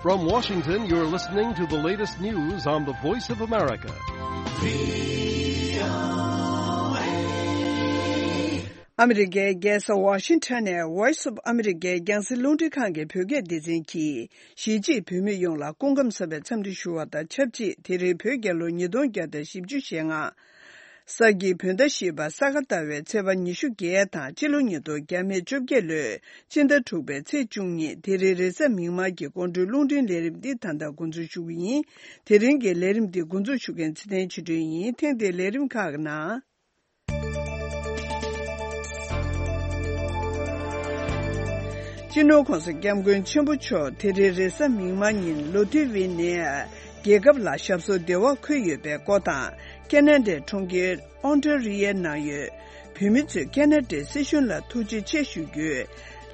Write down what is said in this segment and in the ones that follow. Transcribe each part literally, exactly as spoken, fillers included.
From Washington, you're listening to the latest news on the Voice of America. ཨ་མི་རི་ཀའི་རྒྱལ་ས་ཝ་ཤིང་ཊོན་ནས་Voice of America རྒྱང་སྲིང་རླུང་འཕྲིན་ཁང་གི་བོད་སྐད་སྡེ་ཚན་གྱིས། གཞིས་བྱེས་བོད་མི་ཡོངས་ལ་སྐུ་ཁམས་བཟང་བའི་འཚམས་འདྲི་ཞུ་བ་དང་ཆབས་ཅིག་དེ་རིང་བོད་རྒྱལ་ལོ་ཉིས་སྟོང་བརྒྱ་དང་བཞི་བཅུ་ཞེ་ལྔ། ས་ཀྱི་བོད་ཟླ་བཞི་པ་ས་ག་ཟླ་བའི་ཚེས་པ་ཉི་ཤུ་བརྒྱད་དང་སྤྱི་ལོ་ཉིས་སྟོང་བརྒྱ་མེད་བཅོ་བརྒྱད་ལོའི་སྤྱི་ཟླ་དྲུག་པའི་ཚེས་བཅུ་གཉིས། དེ་རིང་རེས་གཟའ་མིག་དམར་གྱི་དགོང་དྲོའི་རླུང་འཕྲིན་ལས་རིམ་འདི་ད་ལྟ་འགོ་འཛུགས་ཞུ་གི་ཡིན། དེ་རིང་གི་ལས་རིམ་འདི་འགོ་འཛུགས་ཞུ་མཁན་ཚེ་བརྟན་ཆོས་སྒྲོན་ཡིན། ཐེངས་འདིའི་ལས་རིམ་ཁག་གི་ནང་། སྤྱི་ནོར་༸གོང་ས་༸སྐྱབས་མགོན་ཆེན་པོ་མཆོག་དེ་རིང་རེས་གཟའ་མིག་དམར་ཉིན་ལོ་ཏི་ཝི་ནས་རྒྱལ་ཁབ་ལ་ཞབས་སོར་བདེ་བར་འཁོད་ཡོད་པའི་སྐོར་དང་། ཁེ་ན་ཌའི་གྲོང་ཁྱེར་ཨོན་ཊ་རི་ཡའི་ནང་ཡོད་བོད་མི་ཚོས་ཁེ་ན་ཌའི་སྲིད་གཞུང་ལ་ཐུགས་རྗེ་ཆེ་ཞུ་རྒྱུའི་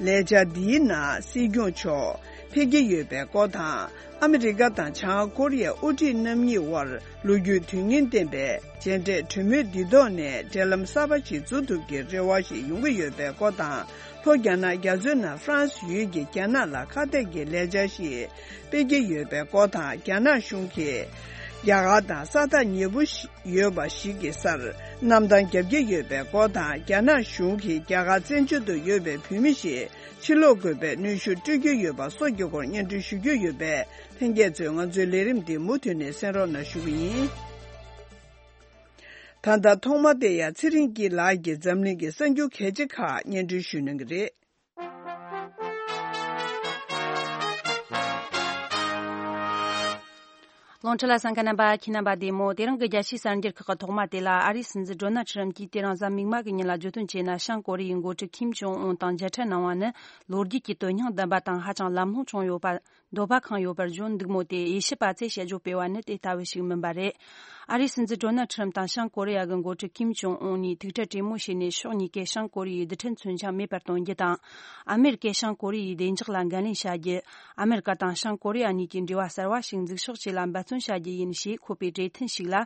ལས་འཆར་འདིའི་ནང་སྲིད་སྐྱོང་མཆོག་ཕེབས་ཀྱི་ཡོད་པའི་སྐོར་དང་། ཨ་མི་རི་ཀ་དང་བྱང་ཀོ་རི་ཡ་དབུ་ཁྲིད་རྣམ་གཉིས་དབར་ལོ་རྒྱུས་དོན་སྙིང་ལྡན་པའི་མཇལ་འཕྲད་གྲོས་མོལ་འདི་ཐོག་ནས་འབྲེལ་ལམ་གསར་པ་ཞིག་འཛུགས་ཐུབ་ཀྱི་རེ་བ་ཞིག་ཡོང་གི་ཡོད་པའི་སྐོར་དང་། ལྷོ་རྒྱ་ནག་རྒྱ་མཚོའི་ནང་ཧྥ་རན་སི་ཡུལ་གྱིས་རྒྱ་ནག་ལ་ཁ་གཏད་ཀྱི་ལས་འཆར་ཞིག་སྤེལ་གྱི་ཡོད་པའི་སྐོར་དང་། རྒྱ་ནག་གཞུང་གིས་རྒྱ་གར་དང་ས་ཐག་ཉེ་པོ་ཞིག་ཡོད་པ་ཞིག་གི་སར་གནམ་ཐང་བརྒྱབ་ཀྱི་ཡོད་པའི་སྐོར་དང་། རྒྱ་ནག་གཞུང་གིས་རྒྱ་གར་བཙན་བྱོལ་དུ་ཡོད་པའི་བོད་མི་ཞིག་ཕྱིར་ལོག་དགོས་པའི་གནོན་ཤུགས་སྤྲོད་ཀྱི་ཡོད་པ་སོགས་ཀྱི་སྐོར་སྙན་སྒྲོན་ཞུ་རྒྱུ་ཡོད་པས། ལྷན་རྒྱས་ཚོས་ང་ཚོའི་ལས་རིམ་འདི་མུ་མཐུད་ནས་གསན་རོགས་གནང་ཞུ་གི་ཡིན། ད་ལྟ་ཐོག་མ་དེ་ཡང་ཚེ་རིང་སྐྱིད་ལགས་ཀྱིས་འཛམ་གླིང་གི་གསར་འགྱུར་གལ་ཆེ་ཁག་སྙན་སྒྲོན་ཞུ་གནང་གི་རེད། རླུང་འཕྲིན་ལ་གསན་མཁན་རྣམ་པ་ཁྱེད་རྣམ་པ་བདེ་མོ། དེ་རིང་གི་རྒྱལ་སྤྱིའི་གསར་འགྱུར་ཁག་གི་ཐོག་མ་དེ་ལ། ཨ་རིའི་སྲིད་འཛིན་ཌོ་ནལ་ཁྲི་རམ་གྱིས་དེ་རིང་གཟའ་མིག་དམར་གྱི་ཉིན་ལ་བརྗོད་དོན་བྱས་ན། བྱང་ཀོ་རི་ཡའི་འགོ་ཁྲིད་ཁིམ་ཇོང་ཨུན་དང་མཇལ་འཕྲད་གནང་བ་ནི་ལོ་རྒྱུས་ཀྱི་དོན་སྙིང་ལྡན་པ་དང་ཧ་ཅང་ལམ་ལྷོང་བྱུང་ཡོད་པ། འདོད་པ་ཁེངས་ཡོད་པར་བརྗོད་འདུག་མོད། དེ་དབྱེ་ཞིབ་པ་ཚོས་དཔྱད་བརྗོད་སྤེལ་བ་ནི་དེ་ལྟ་བུ་ཞིག་མིན་པ་རེད། ཨ་རིའི་སྲིད་འཛིན་ཌོ་ནལ་ཁྲི་རམ་དང་བྱང་ཀོ་རི་ཡ་གི་འགོ་ཁྲིད་ཁིམ་ཇོང་ཨུན་གཉིས་ཐུག་འཕྲད་གྲོས་མོལ་བྱས་ནས། ཕྱོགས་གཉིས་ཀས་བྱང་ཀོ་རི་ཡའི་རྡུལ་ཕྲན་མཚོན་ཆ་མེད་པར་གཏོང་རྒྱུ་དང་། ཨ་མེ་རི་ཀས་བྱང་ཀོ་རི་ཡའི་བདེ་འཇགས་ལ་འགན་ལེན་བྱ་རྒྱུ། ཨ་མེ་རི་ཀ་དང་བྱང་ཀོ་རི་ཡ་གཉིས་ཀྱི་འབྲེལ་བ་གསར་བ་ཞིག་འཛུགས་ཕྱོགས་བཅས་ལ་འབད་བརྩོན་བྱ་རྒྱུ་ཡིན་ཞེས་འཁོད་པའི་གྲོས་མཐུན་ཞིག་ལ།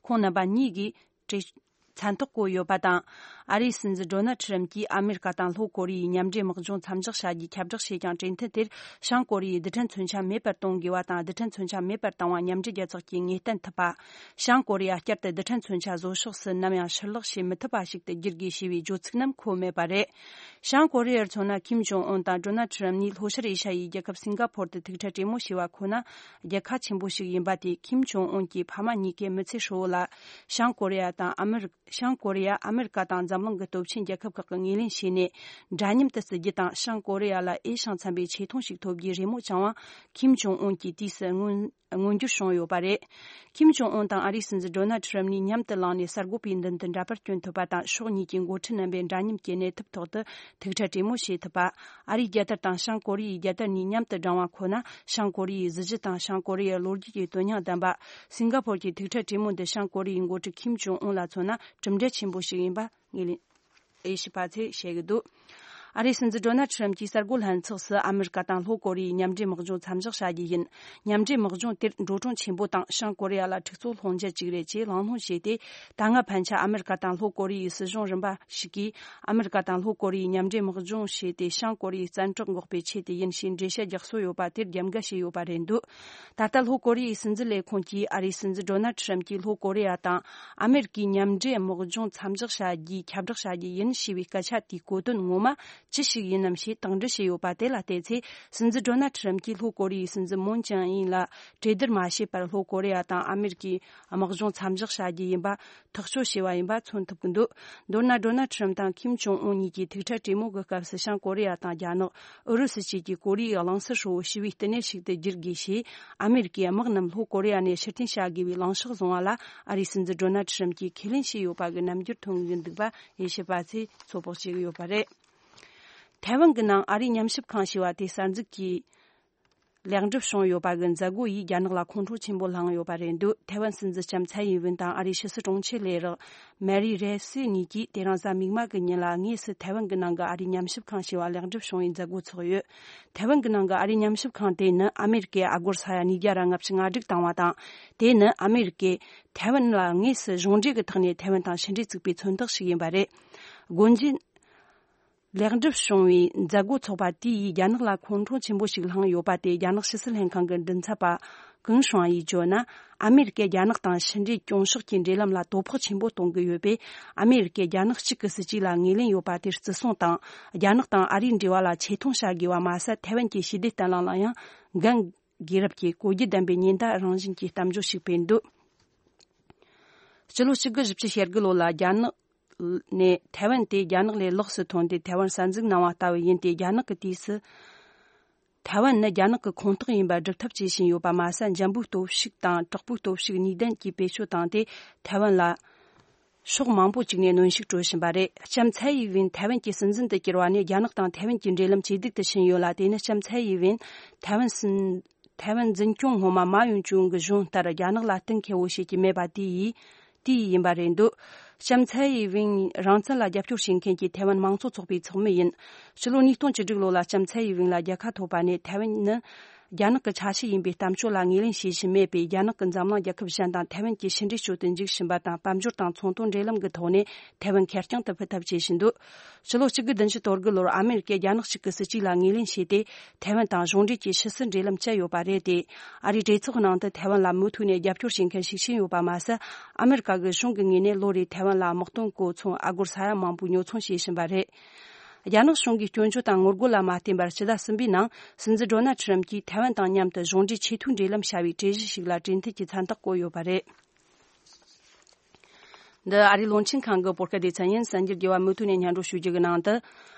ཁོང་རྣམ་པ་གཉིས་ཀྱིས་གྲོས་མཚན་ཐོ་བཀོད་ཡོད་པ་དང་། ཨ་རིའི་སྲིད་འཛིན་ཌོ་ནལ་ཁྲི་རམ་གྱིས་ཨ་མེ་རི་ཀ་དང་ལྷོ་ཀོ་རི་ཡའི་མཉམ་འབྲེལ་དམག་སྦྱོང་མཚམས་འཇོག་བྱ་རྒྱུའི་ཁྱབ་བསྒྲགས་བྱས་ཀྱང་། གྲོས་མཐུན་དེར་བྱང་ཀོ་རི་ཡའི་རྡུལ་ཕྲན་མཚོན་ཆ་མེད་པར་གཏོང་དགོས་པ་དང་། རྡུལ་ཕྲན་མཚོན་ཆ་མེད་པར་བཏང་བ་མཉམ་འབྲེལ་རྒྱལ་ཚོགས་ཀྱིས་ངེས་གཏན་ཐུབ་པ། བྱང་ཀོ་རི་ཡ་བསྐྱར་དུ་རྡུལ་ཕྲན་མཚོན་ཆ་བཟོ་ཕྱོགས་སུ་ནམ་ཡང་ཕྱིར་ལོག་བྱེད་མི་ཐུབ་པ་ཞིག་ཏུ་བསྒྱུར་དགོས་ཞེས་པའི་བརྗོད་ཚིག་རྣམས་འཁོད་མེད་པ་རེད། བྱང་ཀོ་རི་ཡར་མཚོན་ན། ཁིམ་ཇོང་ཨུན་དང་ཌོ་ནལ་ཁྲི་རམ་གཉིས་ལྷོ་ཤར་ཨེ་ཤ་ཡའི་རྒྱལ་ཁབ་སིང་ག་ཕོར་དུ་ཐུག་འཕྲད་གྲོས་མོལ་བྱས་པ་ཁོ་ན་རྒྱལ་ཁ་ཆེན་པོ་ཞིག་ཡིན་པ་དེས། ཁིམ་ཇོང་ཨུན་གྱི་ཕ་མ་གཉིས་ཀས་མི་ཚེ་ཧྲིལ་བོ་ལ་བྱང་ཀོ་རི་ཡ་དང་ཨ་མེ་རི། བྱང་ཀོ་རི་ཡ་ཨ་མེ་རི་ཀ་དང་འཛམ་གླིང་གི་སྟོབས་ཆེན་རྒྱལ་ཁབ་ཁག་གི་ངོས་ལེན་བྱས་ནས། འདྲ་མཉམ་དུ་བརྩི་རྒྱུ་དང་། བྱང་ཀོ་རི་ཡ་ལ་འོས་ཤིང་འཚམ་པའི་ཆེ་མཐོང་ཞིག་ཐོབ་རྒྱུའི་རེ་སྨོན་བཅངས་པ། ཁིམ་ཇོང་ཨུན་གྱིས་དུས་སུ་མངོན། མངོན་འགྱུར་བྱུང་ཡོད་པ་རེད། ཁིམ་ཇོང་ཨུན་དང་ཨ་རིའི་སྲིད་འཛིན་ཌོ་ནལ་ཁྲི་རམ་གཉིས་མཉམ་དུ་ལངས་ནས་གསར་འགོད་པའི་མདུན་དུ་འདྲ་པར་བསྐྱོན་ཐུབ་པ་དང་། ཕྱོགས་གཉིས་ཀྱི་འགོ་ཁྲིད་རྣམ་པས་འདྲ་མཉམ་གྱི་གནས་ཐབས་ཐོག་ཏུ་ཐུག་འཕྲད་གྲོས་མོལ་བྱེད་ཐུབ་པ། ཨ་རིའི་རྒྱལ་དར་དང་བྱང་ཀོ་རི་ཡའི་རྒྱལ་དར་གཉིས་མཉམ་དུ་བསྒྲེངས་པ་ཁོ་ན་བྱང་ཀོ་རི་ཡའི་གཟི་བརྗིད་དང་། བྱང་ཀོ་རི་ཡའི་ལོ་རྒྱུས་ཀྱི་དོན་སྙིང་ལྡན་པ། སིང་ག་ཕོར་གྱི་ཐུག་འཕྲད་གྲོས་མོལ་འདི་བྱང་ཀོ་རི་ཡའི་འགོ་ཁྲིད་ཁིམ་ཇོང་ཨུན་ལ་མཚོན་ན་གྲུབ་འབྲས་ཆེན་པོ་ཞིག་ཡིན་པ་ངོས་ལེན། དབྱེ་ཞིབ་པ་ཚོས་བཤད་ཀྱི་འདུག་ཨ་རིའི་སྲིད་འཛིན་ཌོ་ནལ་ཁྲི་རམ་གྱིས་གསར་འགོད་ལྷན་ཚོགས་སུ། ཨ་མེ་རི་ཀ་དང་ལྷོ་ཀོ་རི་ཡའི་མཉམ་འབྲེལ་དམག་སྦྱོང་མཚམས་འཇོག་བྱ་རྒྱུ་ཡིན། མཉམ་འབྲེལ་དམག་སྦྱོང་དེར་འགྲོ་གྲོན་ཆེན་པོ་དང་། བྱང་ཀོ་རི་ཡ་ལ་འཁྲུག་རྩོད་སློང་རྒྱུ་བཅུག་རེད་ཅེས་གླེང་སློང་བྱས་ཏེ། ད་སྔ་ཕན་ཆད་ཨ་མེ་རི་ཀ་དང་ལྷོ་ཀོ་རི་ཡའི་སྲིད་གཞུང་རིམ་པ་ཞིག་གིས། ཨ་མེ་རི་ཀ་དང་ལྷོ་ཀོ་རི་ཡའི་མཉམ་འབྲེལ་དམག་སྦྱོང་བྱས་ཏེ། བྱང་ཀོ་རི་ཡའི་བཙན་འཕྲོག་འགོག་པའི་ཆེད་དུ་ཡིན་ཞེས་འགྲེལ་བཤད་རྒྱག་སྲོལ་ཡོད་པ་དེར་རྒྱབ་འགལ་བྱས་ཡོད་པ་རེད་འདུག་ད་ལྟ་ལྷོ་ཀོ་རི་ཡའི་སྲིད་འཛིན་ལས་ཁུངས་ཀྱིས། ཨ་རིའི་སྲིད་འཛིན་ཌོ་ནལ་ཁྲི་རམ་གྱིས་ལྷོ་ཀོ་རི་ཡ་དང་ཨ་མེ་རི་ཀའི་མཉམ་འབྲེལ་དམག་སྦྱོང་མཚམས་འཇོག་བྱ་རྒྱུའི་ཁྱབ་བསྒྲགས་བྱ་རྒྱུ་ཡིན་ཞེས་པའི་སྐད་ཆ་དེའི་གོ་དོན་ངོ་མ་ཅི་ཞིག་ཡིན་ནམ་ཞེས་དང་འདྲི་བྱས་ཡོད་པ་དེ་ལ་བལྟས་ཚེ། སྲིད་འཛིན་ཌོ་ནལ་ཁྲི་རམ་གྱིས་ལྷོ་ཀོ་རི་ཡའི་སྲིད་འཛིན་མུན་ཅང་ཨིན་ལ་གྲོས་བསྡུར་མ་བྱས་པར་ལྷོ་ཀོ་རི་ཡ་དང་ཨ་མེ་རི་ཀའི་དམག་སྦྱོང་མཚམས་འཇོག་བྱ་རྒྱུ་ཡིན་པ་ཐག་གཅོད་བྱས་པ་ཡིན་པ་མཚོན་ཐུབ་ཀྱི་འདུག་མདོར་ན། ཌོ་ནལ་ཁྲི་རམ་དང་ཁིམ་ཇོང་ཨུན་གཉིས་ཀྱིས་ཐུག་འཕྲད་གྲོས་མོལ་གྱི་སྐབས་སུ། བྱང་ཀོ་རི་ཡ་དང་རྒྱ་ནག་ཨུ་རུ་སུ་བཅས་ཀྱིས་ཀོ་རི་ཡའི་གླིང་ཟུར་ཧྲིལ་བོ་ཞི་བའི་བསྟི་གནས་ཤིག་ཏུ་བསྒྱུར་དགོས་ཞེས། ཨ་མེ་རི་ཀའི་དམག་རྣམས་ལྷོ་ཀོ་རི་ཡ་ནས་ཕྱིར་འཐེན་བྱ་དགོས་པའི་ལངས་ཕྱོགས་བཟུང་བ་ལ། ཨ་རིའི་སྲིད་འཛིན་ཌོ་ནལ་ཁྲི་རམ་གྱིས་ཁས་ལེན་བྱས་ཡོད་པ་གི་རྣམ་འགྱུར་ཐོན་གྱི་འདུག་པ་དབྱེ་ཞིབ་པ་ཚོས་ཚོད་དཔག་བྱེད་ཀྱི་ཡོད་པ་རེད། ཐའེ་ཝན་གྱི་ནང་ཨ་རིའི་ཉམས་ཞིབ་ཁང་ཞེས་པ་དེ་གསར་འཛུགས་ཀྱིས་ལེགས་འགྲུབ་བྱུང་ཡོད་པ་གི་མཛད་སྒོ་ཡིས་རྒྱ་ནག་ལ་ཁོང་ཁྲོ་ཆེན་པོ་བསླངས་ཡོད་པ་རེད་འདུག་ཐའེ་ཝན་སྲིད་འཛིན་ལྕམ་ཚའེ་ཡིན་ཝུན་དང་ཨ་རིའི་ཕྱི་སྲིད་དྲུང་ཆེ་ལས་རོགས་མེ་རི་རེ་སི་གཉིས་ཀྱིས་དེ་རིང་གཟའ་མིག་དམར་གྱི་ཉིན་ལ་དངོས་སུ་ཐའེ་ཝན་གྱི་ནང་གི་ཨ་རིའི་ཉམས་ཞིབ་ཁང་ཞེས་པ་ལེགས་འགྲུབ་བྱུང་བའི་མཛད་སྒོ་འཚོགས་ཡོད། ཐའེ་ཝན་གྱི་ནང་གི་ཨ་རིའི་ཉམས་ཞིབ་ཁང་དེ་ནི་ཨ་མེ་རི་ཀས་ཨ་སྒོར་ས་ཡ་ཉིས་བརྒྱ་ར་ལྔ་བཅུ་ང་དྲུག་བཏང་བ་དང་། དེ་ནི་ཨ་མེ་རི་ཀས་ཐའེ་ཝན་ལ་དངོས་སུ་གཞུང་འབྲེལ་གྱི་ཐོག་ནས་ཐའེ་ཝན་དང་ཕྱི་འབྲེལ་བཙུགས་པའི་མཚོན་རྟགས་ཤིག་ཡིན་པ་རེད། སྒོ་འབྱེད། ལེགས་འགྲུབ་བྱུང་བའི་མཛད་སྒོ་ཚོགས་པ་དེ་ཡིས་རྒྱ་ནག་ལ་ཁོང་ཁྲོ་ཆེན་པོ་ཞིག་བསླངས་ཡོད་པ་དེ། རྒྱ་ནག་ཕྱི་སྲིད་ལྷན་ཁང་གི་མགྲིན་ཚབ་པ་ཀུང་ཧྲུང་ཡིས་བརྗོད་ན། ཨ་མེ་རི་ཀས་རྒྱ་ནག་དང་ཕྱི་འབྲེལ་སྐྱོང་ཕྱོགས་ཀྱི་འབྲེལ་ལམ་ལ་དོ་ཕོག་ཆེན་པོ་གཏོང་གི་ཡོད་པས། ཨ་མེ་རི་ཀས་རྒྱ་ནག་གཅིག་གི་སྲིད་ཇུས་ལ་ངོས་ལེན་ཡོད་པ་དེ་བརྩི་སྲུང་དང་། རྒྱ་ནག་དང་ཨ་རིའི་འབྲེལ་བ་ལ་ཆེ་མཐོང་བྱ་དགོས་པ་མ་ཟད། ཐའེ་ཝན་གྱི་ཞི་བདེ་བརྟན་ལྷིང་ལ་ཡང་འགན་དགོས་རབས་ཀྱི་གོ་རྒྱུ་ལྡན་པའི་ཉེན་བརྡ་རང་བཞིན་གྱི་གཏམ་བརྗོད་ཞིག་སྤེལ་འདུག་སྤྱི་ལོ་གཅིག་དགུ་བཞི་བཅུ་ཞེ་དགུ་ལོ་ལ་རྒྱ་ནག་ནས་ཐའེ་ཝན་དེ་རྒྱ་ནག་ལས་ལོགས་སུ་ཐོན་ཏེ་ཐའེ་ཝན་གསར་འཛུགས་གནང་བ་ལྟ་བུ་ཡིན་ཏེ། རྒྱ་ནག་གི་དུས་སུ་ཐའེ་ཝན་ནི་རྒྱ་ནག་གི་ཁོངས་གཏོགས་ཡིན་པར་སྒྲུབ་ཐབས་བྱེད་བཞིན་ཡོད་པ་མ་ཟད། འཇམ་པོའི་སྟོབས་ཤུགས་དང་དྲག་པོའི་སྟོབས་ཤུགས་གཉིས་ལྡན་གྱིས་བེད་སྤྱོད་བཏང་སྟེ། ཐའེ་ཝན་ལ་ཕྱོགས་མང་པོ་ཅིག་ནས་གནོན་ཤུགས་སྤྲོད་བཞིན་པ་རེད། ལྕམ་ཚའེ་ཡི་ཝེན་ཐའེ་ཝན་གྱི་སྲིད་འཛིན་དུ་གྱུར་བ་ནས་རྒྱ་ནག་དང་ཐའེ་ཝན་གྱི་འབྲེལ་ལམ་ཇེ་སྡུག་ཏུ་ཕྱིན་ཡོད་ལ། དེ་ནི་ལྕམ་ཚའེ་ཡི་ཝེན་ཐའེ་ཝན་སྲིད་ཐའེ་ཝན་འཛིན་སྐྱོང་སྔོན་མ་མའོ་ཡུན་ཅུང་གི་གཞུང་ལྟར་རྒྱ་ནག་ལ་གཏན་འཁེལ་བོ་བྱེད་ཀྱི་མེད་པ་དེ་ཡིས་དེ་ཡིན་པ་རེད་འདུག་ལྕམ་ཚའེ་ཡི་ཝེན་རང་བཙན་ལ་རྒྱབ་སྐྱོར་བྱེད་མཁན་གྱི་ཐའེ་ཝན་མང་གཙོ་ཚོགས་པའི་ཚོགས་མི་ཡིན། ཕྱི་ལོ་ཉིས་སྟོང་བཅུ་དྲུག་ལོ་ལ་ལྕམ་ཚའེ་ཡི་ཝེན་ལ་རྒྱལ་ཁ་ཐོབ་པ་ནས། ཐའེ་ཝན་ནི་རྒྱ་ནག་གི་ཆ་ཤས་ཡིན་པའི་གཏམ་བརྗོད་ལ་ངོས་ལེན་བྱེད་བཞིན་མེད་པས། རྒྱ་ནག་གི་འཛམ་གླིང་རྒྱལ་ཁབ་གཞན་དང་ཐའེ་ཝན་གྱི་ཕྱི་འབྲེལ་སྤྱོད་དུ་འཇུག་བཞིན་པ་དང་། དཔལ་འབྱོར་དང་ཚོང་དོན་འབྲེལ་ལམ་གྱི་ཐོག་ནས་ཐའེ་ཝན་ཁེར་རྐྱང་དུ་ཕུད་ཐབས་བྱེད་བཞིན་འདུག་ཕྱི་ལོ་གཅིག་དགུ་བདུན་ཅུ་དོན་དགུ་ལོར་ཨ་མེ་རི་ཀས་རྒྱ་ནག་གཅིག་གི་སྲིད་ཇུས་ལ་ངོས་ལེན་བྱས་ཏེ། ཐའེ་ཝན་དང་གཞུང་འབྲེལ་གྱི་ཕྱི་སྲིད་འབྲེལ་ལམ་བཅད་ཡོད་པ་རེད་དེ། ཨ་རིའི་གྲོས་ཚོགས་ནང་དུ་ཐའེ་ཝན་ལ་མུ་མཐུད་ནས་རྒྱབ་སྐྱོར་བྱེད་མཁན་ཤུགས་ཆེན་ཡོད་པ་མ་ཟད། ཨ་མེ་རི་ཀ་གི་གཞུང་གི་ངོས་ནས་ལོ་རེའི་ཐའེ་ཝན་ལ་དམག་དོན་གོ་མཚོན་ཨ་སྒོར་ས་ཡ་མང་པོའི་ཉོ་ཚོང་བྱེད་བཞིན་པ་རེད། རྒྱ་ནག་གཞུང་གིས་སྐྱོན་བརྗོད་དང་ངོ་རྒོལ་ལ་མ་བརྟེན་པར། ཕྱི་ཟླ་གསུམ་པའི་ནང་སྲིད་འཛིན་ཌོ་ནལ་ཁྲི་རམ་གྱིས་ཐའེ་ཝན་དང་མཉམ་དུ་གཞུང་འབྲེལ་ཆེས་མཐོའི་འབྲེལ་ལམ་བྱ་བའི་གྲོས་གཞི་ཞིག་ལ་གྲོས་མཐུན་གྱི་མཚན་རྟགས་བཀོད་ཡོད་པ་རེད། འདི་ཨ་རིའི་བློན་ཆེན་ཁང་གི་བོད་སྐད་སྡེ་ཚན་ཡིན། གསར་འགྱུར་རྒྱས་པ་མུ་མཐུད་ནས་སྙན་སྒྲོན་ཞུ་རྒྱུ་གི་ནང་དུ།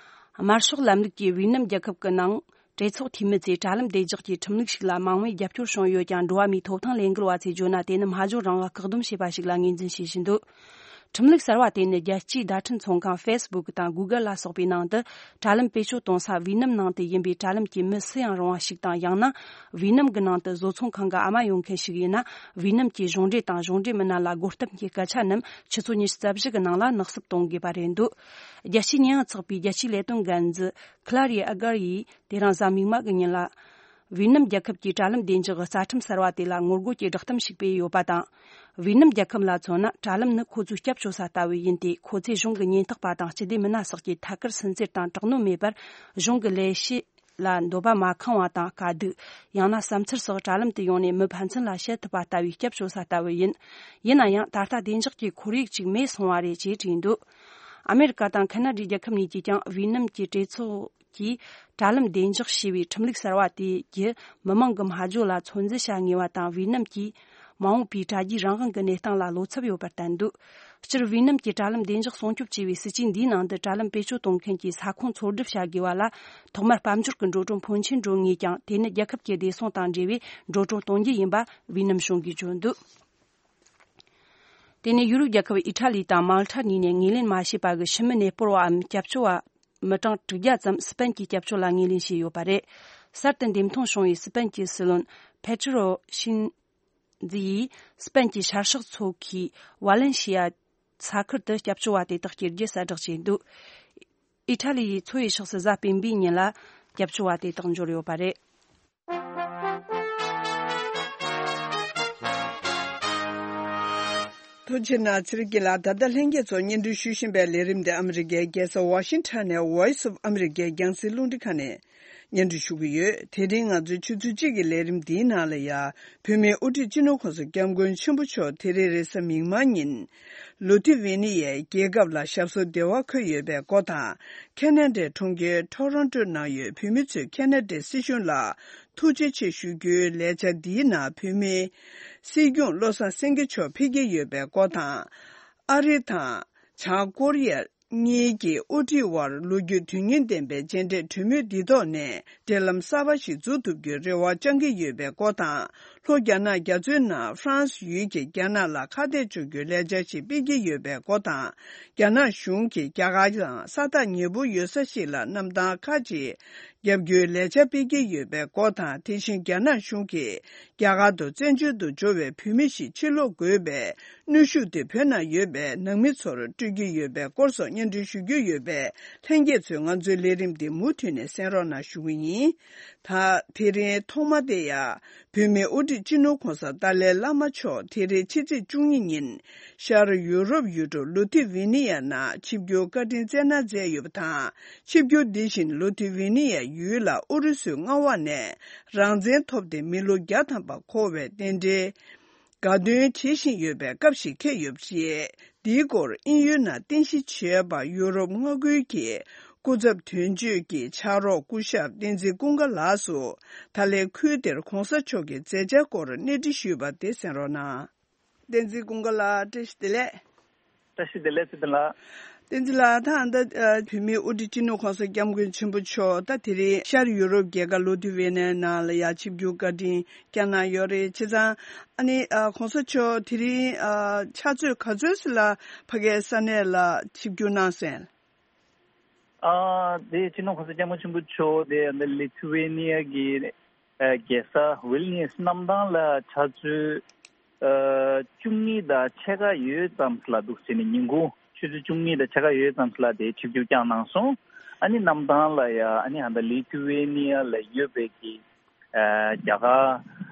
དམར་ཤོག་ལམ་ལུགས་ཀྱིས་ཝི་ནམ་རྒྱལ་ཁབ་ཀྱི་ནང་གྲོས་ཚོགས་འཐུས་མི་ཚོས་དྲ་ལམ་བདེ་འཇགས་ཀྱི་ཁྲིམས་ལུགས་ཤིག་ལ་མང་བོས་རྒྱབ་སྐྱོར་བྱུང་ཡོད་ཀྱང་། འགྲོ་བ་མིའི་ཐོབ་ཐང་ལས་འགུལ་བ་ཚོས་བརྗོད་ན། དེ་ནི་སྨྲ་བརྗོད་རང་དབང་བཀག་སྡོམ་བྱས་པ་ཞིག་ལ་ངོས་འཛིན་བྱེད་བཞིན་འདུག་ཁྲིམས་ལུགས་གསར་བ་དེ་ནི་རྒྱལ་སྤྱིའི་བརྡ་འཕྲིན་ཚོང་ཁང་ཧྥེ་སི་བུག་དང་གུ་གལ་ལ་སོགས་པའི་ནང་དུ་དྲ་ལམ་བེད་སྤྱོད་གཏོང་ས་ཝི་ནམ་ནང་དུ་ཡིན་པའི་དྲ་ལམ་གྱི་མི་སུ་ཡང་རུང་བ་ཞིག་དང་། ཡང་ན་ཝི་ནམ་གྱི་ནང་དུ་བཟོ་ཚོང་ཁང་གི་ཨ་མ་ཡོད་མཁན་ཞིག་ཡིན་ན། ཝི་ནམ་གྱི་གཞུང་འབྲེལ་དང་གཞུང་འབྲེལ་མི་སྣ་ལ་རྒོལ་གཏམ་གྱི་སྐད་ཆ་རྣམས་ཆུ་ཚོད་ཉི་ཤུ་རྩ་བཞི་གི་ནང་ལ་ནག་བསུབ་གཏོང་དགོས་པ་རེད་འདུག་རྒྱལ་སྤྱིའི་ཉེས་ཡངས་ཚོགས་པའི་རྒྱལ་སྤྱིའི་ལས་དོན་འགན་འཛིན་ཁི་ལ་རི་ཨ་གར་ཡིས་དེ་རིང་གཟའ་མིག་དམར་གྱི་ཉིན་ལ། ཝི་ནམ་རྒྱལ་ཁབ་ཀྱི་དྲ་ལམ་བདེ་འཇགས་ཀྱི་རྩ་ཁྲིམས་གསར་བ་དེ་ལ་ངོ་རྒོལ་གྱི་བསྒྲགས་གཏམ་ཞིག་སྤེལ་ཡོད་པ་དང་། ཝི་ནམ་རྒྱལ་ཁབ་ལ་མཚོན་ན། དྲ་ལམ་ནི་ཁོ་ཚོའི་སྐྱབས་བཅོལ་ས་ལྟ་བུ་ཡིན་ཏེ། ཁོ་ཚོས་གཞུང་གི་ཉེན་རྟོག་པ་དང་སྤྱི་བདེ་མི་སྣ་སོགས་ཀྱི་ཐད་ཀར་སུན་གཙེར་དང་དྲག་གནོན་མེད་པར། གཞུང་གི་ལས་བྱེད་ལ་འདོད་པ་མ་ཁེངས་པ་དང་། དཀའ་སྡུག་ཡང་ན་བསམ་འཆར་སོགས་དྲ་ལམ་དུ་ཡོང་ནས་མི་ཕན་ཚུན་ལ་བཤད་ཐུབ་པ་ལྟ་བུའི་སྐྱབས་བཅོལ་ས་ལྟ་བུ་ཡིན། ཡིན་ན་ཡང་། ད་ལྟ་བདེ་འཇགས་ཀྱི་ཁོར་ཡུག་ཅིག་མེད་སོང་བ་རེད་ཅེས་བྲིས་འདུག་ཨ་མེ་རི་ཀ་དང་ཁ་ན་ཌའི་རྒྱལ་ཁབ་གཉིས་ཀྱིས་ཀྱང་ཝི་ནམ་གྱི་གྲོས་ཚོགས་ཀྱིས་དྲ་ལམ་བདེ་འཇགས་ཞེས་པའི་ཁྲིམས་ལུགས་གསར་བ་དེ་བརྒྱུད། མི་མང་གི་སྨྲ་བརྗོད་ལ་ཚོད་འཛིན་བྱ་ངེས་པ་དང་། ཝི་ནམ་གྱི་མ་འོངས་པའི་དྲ་རྒྱའི་རང་དབང་གི་གནས་སྟངས་ལ་བློ་འཚབ་ཡོད་པར་བསྟན་འདུག་སྤྱིར་ཝི་ནམ་གྱི་དྲ་ལམ་བདེ་འཇགས་སྲུང་སྐྱོབ་ཅེས་པའི་སྲིད་ཇུས་འདིའི་ནང་དུ། དྲ་ལམ་བེད་སྤྱོད་གཏོང་མཁན་གྱིས་ས་ཁོངས་འཚོལ་སྒྲུབ་བྱ་དགོས་པ་ལ། ཐོག་མར་དཔལ་འབྱོར་གྱི་འགྲོ་གྲོན་ཕོན་ཆེན་འགྲོ་ངེས་ཀྱང་། དེ་ནི་རྒྱལ་ཁབ་ཀྱི་བདེ་སྲུང་དང་འབྲེལ་བའི་འགྲོ་གྲོན་གཏོང་རྒྱུ་ཡིན་པ་ཝི་ནམ་གཞུང་གིས་བརྗོད་འདུག་དེ་ནས་ཡུ་རོབ་རྒྱལ་ཁབ་ཨི་ཊ་ལི་དང་མལ་ཊ་གཉིས་ནས་ངོས་ལེན་མ་བྱས་པ་གི་ཕྱི་མི་གནས་སྤོར་བའམ་སྐྱབས་བཅོལ་བ་མི་གྲངས་དྲུག་བརྒྱ་ཙམ་སི་པན་གྱི་སྐྱབས་བཅོལ་ལ་ངོས་ལེན་བྱས་ཡོད་པ་རེད། གསར་དུ་འདེམས་ཐོན་བྱུང་བའི་སི་པན་གྱི་སྲིད་བློན་པེ་ཏྲོ་ཤིན་ཛི་ཡིས་སི་པན་གྱི་ཤར་ཕྱོགས་མཚོ་ཁུལ་ཝ་ལན་ཤི་ཡ་ས་ཁུལ་དུ་སྐྱབས་བཅོལ་བ་དེ་དག་སྐྱེལ་རྒྱུ་གསལ་བསྒྲགས་བྱས་འདུག་ཨི་ཊ་ལི་ཡི་མཚོ་ཡི་ཕྱོགས་སུ་གཟའ་སྤེན་པའི་ཉིན་ལ་སྐྱབས་བཅོལ་བ་དེ་དག་འབྱོར་ཡོད་པ་རེད། ཐུགས་རྗེ་གནང་། ཚེ་རིང་སྐྱིད་ལགས། ད་ལྟ་ལྷན་རྒྱས་ཚོ་སྙན་སྒྲོན་ཞུ་བཞིན་པའི་ལས་རིམ་འདི་ཨ་མི་རི་ཀའི་རྒྱལ་ས་ཝ་ཤིང་ཊོན་ནས་Voice of America རྒྱང་སྲིང་རླུང་འཕྲིན་ཁང་ནས་སྙན་སྒྲོན་ཞུ་གི་ཡོད། དེ་རིང་ང་ཚོའི་ཆུ་ཚོད་གཅིག་གི་ལས་རིམ་འདིའི་ནང་ལ་ཡ། བོད་མིའི་དབུ་ཁྲིད་སྤྱི་ནོར་གོང་ས་སྐྱབས་མགོན་ཆེན་པོ་མཆོག་དེ་རིང་རེས་གཟའ་མིག་དམར་ཉིན། ལུ་ཐི་ཝེ་ནི་ཡའི་རྒྱལ་ཁབ་ལ་ཞབས་སོར་བདེ་བར་འཁོད་ཡོད་པའི་སྐོར་དང་། ཁེ་ན་ཌའི་གྲོང་ཁྱེར་ཊོ་རོན་ཊོ་ནང་ཡོད་བོད་མི་ཚོས་ཁེ་ན་ཌའི་སྲིད་གཞུང་ལ་ཐུགས་རྗེ་ཆེ་ཞུ་རྒྱུའི་ལས་འཆར་འདིའི་ནང་བོད་མིའི་སྲིད་སྐྱོང་བློ་བཟང་སེང་གེ་མཆོག་ཕེབས་ཀྱི་ཡོད་པའི་སྐོར་དང་། ཨ་རི་དང་བྱང་ཀོ་རི་ཡ་གཉིས་ཀྱི་དབུ་ཁྲིད་དབར་ལོ་རྒྱུས་དོན་སྙིང་ལྡན་པའི་མཇལ་འཕྲད་གྲོས་མོལ་འདི་ཐོག་ནས་འབྲེལ་ལམ་གསར་པ་ཞིག་འཛུགས་ཐུབ་རྒྱུའི་རེ་བ་བཅང་གི་ཡོད་པའི་སྐོར་དང་། ལྷོ་རྒྱ་ནག་རྒྱ་མཚོའི་ནང་ཧྥ་རན་སི་ཡུལ་གྱིས་རྒྱ་ནག་ལ་ཁ་གཏད་གཅོག་རྒྱུའི་ལས་འཆར་ཞིག་སྤེལ་གྱི་ཡོད་པའི་སྐོར་དང་། རྒྱ་ནག་གཞུང་གིས་རྒྱ་གར་དང་ས་ཐག་ཉེ་པོ་ཡོད་ས་ཞིག་ལ་གནམ་ཐང་ཁག་ཅིག་བརྒྱབ་རྒྱུའི་ལས་འཆར་སྤེལ་གྱི་ཡོད་པའི་སྐོར་དང་། དེ་བཞིན་རྒྱ་ནག་གཞུང་གིས་རྒྱ་གར་དུ་བཙན་བྱོལ་དུ་འབྱོར་བའི་བོད་མི་ཞིག་ཕྱིར་ལོག་དགོས་པའི་གནོན་ཤུགས་དེ་བོད་ནང་ཡོད་པའི་ནང་མི་ཚོར་སྤྲོད་ཀྱི་ཡོད་པའི་སྐོར་སོགས་སྙན་སྒྲོན་ཞུ་རྒྱུ་ཡོད་པས། ལྷན་རྒྱས་ཚོས་ང་ཚོའི་ལས་རིམ་འདི་མུ་མཐུད་ནས་གསན་རོགས་གནང་ཞུ་གི་ཡིན། ད་དེ་རིང་ཐོག་མ་དེ་ཡང་བོད་མིའི་དབུ་ཁྲིད་སྤྱི་ནོར་གོང་ས་ཏཱ་ལའི་བླ་མ་མཆོག་དེ་རིང་ཕྱི་ཚེས་བཅུ་གཉིས་ཉིན་ཤར་ཡུ་རོབ་ཡུལ་གྲུ་ལུ་ཐི་ཝེ་ནི་ཡ་ནང་ཆིབས་བསྒྱུར་བཀའ་དྲིན་བསྩལ་གནང་མཛད་ཡོད་པ་དང་། ཆིབས་བསྒྱུར་འདི་བཞིན་ལུ་ཐི་ཝེ་ནི་ཡ་ཡུལ་ལ་ཨུ་རུ་སུའི་མངའ་འོག་ནས་རང་བཙན་ཐོབ་སྟེ་མི་ལོ་བརྒྱ་ཐམ་པ་འཁོར་བའི་རྟེན་འབྲེལ་དགའ་སྟོན་བྱེད་བཞིན་ཡོད་པའི་སྐབས་ཤིག་འཁེལ་ཡོད་པ་རེད། འདིའི་སྐོར་དབྱིན་ཡུལ་ནང་རྟེན་གཞི་བྱས་པ་ཡུ་རོབ་མངའ་ཁུལ་གྱི་སྐུ་ཚབ་དོན་གཅོད་ཀྱི་ཕྱག་རོགས་སྐུ་ཞབས་བསྟན་འཛིན་ཀུན་དགའ་ལགས་སུ། ད་ལན་ཁུལ་དེར་གོང་ས་མཆོག་གི་མཛད་འཆར་སྐོར་གནས་འདྲི་ཞུས་པ་དེ་གསན་རོགས་གནང་། བསྟན་འཛིན་ཀུན་དགའ་ལགས། བཀྲ་ཤིས་བདེ་ལེགས། བཀྲ་ཤིས་བདེ་ལེགས། ཚེ་བརྟན་ལགས། བསྟན་འཛིན་ལགས། ད་ལྟ་ཨ་བོད་མིའི་དབུ་ཁྲིད་སྤྱི་ནོར་གོང་ས་སྐྱབས་མགོན་ཆེན་པོ་མཆོག་ད་དེ་རིང་ཤར་ཡུ་རོབ་རྒྱལ་ཁབ་ལུ་ཐི་ཝེ་ནི་ནང་ལ་ཡ་ཆིབས་བསྒྱུར་བཀའ་དྲིན་བསྐྱངས་གནང་ཡོད་རེད། བྱས་ཙང་ཨ་ནི་ཨ་གོང་ས་མཆོག་དེ་རིང་ཨ་ཕྱག་ཚོད་ག་ཚོད་ཙམ་ལ་ཕ་གིའི་ས་གནས་ལ་ཆིབས་བསྒྱུར་གནང་སོང་། ཨ་དེ་སྤྱི་ནོར་གོང་ས་སྐྱབས་མགོན་ཆེན་པོ་མཆོག་དེ་ཨ་ནི་ལི་ཐུ་ཝེ་ནི་ཡ་གི་ཨ་རྒྱལ་ས་ཝིལ་ནི་ཡས་གནམ་ཐང་ལ་ཆུ་ཚོད་ཨ་བཅུ་གཉིས་དང་ཕྱེད་ཀ་ཡོལ་ཙམ་ལ་འདུག་ཟེར་ནས། ཉིན་གུང་ཆུ་ཚོད་བཅུ་གཉིས་དང་ཕྱེད་ཀ་ཡོལ་ཙམ་ལ་དེ་ཆིབས་བསྒྱུར་བསྐྱངས་གནང་སོང་། ཨ་ནི་གནམ་ཐང་ལ་ཡ་ཨ་ནི་ཨ་ད་ལི་ཐུ་ཝེ་ནི་ཡ་ལ་ཡོད་པའི་གི་ཨ་རྒྱ་གར་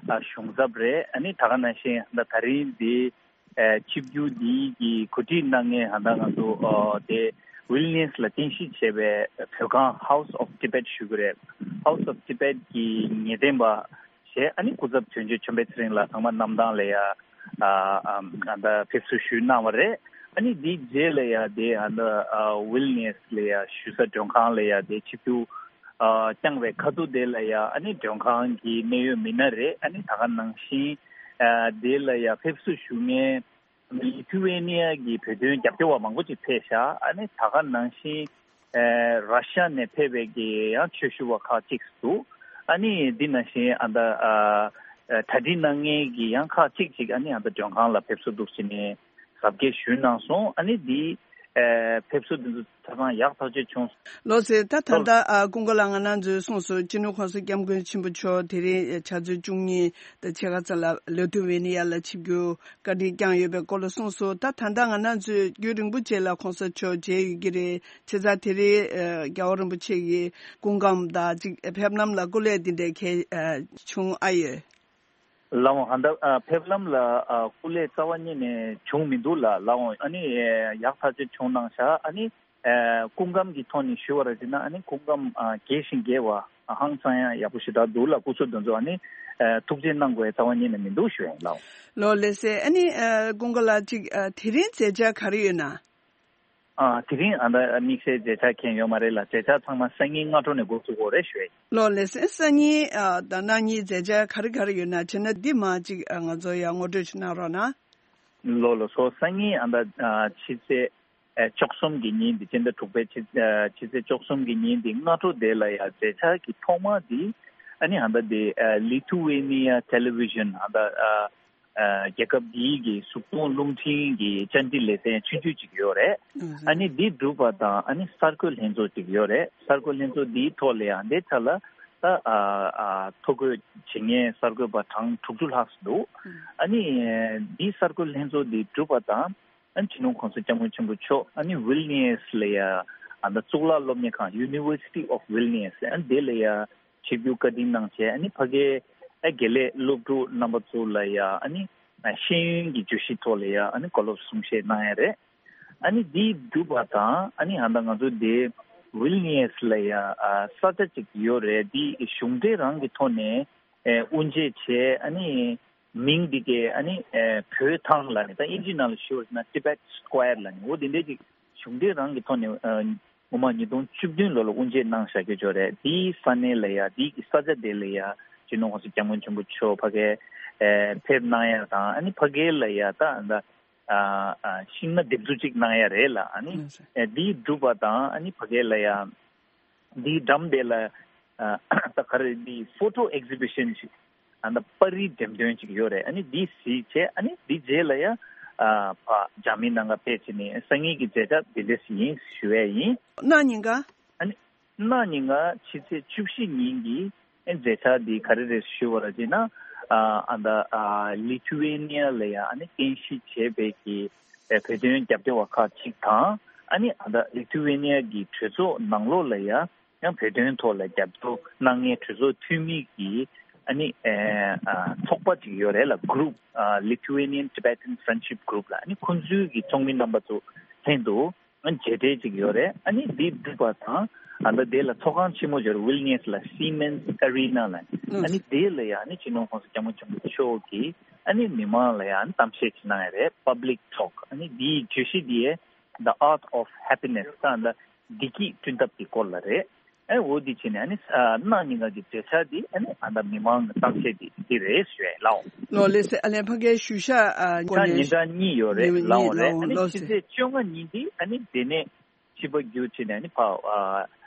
ཨ་གཞུང་ཚབ་རེད། ཨ་ནི་ད་ག་ནང་བཞིན་ད་ད་རིང་འདི་ཨ་ཆིབས་བསྒྱུར་འདི་གི་གོ་སྒྲིག་གནང་མཁན་ཨ་ད་ང་ཚོ་ཨ་དེ་ཝིལ་ནི་ཡས་ལ་རྟེན་གཞི་བྱས་པའི་བོད་ཁང་House of Tibet ཞུ་གི་རེད། House of Tibet གི་ངེས་གཏན་པ་བྱས། ཨ་ནི་སྐུ་ཚབ་དོན་གཅོད་ཆོས་འཕེལ་ཚེ་རིང་ལགས་ཚང་མ་གནམ་ཐང་ལ་ཡ་ཨ་ཨ་ཨ་ད་ཕེབས་བསུ་ཞུས་གནང་བ་རེད། ཨ་ནི་འདིའི་རྗེས་ལ་ཡ་དེ་ཨ་ད་ཨ་ཝིལ་ནི་ཡས་ལ་ཡ་བཞུགས་ས་མགྲོན་ཁང་ལ་ཡ་དེ་ཆིབས་བསྒྱུར་ཨ་བསྐྱངས་པའི་ཁ་ཐུག་དེ་ལ་ཡ་ཨ་ནི་མགྲོན་ཁང་གི་གནད་ཡོད་མི་སྣ་རེད། ཨ་ནི་ད་ག་ནང་བཞིན་ཨ་དེ་ལ་ཡ་ཕེབས་བསུ་ཞུ་མཁན་ལི་ཐུ་ཝེ་ནི་ཡ་གི་བོད་དོན་རྒྱབ་སྐྱོར་བ་མང་པོ་ཅིག་ཕེབས་ཤག་ཨ་ནི་ད་ག་ནང་བཞིན་ཨ་ར་ཤ་ནས་ཕེབས་པའི་གི་ཡང་ཆོས་ཞུ་བ་ཁག་ཅིག་འདུག་ཨ་ནི་འདི་ནང་བཞིན་ཨ་ད་ཨ་ཨ་གྲ་སྒྲིག་གནང་མཁན་གྱི་ཡང་ཁག་ཅིག་ཅིག་ཨ་ནི་ཨ་ད་མགྲོན་ཁང་ལ་ཕེབས་བསུ་འདུག་ཟེར་ནས་གཟབ་རྒྱས་ཞུས་གནང་སོང་། ཨ་ནི་འདི་ཨ་ཕེབས་བསུ་འདི་ཚོ་ཆ་ཚང་ཡག་ཐག་ཆོད་བྱུང་། ལགས་སེ། ད་ད་ལྟ་ཨ་ཀུན་དགའ་ལགས་ང་རང་ཚོས་གསུངས་སོང་། སྤྱི་ནོར་གོང་ས་སྐྱབས་མགོན་ཆེན་པོ་མཆོག་དེ་རིང་ཕྱག་ཚོད་བཅུ་གཉིས་དང་ཕྱེད་ཀ་ཙམ་ལ་ལི་ཐུ་ཝེ་ནི་ཡ་ལ་ཆིབས་བསྒྱུར་བཀའ་དྲིན་བསྐྱངས་ཡོད་པའི་སྐོར་ལ་གསུངས་སོང་། ད་ད་ལྟ་ང་རང་ཚོས་རྒྱུན་རིང་པོ་རྗེས་ལ་གོང་ས་མཆོག་མཇལ་ཡོད་ཀྱི་རེད། བྱས་ཙང་དེ་རིང་ཨ་རྒྱལ་བ་རིན་པོ་ཆེ་ཡི་སྐུ་ཁམས་དང་གཅིག་ཕེབས་ལམ་ལ་སྐུ་ལས་འདི་འདྲའི་གལ་ཨ་བྱུང་ཨ་ཡོད། ལགས་འོང་། ཧ་ད་ཨ་ཕེབས་ལམ་ལ་ཨ་སྐུ་ལས་རྩ་བ་ཉིད་ནས་བྱུང་མི་འདུག་ལགས། ལགས་འོང་། ཨ་ནི་ཡག་ཐག་ཆོད་བྱུང་གནང་ཤག་ཨ་ནི་ཨ་སྐུ་ཁམས་ཀྱི་ཐོག་ནས་ཞུ་བ་ར་བྱས་ན་ཨ་ནི་སྐུ་ཁམས་ཨ་རྒྱས་ཤིང་རྒྱས་པ་ཨ་ཧང་སང་ཡང་ཡག་པོ་ཞེ་དྲག་འདུག་ལགས། སྐུ་གཟུགས་འདི་ཚོ་ཨ་ནི་ཨ་ཐུགས་རྗེ་གནང་དགོས་རྩ་བ་ཉིད་ནས་མི་འདུག་ཞུ་ཡ་ཡིན་ལགས། ལགས་ལགས་སེ། ཨ་ནི་ཨ་ཀུན་དགའ་ལགས་ཅིག་ཨ་དེ་རིང་མཛད་འཆར་ག་རེ་ཡོད་ན། ཨ་དེ་རིང་ཨ་ད་དམིགས་བསལ་མཛད་འཆར་གང་ཡོད་མ་རེད་ལགས། མཛད་འཆར་ཚང་མ་སང་ཉིན་སྔ་དྲོ་ནས་འགོ་ཚུགས་དགོས་རེད་ཞུ་ཡ་ཡིན། ལགས་ལགས་སེ། སང་ཉིན་ཨ་ད་གནངས་ཉིན་མཛད་འཆར་ག་རེ་ག་རེ་ཡོད་ན་བྱས་ན་འདི་མ་ཅིག་ཨ་ང་ཚོ་ཡང་ངོ་སྤྲོད་ཅིག་གནང་རོགས་གནང་། ལགས་ལགས་སོ། སང་ཉིན་ཨ་ད་ཨ་ཕྱི་ཚེས་ཨ་བཅུ་གསུམ་གྱི་ཉིན་འདི་སྤྱི་ཟླ་དྲུག་པའི་ཕྱི་ཨ་ཕྱི་ཚེས་བཅུ་གསུམ་གྱི་ཉིན་འདི་སྔ་དྲོ་དེ་ལ་ཡ་མཛད་འཆར་གྱི་ཐོག་མ་འདི་ཨ་ནི་ཨ་ད་འདི་ཨ་ལི་ཐུ་ཝེ་ནི་ཡ་ཊེ་ལི་ཝི་ཤན་ཨ་ད་ཨ་ཨ་རྒྱལ་ཁབ་འདིའི་གི་གཟུགས་མཐོང་རླུང་འཕྲིན་གྱི་བཅར་འདྲི་ལེ་ཚན་ཆུང་ཆུང་ཅིག་ཡོད་རེད། ཨ་ནི་འདི་གྲུབ་པ་དང་ཨ་ནི་གསར་འགོད་ལྷན་ཚོགས་ཅིག་ཡོད་རེད། གསར་འགོད་ལྷན་ཚོགས་འདིའི་ཐོག་ལ་ཡང་འདི་ཆ་ལ་ད་ཨ་ཨ་ཐོ་འགོད་བྱེད་མཁན་གསར་འགོད་པ་གྲངས་དྲུག་ཅུ་ལྷག་ཙམ་འདུག་ཨ་ནི་འདིའི་གསར་འགོད་ལྷན་ཚོགས་འདི་གྲུབ་པ་དང་ཨ་ནི་སྤྱི་ནོར་གོང་ས་སྐྱབས་མགོན་ཆེན་པོ་མཆོག་ཨ་ནི་ཝིལ་ནི་ཡས་ལ་ཡ་ཨ་ད་གཙུག་ལག་སློབ་གཉེར་ཁང་University of Vilnius ཨ་ནི་དེ་ལ་ཡ་ཆིབས་བསྒྱུར་བཀའ་དྲིན་གནང་བྱས། ཨ་ནི་ཕ་གའི་ཨ་དགེ་ལས་སློབ་ཕྲུག་རྣམ་པ་ཚོ་ལ་ཡ་ཨ་ནི་ཨ་ཤེས་ཡོན་གྱི་བརྗོད་གཞི་ཐོག་ལ་ཡ་ཨ་ནི་བཀའ་སློབ་གསུང་བཤད་གནང་ཡ་རེད། ཨ་ནི་འདི་གྲུབ་པ་དང་ཨ་ནི་ཨ་ད་ང་ཚོ་འདི་ཝིལ་ནི་ཡས་ལ་ཡ་ཨ་ས་ཆ་ཅིག་ཡོད་རེད། འདི་གཞུང་འབྲེལ་རང་གི་ཐོག་ནས་ཨ་དབུ་འབྱེད་བྱས། ཨ་ནི་མིང་འདི་གའི་ཨ་ནི་ཨ་བོད་ཐང་ལབ་ནས་ད་དབྱིན་ཇི་ནང་ལ་ཞུ་བ་ཡིན་ན་Tibet Square ལབ་ནས་འོ་འདི་འདྲས་ཅིག་གཞུང་འབྲེལ་རང་གི་ཐོག་ནས་ཨ་ངོ་མ་ཉིས་སྟོང་བཅུ་བདུན་ལོ་ལ་དབུ་འབྱེད་གནང་བཞག་རྒྱུ་ཅིག་ཡོད་རེད། དེའི་ས་གནས་ལ་ཡ་དེའི་གི་ས་ཆ་དེ་ལ་ཡ་སྤྱི་ནོར་གོང་ས་སྐྱབས་མགོན་ཆེན་པོ་མཆོག་ཕ་གིར་ཨེ་ཕེབས་གནང་ཡ་དང་། ཨ་ནི་ཕ་གི་ལ་ཡ་ད་ད་ཨ་ཨ་ཤིང་ནགས་འདེབས་འཛུགས་ཅིག་གནང་ཡ་རེད་ལ། ཨ་ནི་ཨེ་དེའི་འགྲུབ་པ་དང་ཨ་ནི་ཕ་གི་ལ་ཡ་དེའི་འགྲམ་དེ་ལ་ཨ་ད་ག་རེ་དེའི་ཕོ་ཊོ་ཨེག་ཛི་བི་ཤན་ཞིག་ཨ་ནི་པར་རིས་འགྲེམས་སྟོན་ཅིག་ཡོད་རེད། ཨ་ནི་འདི་གཟིགས་བྱས་ཨ་ནི་འདི་རྗེས་ལ་ཡ་ཨ་ཕ་རྒྱ་མི་ནང་ང་ཕེབས་བྱས་ནས་སང་ཉིན་གྱི་མཛད་འཆར་འདི་འདྲས་ཡིན་ཞུ་ཡས་ཡིན། གནངས་ཉིན་ག་ཨ་ནི་གནངས་ཉིན་ག་ཕྱི་ཚེས་བཅུ་བཞི་ཉིན་གྱི་ཨ་མཛད་འཆར་འདི་ག་རེ་རེད་ཞུ་བ་ར་བྱས་ན། ཨ་ཨ་ད་ཨ་ལི་ཐུ་ཝེ་ནི་ཡ་ལ་ཡ་ཨ་ནི་རྟེན་གཞི་བྱས་པའི་གི་ཨ་བོད་དོན་རྒྱབ་སྐྱོར་བ་ཁག་ཅིག་དང་། ཨ་ནི་ཨ་ད་ལི་ཐུ་ཝེ་ནི་ཡ་གི་གྲོས་ཚོགས་ནང་ལོགས་ལ་ཡ་ ཡང་བོད་དོན་ཐོག་ལ་རྒྱབ་སྐྱོར་གནང་མཁན་གྲོས་ཚོགས་འཐུས་མི་གི་ཨ་ནི་ཨེ་ཨ་ཚོགས་པ་ཅིག་ཡོད་རེད་ལ། གུ་རུབ་ཨ་Lithuanian Tibetan Friendship Group ལ། ཨ་ནི་ཁོང་ཚོའི་གི་ཚོགས་མི་རྣམ་པ་ཚོ་ལྷན་དུ་ཨ་མཇལ་འཕྲད་ཅིག་ཡོད་རེད། ཨ་ནི་འདི་འགྲིག་པ་དང་ཨ་ད་དེ་ལ་ཚོགས་ཁང་ཆེན་མོ་ཡོད་རེད། ཝིལ་ནིས་ལ་Siemens Arena ལ། ཨ་ནི་དེ་ལ་ཡང་ཨ་ནི་སྤྱི་ནོར་༸གོང་ས་༸སྐྱབས་མགོན་ཆེན་པོ་མཆོག་གིས་ཨ་ནི་མི་མང་ལ་ཡང་ཨ་ནི་གཏམ་བཤད་ཅིག་གནང་ཡ་རེད། Public Talk ཨ་ནི་འདིའི་བརྗོད་གཞི་འདི་The Art of Happiness ད་ད་བདེ་སྐྱིད་བསྐྲུན་ཐབས་ཀྱི་སྐོར་ལ་རེད། ཨེ་འོ་འདི་བྱས་ནས་ཨ་ནི་ཨ་གནངས་ཉིན་ག་གི་མཛད་འཆར་འདི་ཨ་ནི་ཨ་ད་མི་མང་གི་གཏམ་བཤད་འདི་འདི་རེད་ཞུ་ཡ་ཡིན་ལགས། ལགས་ལགས་སེ། ཨ་ལས་ཕ་གའི་ཞུ་ཤག་ཨ་ད་ཉིན་གྲངས་གཉིས་ཡོད་རེད་ལགས། འོ་རེད། ཨ་ནི་ཕྱི་ཚེས་བཅོ་ལྔ་ཉིན་འདི་ཨ་ནི་དེ་ནས་ཕྱི་པ་བརྒྱུད་བྱས་ནས་ཨ་ནི་ཕ་ཨ་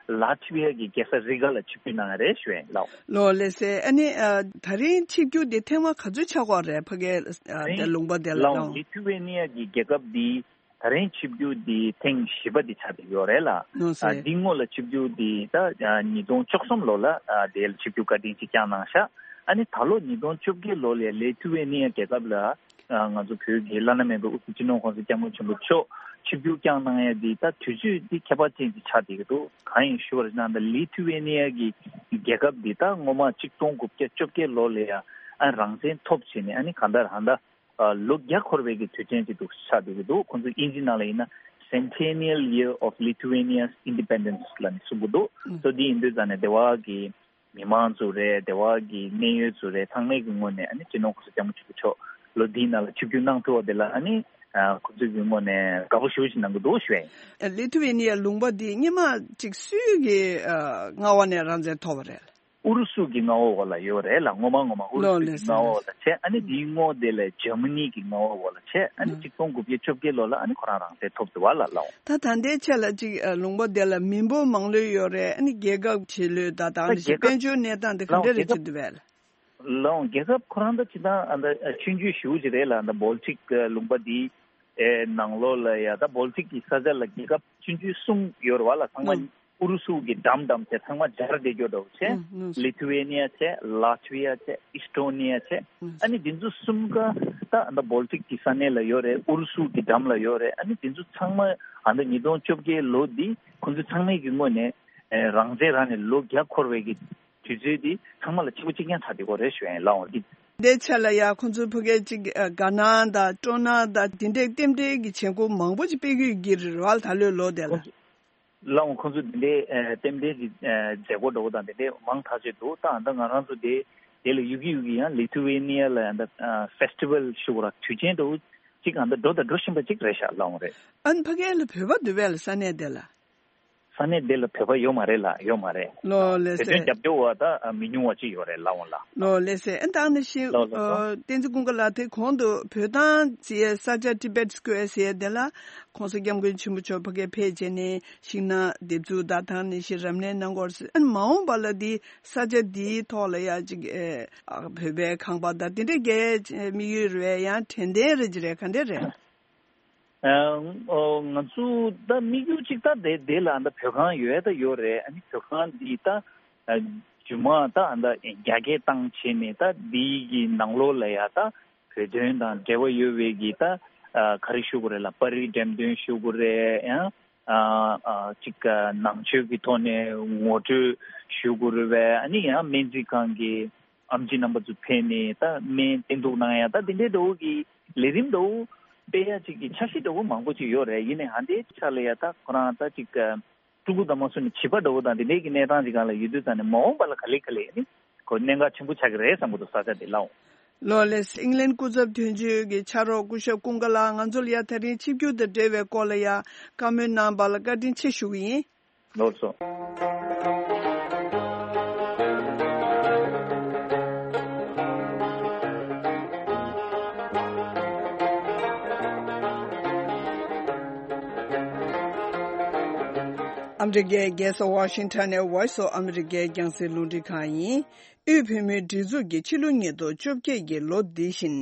ལ་ཐི་བི་ཡ་གི་རྒྱལ་ས་རི་ག་ལ་ཆིབས་བསྒྱུར་གནང་ཡ་རེད་ཞུ་ཡ་ཡིན་ལགས། ལགས་ལགས་སེ། ཨ་ནི་ཨ་ད་རིང་ཆིབས་བསྒྱུར་འདི་ཐེངས་མ་ག་ཚོད་ཆགས་ཀྱི་ཡོད་རེད། ཕ་གའི་ཨ་དེ་ལུང་པ་དེ་ལ་ལགས། ལི་ཐུ་ཝེ་ནི་ཡ་གི་རྒྱལ་ཁབ་འདི་ད་རིང་ཆིབས་བསྒྱུར་འདི་ཐེངས་བཞི་པ་འདི་ཆགས་བསྡད་ཡོད་རེད་ལ། ལགས་སེ། ཨ་འདི་སྔོན་ལ་ཆིབས་བསྒྱུར་འདི་ད་ཨ་ཉིས་སྟོང་བཅུ་གསུམ་ལོ་ལ་ཨ་དེ་ལ་ཆིབས་བསྒྱུར་བཀའ་དྲིན་ཅིག་བསྐྱངས་གནང་ཤག་ཨ་ནི་ད་ལོ་ཉིས་སྟོང་བཅོ་བརྒྱད་ལོ་ལ་ལི་ཐུ་ཝེ་ནི་ཡ་རྒྱལ་ཁབ་ལ་ཨ་ང་ཚོ་བོད་ཀྱི་བླ་ན་མེད་པའི་དབུ་ཁྲིད་སྤྱི་ནོར་༸གོང་ས་༸སྐྱབས་མགོན་ཆེན་པོ་མཆོག་ཆིབས་བསྒྱུར་བསྐྱངས་གནང་ཡ་འདི་ད་དུས་ཚོད་འདི་ཁྱད་པར་ཅན་ཅིག་ཆགས་བསྡད་ཀྱི་འདུག་གང་ཡིན་ཞུ་བ་རེད་ན་ད་ལི་ཐུ་ཝེ་ནི་ཡ་གི་རྒྱལ་ཁབ་འདི་ད་སྔོན་མ་ཆིག་སྟོང་དགུ་བརྒྱ་བཅོ་བརྒྱད་ལོ་ལ་ཡ་ཨ་རང་བཙན་ཐོབ་བྱས་ནས་ཨ་ནི་གང་ལྟར་ཧ་ད། ཨ་ལོ་བརྒྱ་འཁོར་བའི་གི་དུས་ཆེན་ཅིག་འདུག་ཆགས་བསྡད་ཀྱི་འདུག་ཁོང་ཚོ་དབྱིན་ཇི་ནང་ལ་ཡིན་ན་Centennial Year of Lithuania's Independence ལབ་ནས་གསུང་གི་འདུག་ཨུ། སོ་འདི་ཡིན་དུས་ཙང་ནས་སྡེ་བ་གི་མི་མང་ཚོ་རེད། སྡེ་བ་གི་གནད་ཡོད་ཚོ་རེད། ཚང་མའི་གི་ངོས་ནས་ཨ་ནི་སྤྱི་ནོར་༸གོང་ས་༸སྐྱབས་མགོན་ཆེན་པོ་མཆོག་ལོ་འདིའི་ནང་ལ་ཆིབས་བསྒྱུར་གནང་ཐུབ་པ་དེ་ལ་ཨ་ནི་ཨ་ཁོང་ཚོའི་གི་ངོས་ནས་དགའ་པོ་ཞེ་པོ་ཞིག་གནང་གི་འདུག་ཞུ་ཡ་ཡིན། ལི་ཐུ་ཝེ་ནི་ཡ་ལུང་པ་འདི་སྔོན་མ་ཅིག་སུའི་གི་ཨ་མངའ་འོག་ནས་རང་བཙན་ཐོབ་པ་རེད། ཨུ་རུ་སུ་གི་མངའ་འོག་ལ་ཡོད་རེད་ལ། སྔོན་མ་སྔོན་མ་ཨུ་རུ་སུ་གི་མངའ་འོག་ལ་བྱས། ཨ་ནི་དེའི་སྔོན་དེ་ལ་འཇར་མ་ནི་གི་མངའ་འོག་ལ་བྱས། ཨ་ནི་ཆིག་སྟོང་དགུ་བརྒྱ་བཅོ་བརྒྱད་ལོ་ལ་ཨ་ནི་ཁོ་རང་རང་བཙན་ཐོབ་འདུག་བ་ལ་ལགས། ད་ད་ལྟའི་ཆ་ལ་ཅིག་ཨ་ལུང་པ་དེ་ལ་མི་འབོར་མང་ལོས་ཡོད་རེད། ཨ་ནི་རྒྱལ་ཁབ་ཆེ་ལོས་ད་དང་ནི་ཞིག་དཔལ་འབྱོར་གནས་སྟངས་དེ་ག་འདྲ་རེད་ཅིག་འདུག་བས་ལ། ལགས་རྒྱལ་ཁབ་ཁོ་རང་ད་ཅི་ད་ཨ་ད་ཆུང་ཆུང་ཞེ་པོ་ཅིག་རེད་ལ། ཨ་ད་བོལ་ཊིག་ལུང་པ་དེའི་ཨེ་ནང་ལོགས་ལ་ཡ་ད་བོལ་ཊིག་གི་ས་ཆ་ལ་རྒྱལ་ཁབ་ཆུང་ཆུང་གསུམ་ཡོད་རེད་བ་ལ། ཚང་མ་ཨུ་རུ་སུ་གི་འགྲམ་འགྲམ་བྱས་ཚང་མ་སྦྱར་བསྡད་རྒྱུ་འདྲ་བོ་བྱས། ལི་ཐུ་ཝེ་ནི་ཡ་བྱས། ལ་ཐི་ཝེ་ཡ་བྱས། ཨི་སི་ཊོ་ནི་ཡ་བྱས། ཨ་ནི་འདི་ཚོ་གསུམ་ཀ་ད་ཨ་ད་བོལ་ཊིག་གི་ས་གནས་ལ་ཡོད་རེད། ཨུ་རུ་སུ་གི་འགྲམ་ལ་ཡོད་རེད། ཨ་ནི་འདི་ཚོ་ཚང་མ་ཨ་ད་ཉིས་སྟོང་བཅོ་བརྒྱད་ལོ་འདི་ཁོང་ཚོ་ཚང་མས་ཀྱི་ངོས་ནས་ཨེ་རང་བཙན་རང་ནས་ལོ་བརྒྱ་འཁོར་བའི་གི་དུས་ཚོད་འདི་ཚང་མ་ལ་གཅིག་པ་གཅིག་རྐྱང་ཆགས་བསྡད་ཀྱི་ཡོད་རེད་ཞུ་ཡ་ཡིན་ལགས། འོང་འདི། འདིའི་ཆ་ལ་ཡ་ཁོང་ཚོའི་ཕ་གིའི་ཅིག་ཨ་དགའ་སྣང་དང་སྤྲོ་སྣང་དང་འདི་འདྲའི་རྟེན་འབྲེལ་གྱི་བྱེད་སྒོ་མང་པོ་ཅིག་སྤེལ་གྱི་ཡོད་ཀྱི་རེད་བ་ལ། ད་ལོའི་ལོ་དེ་ལ། ལགས་འོང་ཁོང་ཚོ་འདི་འདྲའི་ཨ་རྟེན་འབྲེལ་གྱི་ཨ་མཛད་སྒོ་འདྲ་བོ་དང་འདི་འདྲའི་མང་ཐག་ཆོད་འདུག་ད་ཨ་ད་ང་རང་ཚོ་དེ་དེ་ལ་ཡུལ་གྱི་ཡུལ་གྱི་ཡང་ལི་ཐུ་ཝེ་ནི་ཡ་ལ་ཨ་ད་ཨ་ཕེ་སི་ཊི་ཝལ་ཞུ་དགོས་ར། དུས་ཆེན་འདྲ་བོ་ཅིག་ཨ་ད་འགྲོ་དང་འགྲོ་བཞིན་པ་ཅིག་རེད་ཤག་ལགས་འོང་རེད། ཨ་ནི་ཕ་གིའི་ལ་བོད་པ་འདུག་བས་ལ་ས་གནས་དེ་ལ། ས་གནས་དེ་ལ་བོད་པ་ཡོད་མ་རེད་ལ། ཡོད་མ་རེད། ལགས་ལགས་སེ། བོད་དོན་རྒྱབ་སྐྱོར་བ་ད་མི་ཉུང་བ་ཅིག་ཡོད་རེད་ལགས་འོང་ལགས། ལགས་ལགས་སེ། ཨ་ད་ནི་ཤི་ལགས་ལགས་ལགས། ཨ་བསྟན་འཛིན་ཀུན་དགའ་ལགས་དེ་གོང་དུ་བོད་ཐང་ཟེར་ས་ཆ་Tibet Square ཟེར་དེ་ལ་༸གོང་ས་༸སྐྱབས་མགོན་ཆེན་པོ་མཆོག་ཕ་གིར་ཕེབས་བྱས་ནས་ཤིང་ནགས་འདེབས་འཛུགས་དང་ད་ནི་ཤི་རབ་གནས་གནང་སྐོར་ཟེར། ཨ་ནི་མ་འོངས་པ་ལ་འདི་ས་ཆ་འདིའི་ཐོག་ལ་ཡ་ཅིག་ཨ་བོད་པའི་ཁང་པ་དང་དེ་འདྲའི་རྒྱའི་དམིགས་ཡུལ་རེད་ཡང་དྲན་རྟེན་རེད་ཅི་རེད་ག་འདྲ་རེད། ཨ་ཨོ་ང་ཚོ་ད་དམིགས་ཡུལ་གཅིག་ད་དེ་དེ་ལ་ད་བོད་ཁང་ཡོད་ད་ཡོད་རེད། ཨ་ནི་བོད་ཁང་འདི་ད་ཨ་རྒྱུ་མ་ད་ད་རྒྱ་སྐྱེད་བཏང་བྱས་ནས་ད་འདི་གི་ནང་ལོགས་ལ་ཡ་ད་བོད་དོན་དང་འབྲེལ་བ་ཡོད་པའི་གི་ད་ཨ་ག་རེ་ཞུ་དགོས་རེད་ལ། པར་རིས་འགྲེམས་སྟོན་ཞུ་དགོས་རེད། ཡང་ཨ་ཨ་གཅིག་ནང་ཆོས་ཀྱི་ཐོག་ནས་ངོ་སྤྲོད་ཞུ་དགོས་རེད་པས། ཨ་ནི་ཡང་སྨན་རྩིས་ཁང་གི་ཨེམ་ཆི་རྣམ་པ་ཚོ་ཕེབས་ནས་ད་སྨན་བསྟེན་གཏུགས་གནང་ཡ་ད་དེ་འདྲའི་འདྲ་བོ་གི་ལས་རིམ་འདྲ་བོ་སྤེལ་ཡ་ཅིག་གི་འཆར་གཞི་འདྲ་བོ་མང་པོ་ཅིག་ཡོད་རེད། ཡིན་ནའི་ཧ་འདའི་ཆ་ལ་ཡ་ད་ཁོ་རང་ད་ཅིག་ཕྲུ་གུ་དང་མ་སོང་ནས་བྱིས་པ་འདྲ་བོ་དང་དེ་འདྲའི་གི་གནས་སྟངས་ཅིག་སྒང་ལ་ཡོད་དུས་ཙང་ནས་མ་འོངས་པ་ལ་ག་ལེ་ག་ལེ་ནི་ཁོ་གནད་འགག་ཆེན་པོ་ཆགས་ཀྱི་རེད་བསམ་གྱི་འདུག་ས་ཆ་དེ་ལའོ། ལགས་ལགས། ཨིང་ལན་སྐུ་ཚབ་དོན་གཅོད་ཀྱི་ཕྱག་རོགས་སྐུ་ཞབས་ཀུན་དགའ་ལགས་ང་ཚོ་ལ་ཡ་ད་རིང་ཆིབས་བསྒྱུར་དང་འབྲེལ་བའི་སྐོར་ལ་ཡ་བཀའ་མོལ་གནང་བ་ལ་བཀའ་དྲིན་ཆེ་ཞུ་གི་ཡིན། ལགས་སོ། ཨ་མི་རི་ཀའི་རྒྱལ་ས་ཝ་ཤིང་ཊོན་ནས་Voice of America རྒྱང་སྲིང་རླུང་འཕྲིན་ཁང་ཡིན། དབུས་བོད་མིའི་སྒྲིག་འཛུགས་ཀྱིས་ཕྱི་ལོ་ཉིས་སྟོང་བཅོ་བརྒྱད་ཀྱི་ལོ་འདི་བཞིན་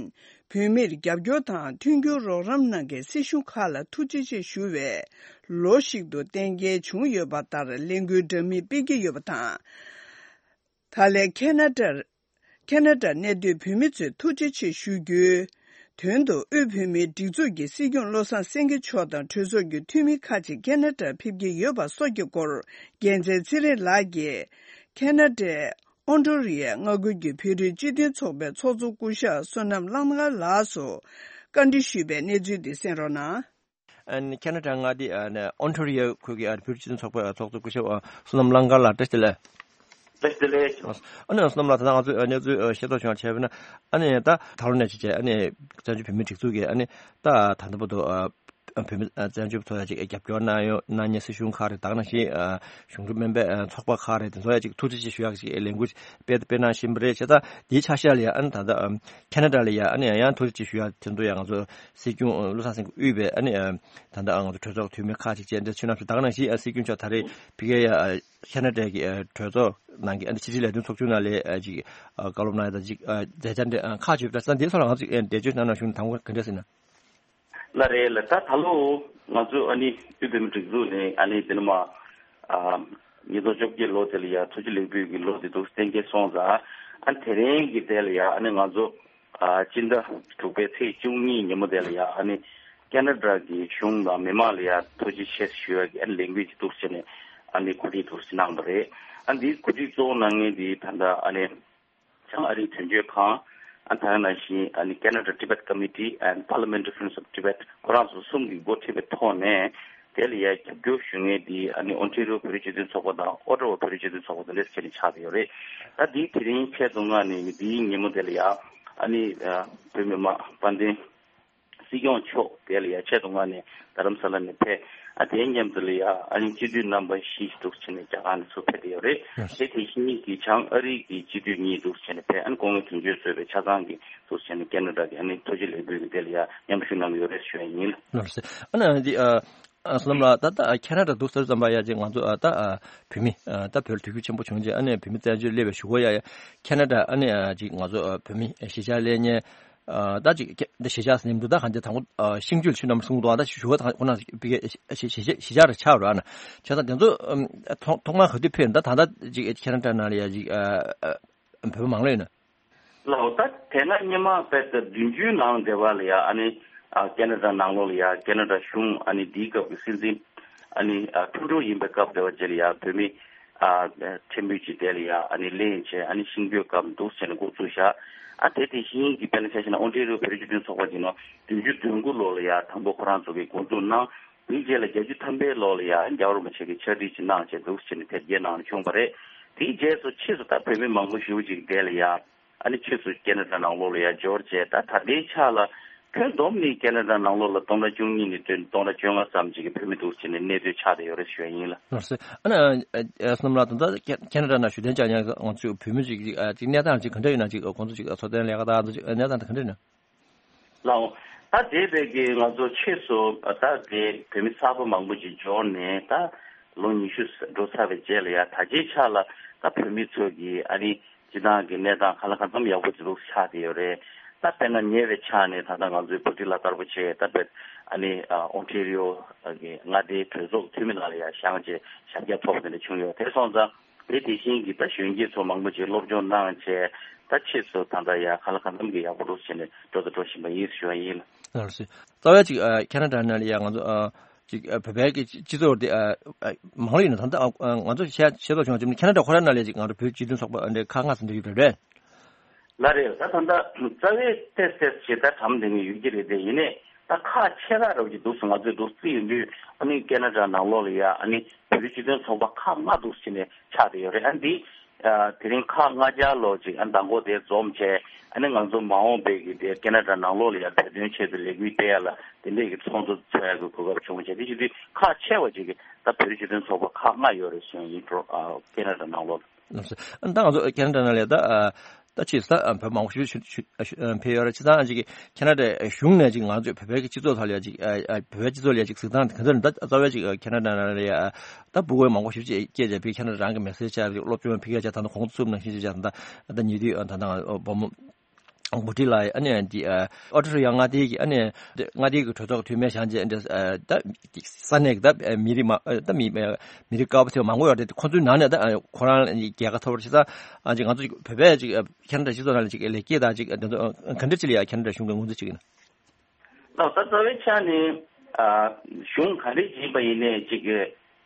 བོད་མིར་རྒྱབ་སྐྱོར་དང་མཐུན་འགྱུར་རོགས་རམ་གནང་མཁན་སྲིད་གཞུང་ཁག་ལ་ཐུགས་རྗེ་ཆེ་ཞུ་བའི་ལོ་ཞིག་ཏུ་གཏན་འཁེལ་བྱུང་ཡོད་པ་ལྟར་ལས་འགུལ་འདྲ་མིན་སྤེལ་གྱི་ཡོད་པ་དང་། ད་ལན་ཁེ་ན་ཌར། ཁེ་ན་ཌར་གནས་སྡོད་བོད་མི་ཚོས་ཐུགས་རྗེ་ཆེ་ཞུ་རྒྱུའི་ དོན་དུ་དབུས་བོད་མིའི་སྒྲིག་འཛུགས་ཀྱི་སྲིད་སྐྱོང་བློ་བཟང་སེང་གེ་མཆོག་དང་གྲོས་ཚོགས་ཀྱི་འཐུས་མི་ཁག་ཅིག་ཁེ་ན་ཌར་ཕེབས་ཀྱི་ཡོད་པ་སོགས་ཀྱི་སྐོར་རྒྱལ་མཚན་ཚེ་རིང་ལགས་ཀྱིས་ཁེ་ན་ཌའི་ཨོན་ཊོ་རི་ཡའི་མངའ་ཁུལ་གྱི་བོད་རིགས་སྤྱི་མཐུན་ཚོགས་པའི་ཚོགས་གཙོ་སྐུ་ཞབས་བསོད་ནམས་གླང་དར་ལགས་སུ་བཀའ་འདྲི་ཞུས་པའི་གནས་ཚུལ་འདི་གསན་རོགས་གནང་། ཨ་ནི་ཁེ་ན་ཌ་མངའ་སྡེ་ཨ་ནི་ཨོན་ཊོ་རི་ཡོ་ཁུལ་གྱི་ཨ་ནི་བོད་རིགས་སྤྱི་མཐུན་ཚོགས་པའི་ཚོགས་གཙོ་སྐུ་ཞབས་ཨ་བསོད་ནམས་གླང་དར་ལགས་བཀྲ་ཤིས་བདེ་ལེགས། བཀྲ་ཤིས་བདེ་ལེགས། ཨ་ནི་བསོད་ནམས་ལགས་ད་ལྟ་ང་ཚོས་ཨ་གནས་ཚུལ་ཨ་ཤེས་རྟོགས་བྱུང་བ་བྱས་པ་ན་ཨ་ནི་ད་ད་ལོ་ནས་བྱས་བྱས་ཨ་ནི་བཙན་བྱོལ་བོད་མིའི་སྒྲིག་འཛུགས་ཀྱིས་ཨ་ནི་ད་ད་ལྟ་བར་དུ་ཨ་བོད་མི་ཨ་བཙན་བྱོལ་བ་ཚོ་ཡ་ཅིག་རྒྱབ་སྐྱོར་གནང་ཡོད་གནང་མཁན་སྲིད་གཞུང་ཁག་རེད་ད་ག་ནང་བཞིན་ཨ་གཞུང་འབྲེལ་མིན་པའི་ཨ་ཚོགས་པ་ཁག་རེད་དེ་ཚོ་ཡ་ཅིག་ཐུགས་རྗེ་ཆེ་ཞུ་ཡག་ཅིག་ལས་འགུལ་སྤེལ་སྤེལ་གནང་བཞིན་པ་རེད་བྱས་ཙང་དེའི་ཆ་ཤས་ལ་ཡ་ཨ་ནི་ད་ལྟ་ཨ་ཁེ་ན་ཌ་ལ་ཡ་ཨ་ནི་ཡང་ཡང་ཐུགས་རྗེ་ཆེ་ཞུ་ཡག་དེ་ཚོ་ཡ་ང་ཚོ་སྲིད་སྐྱོང་བློ་བཟང་སེང་གེ་དབུས་པའི་ཨ་ནི་ད་ལྟ་ང་ཚོ་གྲོས་ཚོགས་འཐུས་མི་ཁག་ཅིག་བཅས་འདིར་མཆོད་གནང་ཞུས་ད་ག་ནང་བཞིན་སྲིད་སྐྱོང་མཆོག་ད་རེས་ཕ་གིར་ཡ་ཁེ་ན་ཌ་གི་གྲོས་ཚོགས་ནང་གི་ཕྱི་དྲིལ་ལས་དོན་ཚོགས་ཆུང་ནང་ལ་ཅིག་བཀའ་སློབ་གནང་ཡ་དང་ཅིག་མཛད་འཆར་འདི་ཁག་ཆེ་བ་འདྲ་ས་འདིའི་ཐོག་ལ་ང་ཚོས་འགྲེལ་བརྗོད་གནང་གནང་ཞུ་ན་དང་པོ་ག་འདྲ་ཟེར་ན། ལགས་རེད་ལགས། ད་ད་ལོ་ང་ཚོ་ཨ་ནི་དབུས་བོད་མིའི་སྒྲིག་འཛུགས་ནས་ཨ་ནི་འདི་ནས་མ་ཉིས་སྟོང་བཅོ་བརྒྱད་ལོ་དེ་ལ་ཡ་ཐུགས་རྗེ་ལེགས་འབུལ་གྱི་ལོ་དེ་འདུག་གཏན་འཁེལ་སོང་ཙང་ཨ་དེ་རིང་གི་དེ་ལ་ཡ་ཨ་ནི་ང་ཚོ་ཨ་སྤྱི་ཟླ་དྲུག་པའི་ཚེས་བཅུ་གཉིས་ཉིན་མོ་དེ་ལ་ཡ་ཨ་ནི་ཁེ་ན་ཌ་གི་གཞུང་དང་མི་མང་ལ་ཡ་ཐུགས་རྗེ་ཆེ་ཞུ་ཡ་གི་ཨ་ནི་ལས་འགུལ་ཅིག་འདུག་བྱས་ནས་ཨ་ནི་གོ་སྒྲིག་འདུག་བྱས་གནང་བ་རེད། ཨ་འདིའི་གོ་སྒྲིག་གཙོ་བོ་གནང་མཁན་དེ་ད་ལྟ་ཨ་ནི་བྱང་ཨ་རིའི་དོན་གཅོད་ཁང་ཨ་ད་ག་ནང་བཞིན་ཨ་ནི་Canada Tibet Committee and Parliamentary Friends of Tibet ཁོ་རང་ཚོ་གསུམ་གྱིས་འགོ་ཁྲིད་པའི་ཐོག་ནས་དེ་ལ་ཡ་རྒྱབ་སྐྱོར་ཞུ་མཁན་དེ་ཨ་ནི་ཨོན་ཊེ་རི་ཡོ་བོད་རིགས་སྤྱི་མཐུན་ཚོགས་པ་དང་ཨོ་ཊ་ཝ་བོད་རིགས་སྤྱི་མཐུན་ཚོགས་པ་དེ་འདྲས་བྱས་ནས་ཆགས་བསྡད་ཡོད་རེད། ད་འདིའི་དེ་རིང་ཆེད་དུ་མངགས་ནས་འདིའི་ཉིན་མོ་དེ་ལ་ཡ་ཨ་ནི་ཨ་བོད་མི་མང་དཔལ་ལྡན་སྲིད་སྐྱོང་མཆོག་དེ་ལ་ཡ་ཆེད་དུ་མངགས་ནས་རྡ་རམ་ས་ལ་ནས་ཕེབས། ཨ་དེའི་མཉམ་དུ་ལ་ཡ་ཨ་ནི་སྤྱི་འཐུས་རྣམ་པ་བཞི་འདུག་བྱས་ནས་རྒྱ་གར་ནས་ཚུར་ཕེབས་ཏེ་ཡོད་རེད། ཡོད། དེ་དེ་བཞིན་གྱི་བྱང་ཨ་རི་གི་སྤྱི་འཐུས་གཉིས་འདུག་བྱས་ནས་ཕེབས། ཨ་ནི་སྐུ་ངོ་དོན་གཅོད་གཙོས་པའི་ཆ་ཚང་གི་འདུག་བྱས་ནས་ཁེ་ན་ཌ་གི་ཨ་ནི་ཐུགས་རྗེ་ལེགས་འབུལ་གྱི་དེ་ལ་ཡ་མཉམ་ཞུགས་གནང་གི་ཡོད་རེད་ཞུ་ཡ་ཡིན། ལགས་སོ། ཨ་ནི་འདི་ཨ་ཨ་བསོད་ནམས་ལགས་ད་ལྟ་ཁེ་ན་ཌ་འདུག་ཟེར་ཙམ་པ་ཡ་ཅིག་ང་ཚོ་ཨ་ད་ཨ་བོད་མི་ཨ་ད་བོད་ལ་དུས་རྒྱུན་ཆེན་པོ་བྱུང་རྗེས་ཨ་ནི་བོད་མི་བཙན་བྱོལ་སླེབས་པའི་གཞུག་གུ་ཡ་ཡ་ཁེ་ན་ཌ་ཨ་ནི་ཨ་ཅིག་ང་ཚོ་ཨ་བོད་མི་གཞིས་ཆགས་སླེབས་མཁན་ཨ་ད་ཅིག་ཁེ་འདི་གཞིས་ཆགས་ཟིན་འདུག་ད་གང་ཅི་དང་པོ་ཨ་ཤིང་ཆུ་ཆུ་ནམ་གསུང་འདུག་ཨ་ད་ཞུ་བ་དང་ཁོ་ན་པི་ཀེ་གཞིས་གཞིས་གཞིས་ཆགས་རེ་ཆགས་རོགས་ཨ་ན་བྱས་ཙང་དེ་ཚོ་ཨམ་ཐོག་ཐོག་མར་ག་དུས་ཕེབས་ཡོད་ད་ད་ལྟ་ཅིག་ཁེ་ན་ཌ་ནང་ལ་ཡ་ཅིག་ཨ་ཨ་བོད་མི་མང་ལོས་ཡོད་ན། ལགས་འོ། ད་དེ་སྔ་སྔོན་མ་དཔེ་ད་བདུན་ཅུའི་ནང་དེ་བ་ལ་ཡ་ཨ་ནི་ཨ་ཁེ་ན་ཌ་ནང་ལོགས་ལ་ཡ་ཁེ་ན་ཌ་གཞུང་ཨ་ནི་འདིའི་སྐབས་ཀྱི་སྲིད་འཛིན་ཨ་ནི་ཨ་ཁྲུ་ཌོ་ཡིན་པའི་སྐབས་དེ་བ་རྗེས་ལ་ཡ་བོད་མི་ཨ་ཕྲན་བུ་ཅིག་དེ་ལ་ཡ་ཨ་ནི་གླེང་བྱས་ཨ་ནི་ཤིང་བརྗོད་སྐབས་འདུག་བྱས་ནས་འགོ་བཙུགས་བཞག་ཨ་དེ་དེ་བཞིན་གྱི་དཔེར་ན་ཆ་བཞག་ན་ཨོན་ཊེ་རི་ཡོ་བོད་རིགས་སྤྱི་མཐུན་ཚོགས་པ་ཅིག་ནང་བདུན་ཅུ་དོན་དགུ་ལོ་ལ་ཡ་དང་པོ་ཁོ་རང་ཚོ་གིས་འགོ་འཛུགས་གནང་། དེའི་རྗེས་ལ་བརྒྱད་ཅུ་ཐམ་པའི་ལོ་ལ་ཡ་རྒྱལ་བ་རིན་པོ་ཆེ་གིས་ཕྱག་བྲིས་ཅིག་གནང་བྱས་འདུག་བྱས་ནས་དེབ་སྐྱེལ་གནང་བྱུང་བ་རེད། དེའི་རྗེས་སུ་ཕྱིས་སུ་ད་བོད་མི་མང་པོ་ཞེ་པོ་ཅིག་དེ་ལ་ཡ་ཨ་ནི་ཕྱིས་སུ་ཁེ་ན་ཌ་ནང་ལོགས་ལ་ཡ་འབྱོར་བྱས་ད་ད་ལྟའི་ཆ་ལ་ཁྱོན་བསྡོམས་ནས་ཁེ་ན་ཌ་ནང་ལོགས་ལ་སྟོང་ཕྲག་བཅུ་གཉིས་ནས་བཏོན་སྟོང་ཕྲག་བཅོ་ལྔ་ཙམ་ཅིག་གི་བོད་མི་འདུག་བྱས་ནས་གནས་སྡོད་ཆགས་བསྡད་ཡོད་རེད་ཞུ་ཡ་ཡིན་ལ། ལགས་སོ། ཨ་ནི་ཨ་བསོད་ནམས་ལགས་ད་ལྟ་ཁེ་ན་ཌ་ནང་བཞུགས་གདན་འཇགས་མཁན་ང་ཚོའི་བོད་མི་ཅིག་ཅིག་གནས་སྟངས་ཅིག་ག་འདྲ་ཡོད་ན་ཅིག་ཁོང་ཚོ་ཅིག་འཚོ་རྟེན་ལས་ཀ་དང་ཅིག་གནས་སྟངས་དེ་ག་འདྲ་ཡོད་ན། ལགས་འོང་། ད་དེ་བས་ཀྱི་ང་ཚོ་ཕྱིས་སུ་ད་དེ་བོད་མི་གསར་པ་མང་པོ་ཅིག་འབྱོར་ནས་ད་ལོ་ཉི་ཤུ་འགྲོ་ཚར་བའི་རྗེས་ལ་ཡ་ད་ཆའི་ཆ་ལ་ད་བོད་མི་ཚོ་གི་ཨ་ནི་སྤྱི་བཏང་གི་གནས་སྟངས་གང་ལ་གང་འཚམ་ཡག་པོ་ཅིག་ཆགས་བསྡད་ཡོད་རེད། ད་དཔེར་ན་ཉེ་བའི་ཆ་ནས་ད་ལྟ་ང་ཚོའི་བྷུ་ཊི་ལ་དར་པོ་ཆེ་ད་བོད་ཨ་ནི་ཨོན་ཊེ་རི་ཡོ་གི་མངའ་སྡེའི་གྲོས་ཚོགས་འཐུས་མི་ནང་ལ་ཡ་བཞེངས་བྱས་ཞབས་སྐྱབས་ཐོབ་དེ་འདྲ་བྱུང་ཡོད། དེ་སོང་ཙང་། དེ་དེ་བཞིན་གྱི་ད་གཞོན་སྐྱེས་ཚོ་མང་པོ་ཅིག་སློབ་སྦྱོང་གནང་བྱས་ད་ཕྱིས་སུ་ད་ལྟ་ཡ་གང་ལ་གང་འཚམ་གྱི་ཡག་པོ་འདུག་བྱས་ནས་འགྲོ་དང་འགྲོ་བཞིན་པ་ཡིན་ཞུ་བ་ཡིན། ལགས་སོ། རྩ་བའི་ཅིག་ཨ་ཁེ་ན་ཌ་ནང་ལ་ཡ་ང་ཚོ་ཨ་ཅིག་ཨ་བོད་པའི་གི་སྤྱི་ཚོགས་དེ་ཨ་ཨ་མང་ལོས་ཡིན་ན་ད་ལྟ་ཨ་ང་ཚོ་ཤེས་ཤེས་རྟོགས་བྱུང་བ་ཅིག་ཁེ་ན་ཌ་ཁོ་རང་ནང་ལ་ཅིག་ང་ཚོ་བོད་སྤྱི་མཐུན་ཚོགས་པ་འདྲ་ཁག་ལྔ་ཙམ་འདྲ་ཡོད་རེད། ལགས་རེད། ད་ད་ལྟ་རྩ་བའི་ཏོག་ཙམ་ཞེ་དྲག་གྲམ་ལྡན་གྱི་ཡོད་ཀྱི་རེད་དེ་ཡིན་ནའི་ད་ཁག་ཆེ་ཁག་རབ་ཀྱི་འདུག་སེ་ང་ཚོས་འདུག་རྩིས་ཡོང་དུས་ཨ་ནི་ཁེ་ན་ཌ་ནང་ལོགས་ལ་ཡ་ཨ་ནི་བོད་རིགས་སྤྱི་མཐུན་ཚོགས་པ་ཁག་ལྔ་འདུག་སེ་ནས་ཆགས་བསྡད་ཡོད་རེད། ཨ་འདི་དེ་རིང་ཁག་ལྔ་བརྒྱ་ལོ་ཅིག་ཨ་མདང་དགོང་དེ་འཛོམས་བྱས་ཨ་ནི་ང་ཚོ་མ་འོངས་པའི་གི་དེ་ཁེ་ན་ཌ་ནང་ལོགས་ལ་ཡ་བོད་དོན་ཆེད་དུ་ལས་འགུལ་སྤེལ་ཡ་ལ་དེ་འདྲས་ཀྱི་ཚོགས་འདུ་ཚོགས་ཡ་གི་གོ་སྐབས་བྱུང་བྱས་དེ་བཞིན་དུ་ཁག་ཆེ་བ་ཅིག་གི་ད་བོད་རིགས་སྤྱི་མཐུན་ཚོགས་པ་ཁག་ལྔ་ཡོད་རེད་གསུངས་ཡིན་འགྲོ་ཨ་ཁེ་ན་ཌ་ནང་ལོགས། ལགས་སོ། ཨ་ནི་ད་ང་ཚོ་ཁེ་ན་ཌ་ནང་ལ་ད་ཨ་ད་ཕྱིས་སུ་ད་ཨ་བོད་མང་པོ་ཞིག་ཞིག་ཨ་ཞིག་ཨ་ཕེབས་ཡོད་རེད། བྱས་ཙང་ཨ་ཅིག་གི་ཁེ་ན་ཌའི་གཞུང་ནས་ཅིག་ང་ཚོས་བོད་པའི་གི་སྤྱི་ཚོགས་ཐོག་ལ་ཡ་ཅིག་ཨ་ཨ་བོད་པའི་སྤྱི་ཚོགས་ལ་ཡ་ཅིག་གཟིགས་སྟངས་དེ་ག་ཚོད་ནས་ད་རྩ་བའི་ཅིག་ཨ་ཁེ་ན་ཌ་ནང་ལ་ཡ་ཨ་ད་འབོད་སྐུལ་མང་པོ་ཞིག་ཅིག་སྐྱེས་བྱས་བོད་ཁེ་ན་ཌ་རང་གི་མེ་སེ་ཇི་ཅིག་སློབ་སྦྱོང་ཕ་གིར་བྱས་ད་ལྟ་གོང་དུ་ཚུགས་གནང་བཞིན་བྱས་ད་ད་ཉེ་དུས་ཨ་ད་ད་བུ་མོ་འགོ་ཁྲིད་ལ་ཨ་ནི་འདི་ཨ་ཨོ་ཊ་རི་ཡ་མངའ་སྡེ་གི་ཨ་ནི་མངའ་སྡེ་གི་གྲོས་ཚོགས་འཐུས་མི་བཞེངས་རྗེས་འདི་ཨ་ད་ས་གནས་ཀྱི་ད་མི་རིགས་མ་ཨ་ད་མི་མི་རིགས་དཀར་པོ་དེ་མང་པོ་ཡོད་རེད། ཁོ་ཚོའི་ནང་ནས་ད་ཁོ་རང་རྒྱལ་ཁ་ཐོབ་པར་བྱས་ཙང་ཨ་ཅིག་ང་ཚོ་བོད་པའི་ཅིག་ཁེ་ན་ཌ་སྤྱི་ཚོགས་ནང་ལ་ཅིག་ལེགས་སྐྱེས་དང་ཅིག་འདི་ཚོ་ག་འདྲ་ཅིག་ལ་ཡ་ཁེ་ན་ཌ་གཞུང་གིས་ངོས་འཛིན་བྱེད་ཀྱི་ཡིན་ན། ལགས། ད་རྩ་བའི་ཆ་ནས་ཨ་གཞུང་ག་འདྲས་ཡིན་པ་ཡིན་ནའི་ཅིག་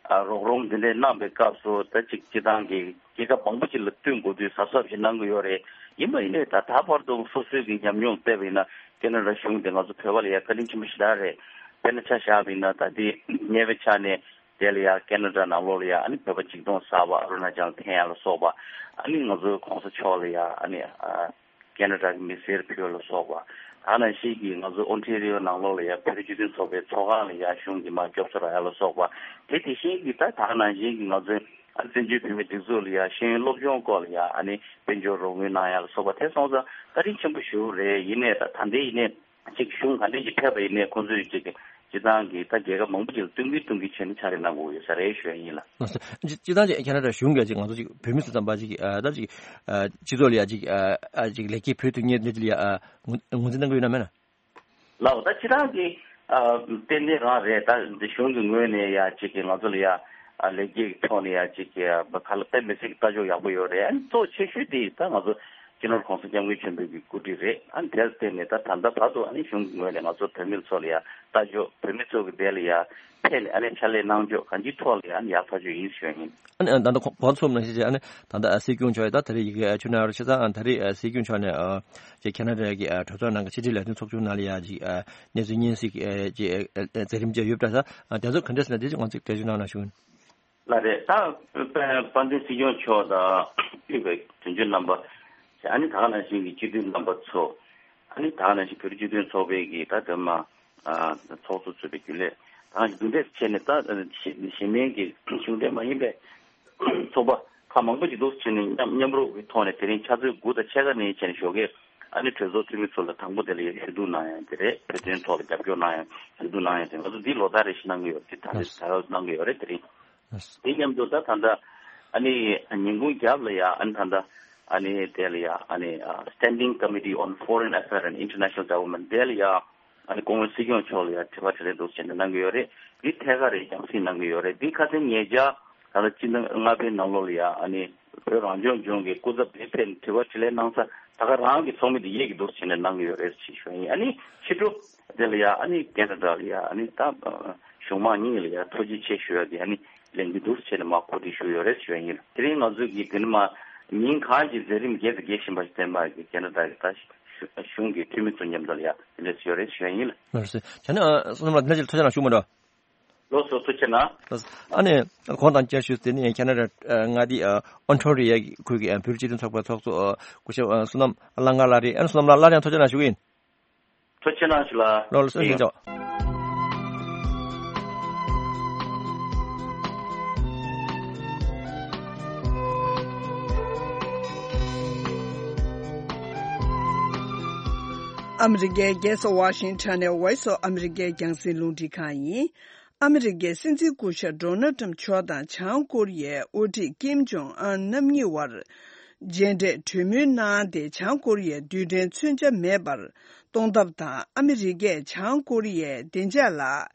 ཨ་རོགས་རམ་འདི་འདྲས་གནང་བའི་སྐབས་སུ་ད་ཅིག་སྤྱི་བཏང་གི་རྒྱལ་ཁབ་མང་པོ་ཅིག་ལ་བསྟུན་དགོས་དུས་གཟབ་གཟབ་ཞིག་གནང་གི་ཡོད་རེད། ཡིན་པ་ཡིན་ནའི་ད་ད་བར་དུ་སོ་སོའི་གི་ཉམས་མྱོང་བལྟས་པ་ཡིན་ན་ཁེ་ན་ཌ་གཞུང་དེ་ང་ཚོ་བོད་པ་ལ་ཡ་བཀའ་དྲིན་ཆེན་པོ་ཞེ་དྲག་རེད། དཔེར་ན་ཆ་བཞག་པ་ཡིན་ན་ད་འདི་གཉེར་བའི་ཆ་ནས་དེ་ལ་ཡ་ཁེ་ན་ཌ་ནང་ལོགས་ལ་ཡ་ཨ་ནི་བོད་པ་ཆིག་སྟོང་ཟ་བ་ཨ་རུ་ན་ཅལ་འཐེན་ཡ་ལ་སོགས་པ། ཨ་ནི་ང་ཚོའི་གོང་ས་མཆོག་ལ་ཡ་ཨ་ནི་ཨ། ཁེ་ན་ཌ་གི་མི་སེར་ཕུལ་ལ་སོགས་པ། ད་ནང་བཞིན་གྱི་ང་ཚོ་ཨོན་ཊེ་རི་ཡོ་ནང་ལོགས་ལ་ཡ་བོད་རིགས་སྤྱི་མཐུན་ཚོགས་པའི་ཚོགས་ཁང་ལ་ཡ་གཞུང་གིས་མར་སྐྱོབ་གསོ་རག་ཡ་ལ་སོགས་པ། དེ་དེ་བཞིན་གྱི་ད་ད་ནང་བཞིན་གྱི་ང་ཚོའི་ཨ་བཙན་བྱོལ་བོད་མིའི་སྒྲིག་འཛུགས་ལ་ཡ་ཤེས་ཡོན་སློབ་སྦྱོང་སྐོར་ལ་ཡ་ཨ་ནི་དཔལ་འབྱོར་རོགས་དངུལ་གནང་ཡ་ལ་སོགས་པ་དེ་སོང་ཙང་བཀའ་དྲིན་ཆེན་པོ་ཞེ་པོ་རེད། ཡིན་ནའི་ད་ད་ལྟའི་ཡིན་ནའི་ཅིག་གཞུང་ག་འདྲས་ཅིག་ཕེབས་པ་ཡིན་ནའི་ཁོང་ཚོས་ཅིག་སྤྱི་བཏང་གི་ད་རྒྱལ་ཁབ་མང་པོ་ཅིག་ལ་བསྟུན་གྱིན་བསྟུན་གྱིན་བྱས་ནས་ཕྱག་ལས་གནང་དགོས་ཡོད་ས་རེད་ཞུ་ཡ་ཡིན་ལགས། ལགས་སོ། སྤྱི་སྤྱི་བཏང་ཅིག་ཁེ་ན་ཌ་གཞུང་གིས་ཅིག་ང་ཚོ་ཅིག་བོད་མི་སུ་ཙམ་པ་ཅིག་ཨ་ད་ཅིག་ཨ་སྤྱི་ཚོགས་ལ་ཡ་ཅིག་ཨ་ཨ་ཅིག་ལེགས་སྐྱེས་ཕུལ་ཐུབ་མཁན་འདི་ལ་ཡ་ཨ་ངོས་ངོས་འཛིན་གནང་གི་ཡོད་ན་མེད་ན། ལགས་ད་སྤྱི་བཏང་གི་ཨ་ཏན་ཏན་རང་རེད། ད་འདི་གཞུང་གི་ངོས་ནས་ཡ་ཅིག་གི་ང་ཚོ་ལ་ཡ་ཨ་ལེགས་སྐྱེས་ཀྱི་ཐོག་ནས་ཡ་ཅིག་གི་ཨ་ག་ལ་དཔེ་མི་སྲིད་ཀྱི་ལྟ་ཕྱོགས་ཡག་པོ་ཡོད་རེད། ཨ་ནི་གཙོ་ཆེ་ཤོས་དེ་ད་ང་ཚོ་སྤྱི་ནོར་༸གོང་ས་༸སྐྱབས་མགོན་ཆེན་པོའི་གི་སྐུ་དྲིན་རེད། ཨ་ནི་དེར་བརྟེན་ནས་ད་ད་ལྟ་བར་དུ་ཨ་ནི་གཞུང་གི་ངོས་ནས་ང་ཚོ་བོད་མི་ཚོ་ལ་ཡ་ལྟ་ཕྱོགས་བོད་མི་ཚོ་གི་དེ་ལ་ཡ་ཕེབས་ནས་ཨ་ནི་ཕྱག་ལས་གནང་ཕྱོགས་གང་ཅིའི་ཐོག་ལ་ཡ་ཨ་ནི་ཡག་ཐག་ཆོད་ཡིན་ཞུ་ཡ་ཡིན། ཨ་ནི་ད་ལྟ་གོང་གོང་ཚོམ་ནང་བཞིན་བྱས་ཨ་ནི་ད་ལྟ་སྲིད་སྐྱོང་མཆོག་ཡ་ད་ད་རེས་ཡི་གེ་ཆུ་ནང་རུ་ཆེ་ཚང་ཨ་ད་རེས་སྲིད་སྐྱོང་མཆོག་ནས་ཨ་ཅེ་ཁེ་ན་ཌ་གི་ཨ་གྲོས་ཚོགས་ནང་གི་ཕྱི་དྲིལ་ལས་དོན་ཚོགས་ཆུང་ནང་ལ་ཡ་ཅིག་ཨ་གནས་ཚུལ་སྙན་སེང་གི་ཨ་ཅེ་ཨ་མཛད་རིམ་བཅས་ཡོད་པ་འདྲ་ས། ཨ་དེ་ཚོ་ག་འདྲ་ཟེར་ན་དེ་ཅིག་ང་ཚོས་འགྲེལ་བརྗོད་གནང་ན་ཞུ། ལགས་རེད། ད་དཔལ་ལྡན་སྲིད་སྐྱོང་མཆོག་དང་དབུས་པའི་དོན་གཅོད་རྣམ་པ། ཨ་ནི་ད་ག་ནང་བཞིན་གྱི་སྤྱི་འཐུས་རྣམ་པ་ཚོ། ཨ་ནི་ད་ག་ནང་བཞིན་བོད་རིགས་སྤྱི་མཐུན་ཚོགས་པའི་གི་ད་དེ་མ་ཨ་ཚོགས་གཙོ་གཙོས་པའི་རྒྱུན་ལས་ད་ག་ནང་བཞིན་འདུ་འབྲེལ་བྱས་ནས་ད་གཞི་གཞི་མེད་ཀྱི་གཞུང་འབྲེལ་མ་ཡིན་པའི་ཚོགས་པ་ཁག་མང་པོ་ཅིག་འདུ་བྱས་ནས་མཉམ་མཉམ་རུབ་ཀྱི་ཐོག་ནས་དེ་རིང་ཕྱག་ཚོད་དགུ་དང་ཕྱེད་ཀ་ནས་བྱས་ནས་ཞོགས་ཀས་ཨ་ནི་གྲོས་ཚོགས་འཐུས་མི་ཚོ་ལ་དང་པོ་དེ་ལ་ཞུ་གཏུག་གནང་ཡ་དེ་རེད། བོད་དོན་ཐོག་ལ་རྒྱབ་སྐྱོར་གནང་ཡ་ཞུ་གཏུག་གནང་ཡ་དེ་ང་ཚོ་འདི་ལོ་ལྟར་རེ་བཞིན་གནང་གི་ཡོད་རེད། དེ་ད་རེས་ད་གནང་གི་ཡོད་རེད། དེ་རིང་། དེ་མཉམ་དུ་ད་ད་ལྟ་ཨ་ནི་ཉིན་གུང་རྒྱབ་ལ་ཡ་ཨ་ནི་ད་ལྟ་ཨ་ནི་དེ་ལ་ཡ་ཨ་ནི་Standing Committee on Foreign Affairs and International Development དེ་ལ་ཡ་ཨ་ནི་སྐུ་ངོ་སྲིད་སྐྱོང་མཆོག་ལ་ཡ་དྲི་བ་དྲིས་ལན་འདུག་བྱས་ནས་གནང་གི་ཡོད་རེད། འདི་ཐད་ཀར་རེ་རྒྱང་སྲིང་གནང་གི་ཡོད་རེད། འདི་ཁ་སང་ཉེ་ཆར་ད་ལྟ་སྤྱི་ཟླ་ལྔ་པའི་ནང་ལོགས་ལ་ཡ་ཨ་ནི་བོད་རང་སྐྱོང་ལྗོངས་ཀྱི་སྐུ་ཚབ་དེ་ཕེབས་ནས་དྲི་བ་དྲིས་ལན་གནང་ས་ད་ག་རང་གི་ཚོགས་མི་དེ་ཡེ་གི་འདུག་བྱས་ནས་གནང་གི་ཡོད་རེད་ཅེས་ཞུ་ཡ་ཡིན། ཨ་ནི་ཕྱི་དྲོ་དེ་ལ་ཡ་ཨ་ནི་ཁེ་ན་ཌ་ལ་ཡ་ཨ་ནི་ད་གཞུང་མང་གཉིས་ལ་ཡ་ཐུགས་རྗེ་ཆེ་ཞུ་ཡ་དེ་ཨ་ནི་ལན་གྱི་འདུག་བྱས་ནས་མ་གོ་སྒྲིག་ཞུ་ཡོད་རེད་ཞུ་ཡ་ཡིན། དེ་རིང་ང་ཚོ་གི་དེ་ནི་མ་ཉིན་གང་གི་མཛད་རིམ་རྒྱས་དང་རྒྱས་བཞིན་པ་ཞིག་བསྟན་པ་གི་ཁེ་ན་ཌ་གི་ད་གཞུང་གི་འཐུས་མི་ཚོ་མཉམ་དུ་ལ་ཡ་དེ་འདྲས་ཡོད་རེད་ཞུ་ཡ་ཡིན། ལགས་སོ། བྱས་ན་བསོད་ནམས་ལགས་འདི་ནས་ཅིག་ཐུགས་རྗེ་གནང་ཞུ་མ་འགྲོ། ལགས་སོ་ཐུགས་རྗེ་གནང་། ལགས་སོ། ཨ་ནི་གོང་དང་བཅར་ཞུས་ཏེ་ནི་ཁེ་ན་ཌ་མངའ་སྡེ་ཨོན་ཊ་རི་ཡ་ཁུལ་གྱི་བོད་རིགས་སྤྱི་མཐུན་ཚོགས་པའི་ཚོགས་གཙོ་སྐུ་ཞབས་བསོད་ནམས་གླང་མཁར་ལགས་རེད། ཨ་ནི་བསོད་ནམས་ལགས་སླར་ཡང་ཐུགས་རྗེ་གནང་ཞུ་གི་ཡིན། ཐུགས་རྗེ་གནང་ཞུ་ལགས། ལགས་སོ་ཡིན། ཆོག་ཨ་མི་རི་ཀའི་རྒྱལ་ས་ཝ་ཤིང་ཊོན་ནས་Voice of America རྒྱང་སྲིང་རླུང་འཕྲིན་ཁང་ཡིན། ཨ་མི་རི་ཀའི་སྲིད་འཛིན་སྐུ་ཞབས་ཌོ་ནལ་ཊམ་མཆོག་དང་བྱང་ཀོ་རི་ཡའི་དབུ་ཁྲིད་ཀིམ་ཇོང་ཨན་རྣམ་གཉིས་དབར་མཇལ་འཕྲད་གྲོས་མོལ་གནང་སྟེ། བྱང་ཀོ་རི་ཡས་རྡུལ་ཕྲན་མཚོན་ཆ་མེད་པར་གཏོང་ཐབས་དང་། ཨ་མི་རི་ཀས་བྱང་ཀོ་རི་ཡའི་བདེ་འཇགས་ལ་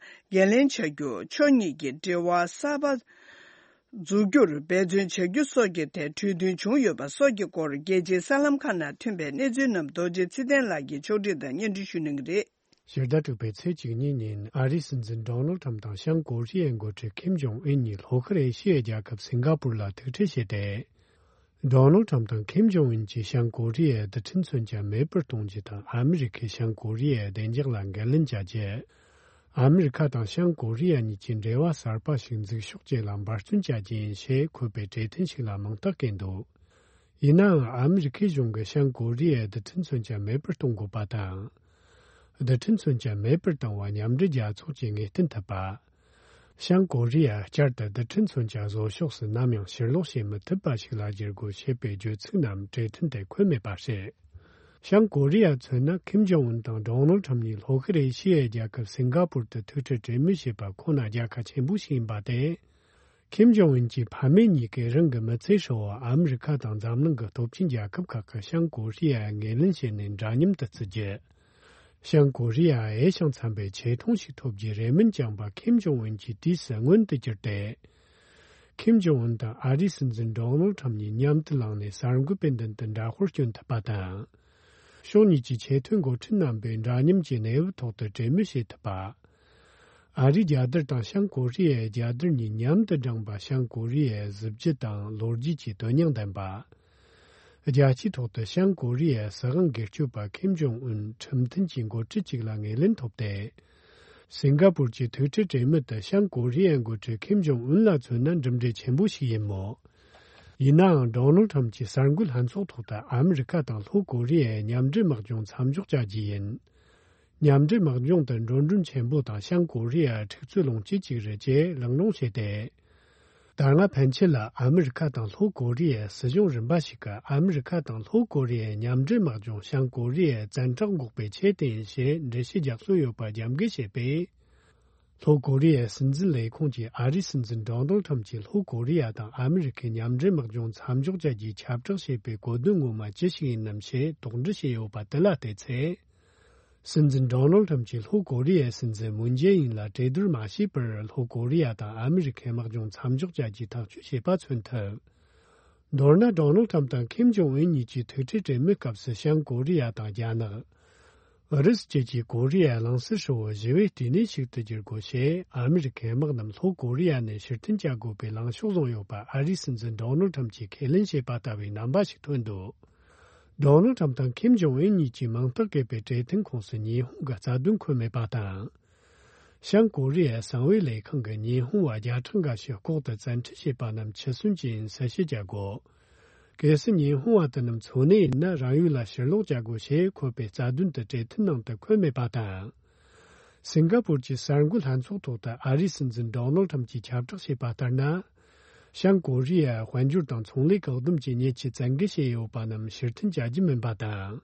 འགན་ལེན་བྱ་རྒྱུ། ཕྱོགས་གཉིས་ཀྱི་འབྲེལ་བ་གསར་པ་འཛུགས་རྒྱུར་འབད་བརྩོན་བྱ་རྒྱུ་སོགས་ཀྱི་ཐད་གྲོས་མཐུན་བྱུང་ཡོད་པ་སོགས་ཀྱི་སྐོར། རྒྱལ་སྤྱིའི་གསར་ལམ་ཁག་ནང་ཐོན་པའི་གནས་ཚུལ་རྣམས་རྡོ་རྗེ་ཚེ་བརྟན་ལགས་ཀྱིས་ཕྱོགས་སྒྲིག་དང་སྙན་སྒྲོན་ཞུ་གནང་གི་རེད། ཕྱི་ཟླ་དྲུག་པའི་ཚེས་བཅུ་གཉིས་ཉིན་ཨ་རིའི་སྲིད་འཛིན་ཌོ་ནལ་ཁྲམ་དང་བྱང་ཀོ་རི་ཡའི་འགོ་ཁྲིད་ཁིམ་ཇོང་ཨུན་གཉིས་ལྷོ་ཤར་ཨེ་ཤི་ཡའི་རྒྱལ་ཁབ་སིང་ག་པུར་ལ་ཐུག་འཕྲད་བྱས་ཏེ། ཌོ་ནལ་ཁྲམ་དང་ཁིམ་ཇོང་ཨུན་གྱིས་བྱང་ཀོ་རི་ཡའི་རྡུལ་ཕྲན་མཚོན་ཆ་མེད་པར་གཏོང་རྒྱུ་དང་། ཨ་མི་རི་ཁས་བྱང་ཀོ་རི་ཡའི་བདེ་འཇགས་ལ་འགན་ལེན་བྱ་རྒྱུ། ཨ་མི་རི་ཁ་དང་བྱང་ཀོ་རི་ཡ་གཉིས་ཀྱིས་འབྲེལ་བ་གསར་པ་ཞིག་འཛུགས་ཕྱོགས་བཅས་ལ་འབད་བརྩོན་བྱ་རྒྱུ་ཡིན་ཞེས་འཁོད་པའི་གྲོས་མཐུན་ཞིག་ལ་མིང་རྟགས་བཀོད་འདུག་ཡིན་ནའང་། ཨ་མི་རི་ཁའི་གཞུང་གིས་བྱང་ཀོ་རི་ཡའི་རྡུལ་ཕྲན་མཚོན་ཆ་མེད་པར་གཏོང་དགོས་པ་དང་། རྡུལ་ཕྲན་མཚོན་ཆ་མེད་པར་བཏང་བ་མཉམ་འབྲེལ་རྒྱལ་ཚོགས་ཀྱིས་ངེས་གཏན་ཐུབ་པ། བྱང་ཀོ་རི་ཡ་བསྐྱར་དུ་རྡུལ་ཕྲན་མཚོན་ཆ་བཟོ་ཕྱོགས་སུ་ནམ་ཡང་ཕྱིར་ལོག་བྱེད་མི་ཐུབ་པ་ཞིག་ལ་བསྒྱུར་དགོས་ཞེས་པའི་བརྗོད་ཚིག་རྣམས་གྲོས་མཐུན་དེར་འཁོད་མེད་པ་རེད། བྱང་ཀོ་རི་ཡ་མཚོན་ན། ཁིམ་ཇོང་ཨུན་དང་ཌོ་ནལ་ཁྲམ་གཉིས་ལྷོ་ཤར་ཨེ་ཤི་ཡའི་རྒྱལ་ཁབ་སིང་ག་པུར་དུ་ཐུག་འཕྲད་གྲོས་མོལ་བྱས་པ་ཁོ་ན་རྒྱལ་ཁ་ཆེན་པོ་ཞིག་ཡིན་པ་དེ། ཁིམ་ཇོང་ཨུན་གྱི་ཕ་མེས་གཉིས་ཀས་རང་གི་མི་ཚེ་ཧྲིལ་བོར་ཨ་མི་རི་ཁ་དང་འཛམ་གླིང་གི་སྟོབས་ཆེན་རྒྱལ་ཁབ་ཁག་གིས་བྱང་ཀོ་རི་ཡར་ངོས་ལེན་བྱས་ནས་འདྲ་མཉམ་དུ་བརྩི་རྒྱུ། བྱང་ཀོ་རི་ཡར་འོས་ཤིང་འཚམ་པའི་ཆེ་མཐོང་ཞིག་ཐོབ་རྒྱུའི་རེ་སྨོན་བཅངས་པ་ཁིམ་ཇོང་ཨུན་གྱི་དུས་སུ་མངོན་དུ་གྱུར་ཏེ། ཁིམ་ཇོང་ཨུན་དང་ཨ་རིའི་སྲིད་འཛིན་ཌོ་ནལ་ཁྲམ་གཉིས་མཉམ་དུ་ལངས་ནས་གསར་འགོད་པའི་མདུན་དུ་འདྲ་དཔར་སྐྱོན་ཐུབ་པ་དང་། ཕྱོགས་གཉིས་ཀྱི་ཆེས་མཐོའི་འགོ་ཁྲིད་རྣམ་པས་འདྲ་མཉམ་གྱི་གནས་བབ་ཐོག་ཏུ་གྲོས་མོལ་བྱེད་ཐུབ་པ། ཨ་རིའི་རྒྱལ་དར་དང་བྱང་ཀོ་རི་ཡའི་རྒྱལ་དར་གཉིས་མཉམ་དུ་བསྒྲེངས་པ། བྱང་ཀོ་རི་ཡའི་གཟི་བརྗིད་དང་ལོ་རྒྱུས་ཀྱི་དོན་སྙིང་ལྡན་པ། རྒྱལ་སྤྱིའི་ཐོག་ཏུ་བྱང་ཀོ་རི་ཡའི་སྲིད་དབང་སྒེར་གཅོད་པ་ཁིམ་ཇོང་ཨུན་ཁྲིམས་མཐུན་གྱི་འགོ་ཁྲིད་ཅིག་ལ་ངོས་ལེན་ཐོབ་སྟེ། སིང་ག་པུར་གྱི་ཐུག་འཕྲད་གྲོས་མོལ་དུ་བྱང་ཀོ་རི་ཡའི་འགོ་ཁྲིད་ཁིམ་ཇོང་ཨུན་ལ་མཚོན་ན་གྲུབ་འབྲས་ཆེན་པོ་ཞིག་ཡིན་མོད། ཡིན་ནའང་ཌོ་ནལ་ཁྲམ་གྱིས་གསར་འགོད་ལྷན་ཚོགས་ཐོག་ཏུ་ཨ་མི་རི་ཁ་དང་ལྷོ་ཀོ་རི་ཡའི་མཉམ་འབྲེལ་དམག་སྦྱོང་མཚམས་འཇོག་བྱ་རྒྱུ་ཡིན། མཉམ་འབྲེལ་དམག་སྦྱོང་དེ་འགྲོ་གྲོན་ཆེན་པོ་དང་བྱང་ཀོ་རི་ཡར་འཁྲུག་རྩོད་སློང་བྱེད་ཅིག་རེད་ཅེས་གླེང་སློང་བྱས་ཏེ། ད་སྔ་ཕན་ཆད་ལ་ཨ་མི་རི་ཁ་དང་ལྷོ་ཀོ་རི་ཡའི་སྲིད་གཞུང་རིམ་པ་ཞིག་གིས་ཨ་མི་རི་ཁ་དང་ལྷོ་ཀོ་རི་ཡའི་མཉམ་འབྲེལ་དམག་སྦྱོང་བྱང་ཀོ་རི་ཡའི་བཙན་དྲག་འགོག་པའི་ཆེད་དུ་ཡིན་ཞེས་འགྲེལ་བཤད་རྒྱག་སྲོལ་ཡོད་པ་རྒྱབ་འགལ་བྱས་པས། ལྷོ་ཀོ་རི་ཡའི་སྲིད་འཛིན་ལས་ཁུངས་ཀྱིས་ཨ་རིའི་སྲིད་འཛིན་ཌོ་ནལ་ཁྲམ་གྱིས་ལྷོ་ཀོ་རི་ཡ་དང་ཨ་མི་རི་ཁའི་མཉམ་འབྲེལ་དམག་སྦྱོང་མཚམས་འཇོག་བྱ་རྒྱུའི་ཁྱབ་བསྒྲགས་བྱས་པའི་གོ་དོན་ངོ་མ་ཅི་ཞིག་ཡིན་ནམ་ཞེས་དོགས་འདྲི་བྱས་ཡོད་པ་དེ་ལ་བལྟས་ཚེ། སྲིད་འཛིན་ཌོ་ནལ་ཁྲམ་གྱིས་ལྷོ་ཀོ་རི་ཡའི་སྲིད་འཛིན་མུན་ཇེ་ཨིན་ལ་གྲོས་བསྡུར་མ་བྱས་པར་ལྷོ་ཀོ་རི་ཡ་དང་ཨ་མི་རི་ཁའི་དམག་སྦྱོང་མཚམས་འཇོག་བྱ་རྒྱུའི་ཐག་གཅོད་བྱས་པ་མཚོན་ཐུབ། མདོར་ན་ཌོ་ནལ་ཁྲམ་དང་ཁིམ་ཇོང་ཨུན་གཉིས་ཀྱིས་ཐུག་འཕྲད་གྲོས་མོལ་སྐབས་སུ་བྱང་ཀོ་རི་ཡ་དང་རྒྱ་ནག་ཨུ་རུ་སུ་བཅས་ཀྱིས་ཀོ་རི་ཡ་གླིང་ཟུར་ཧྲིལ་བོ་ཞི་བའི་ལྟེ་གནས་ཤིག་ཏུ་བསྒྱུར་དགོས་ཞེས་ཨ་མི་རི་ཁའི་དམག་རྣམས་ལྷོ་ཀོ་རི་ཡ་ནས་ཕྱིར་འཐེན་བྱ་དགོས་པའི་ལངས་ཕྱོགས་བཟུང་ཡོད་པ་ཨ་རིའི་སྲིད་འཛིན་ཌོ་ནལ་ཁྲམ་གྱིས་ཁས་ལེན་བྱས་པ་ལྟ་བུའི་རྣམ་པ་ཞིག་ཐོན་འདུག་ཌོ་ནལ་ཁྲམ་དང་ཁིམ་ཇོང་ཨུན་གཉིས་ཀྱིས་མིང་རྟགས་བཀོད་པའི་གྲོས་མཐུན་ཁོངས་སུ་ཉི་ཧོང་གི་རྩ་དོན་འཁོད་མེད་པ་དང་། བྱང་ཀོ་རི་ཡའི་གསང་བའི་ལས་ཁང་གིས་ཉི་ཧོང་བ་བརྒྱ་ཕྲག་འགའ་ཞིག་ལྐོག་ཏུ་བཙན་ཁྲིད་བྱས་པ་རྣམས་འཆི་གསོན་གྱི་ཡིན་གསལ་བཤད་བྱ་དགོས། གལ་སྲིད་ཉི་ཧོང་བ་དེ་རྣམས་འཚོ་གནས་ཡིན་ན་རང་ཡུལ་ལ་ཕྱིར་ལོག་བྱ་དགོས་ཞེས་འཁོད་པའི་རྩ་དོན་དེ་གྲོས་མཐུན་ནང་དུ་འཁོད་མེད་པ་དང་། སིང་ག་པུར་གྱི་གསར་འགོད་ལྷན་ཚོགས་ཐོག་ཏུ་ཨ་རིའི་སྲིད་འཛིན་ཌོ་ནལ་ཁྲམ་གྱིས་ཁྱབ་བསྒྲགས་བྱས་པ་ལྟར་ན། བྱང་ཀོ་རི་ཡ་དཔལ་འབྱོར་དང་ཚོང་ལས་བཀག་སྡོམ་གྱི་ཉེས་ཆད་བཙན་འགེལ་བྱས་ཡོད་པ་རྣམས་ཕྱིར་འཐེན་བྱ་རྒྱུ་མིན་པ་དང་།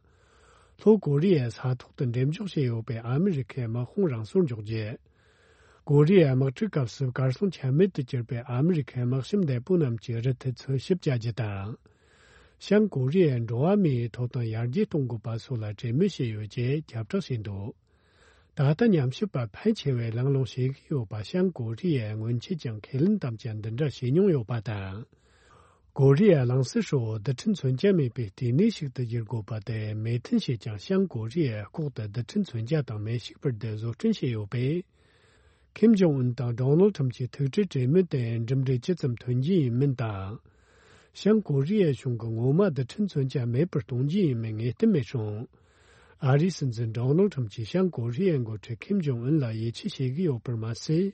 ལྷོ་ཀོ་རི་ཡའི་ས་ཐོག་ཏུ་འགྲེམས་འཇོག་བྱས་ཡོད་པའི་ཨ་མི་རི་ཁའི་དམག་དཔུང་རང་སོར་འཇོག་རྒྱུ། ཀོ་རི་ཡའི་དམག་འཁྲུག་སྐབས་སུ་གར་སོང་ཆ་མེད་དུ་གྱུར་པའི་ཨ་མི་རི་ཁའི་དམག་ཞབས་འདས་པོ་རྣམས་ཀྱི་རུ་མཐུད་འཚོལ་ཞིབ་བྱ་རྒྱུ་དང་། བྱང་ཀོ་རི་ཡའི་འགྲོ་བ་མིའི་ཐོབ་ཐང་ཡར་རྒྱས་གཏོང་དགོས་པ་སོགས་ལ་གྲོས་མོལ་བྱས་ཡོད་ཅེས་ཁྱབ་བསྒྲགས་བྱས་འདུག་ད་ལྟ་ཉམས་ཞིབ་པ་ཕལ་ཆེ་བས་གླེང་སློང་བྱེད་ཀྱི་ཡོད་པ། བྱང་ཀོ་རི་ཡའི་སྔོན་ཆད་ཀྱང་ཁས་ལེན་དམ་བཅའ་འདི་འདྲ་བྱས་མྱོང་ཡོད་པ་དང་། ཀོ་རི་ཡ་གླིང་ཟུར་ཧྲིལ་བོ་རྡུལ་ཕྲན་མཚོན་ཆ་མེད་པའི་ལྟེ་གནས་ཤིག་ཏུ་བསྒྱུར་དགོས་པ་དེ་མོས་མཐུན་བྱས་ཀྱང་། བྱང་ཀོ་རི་ཡས་ལྐོག་ཏུ་རྡུལ་ཕྲན་མཚོན་ཆ་དང་མེ་ཤུགས་འཕུར་མདེལ་བཟོ་སྐྲུན་བྱས་ཡོད་པས། ཁིམ་ཇོང་ཨུན་དང་ཌོ་ནལ་ཁྲམ་གྱི་ཐུག་འཕྲད་གྲོས་མོལ་དེ་འགྲུབ་འབྲས་ཇི་ཙམ་ཐོན་རྒྱུ་ཡིན་མིན་དང་། བྱང་ཀོ་རི་ཡའི་གཞུང་གིས་ངོ་མ་རྡུལ་ཕྲན་མཚོན་ཆ་མེད་པར་གཏོང་རྒྱུ་ཡིན་མིན་ངེས་གཏན་མེད་རུང་། ཨ་རིའི་སྲིད་འཛིན་ཌོ་ནལ་ཁྲམ་གྱིས་བྱང་ཀོ་རི་ཡའི་འགོ་ཁྲིད་ཁིམ་ཇོང་ཨུན་ལ་ཡིད་ཆེས་བྱེད་ཀྱི་ཡོད་པར་མ་ཟད།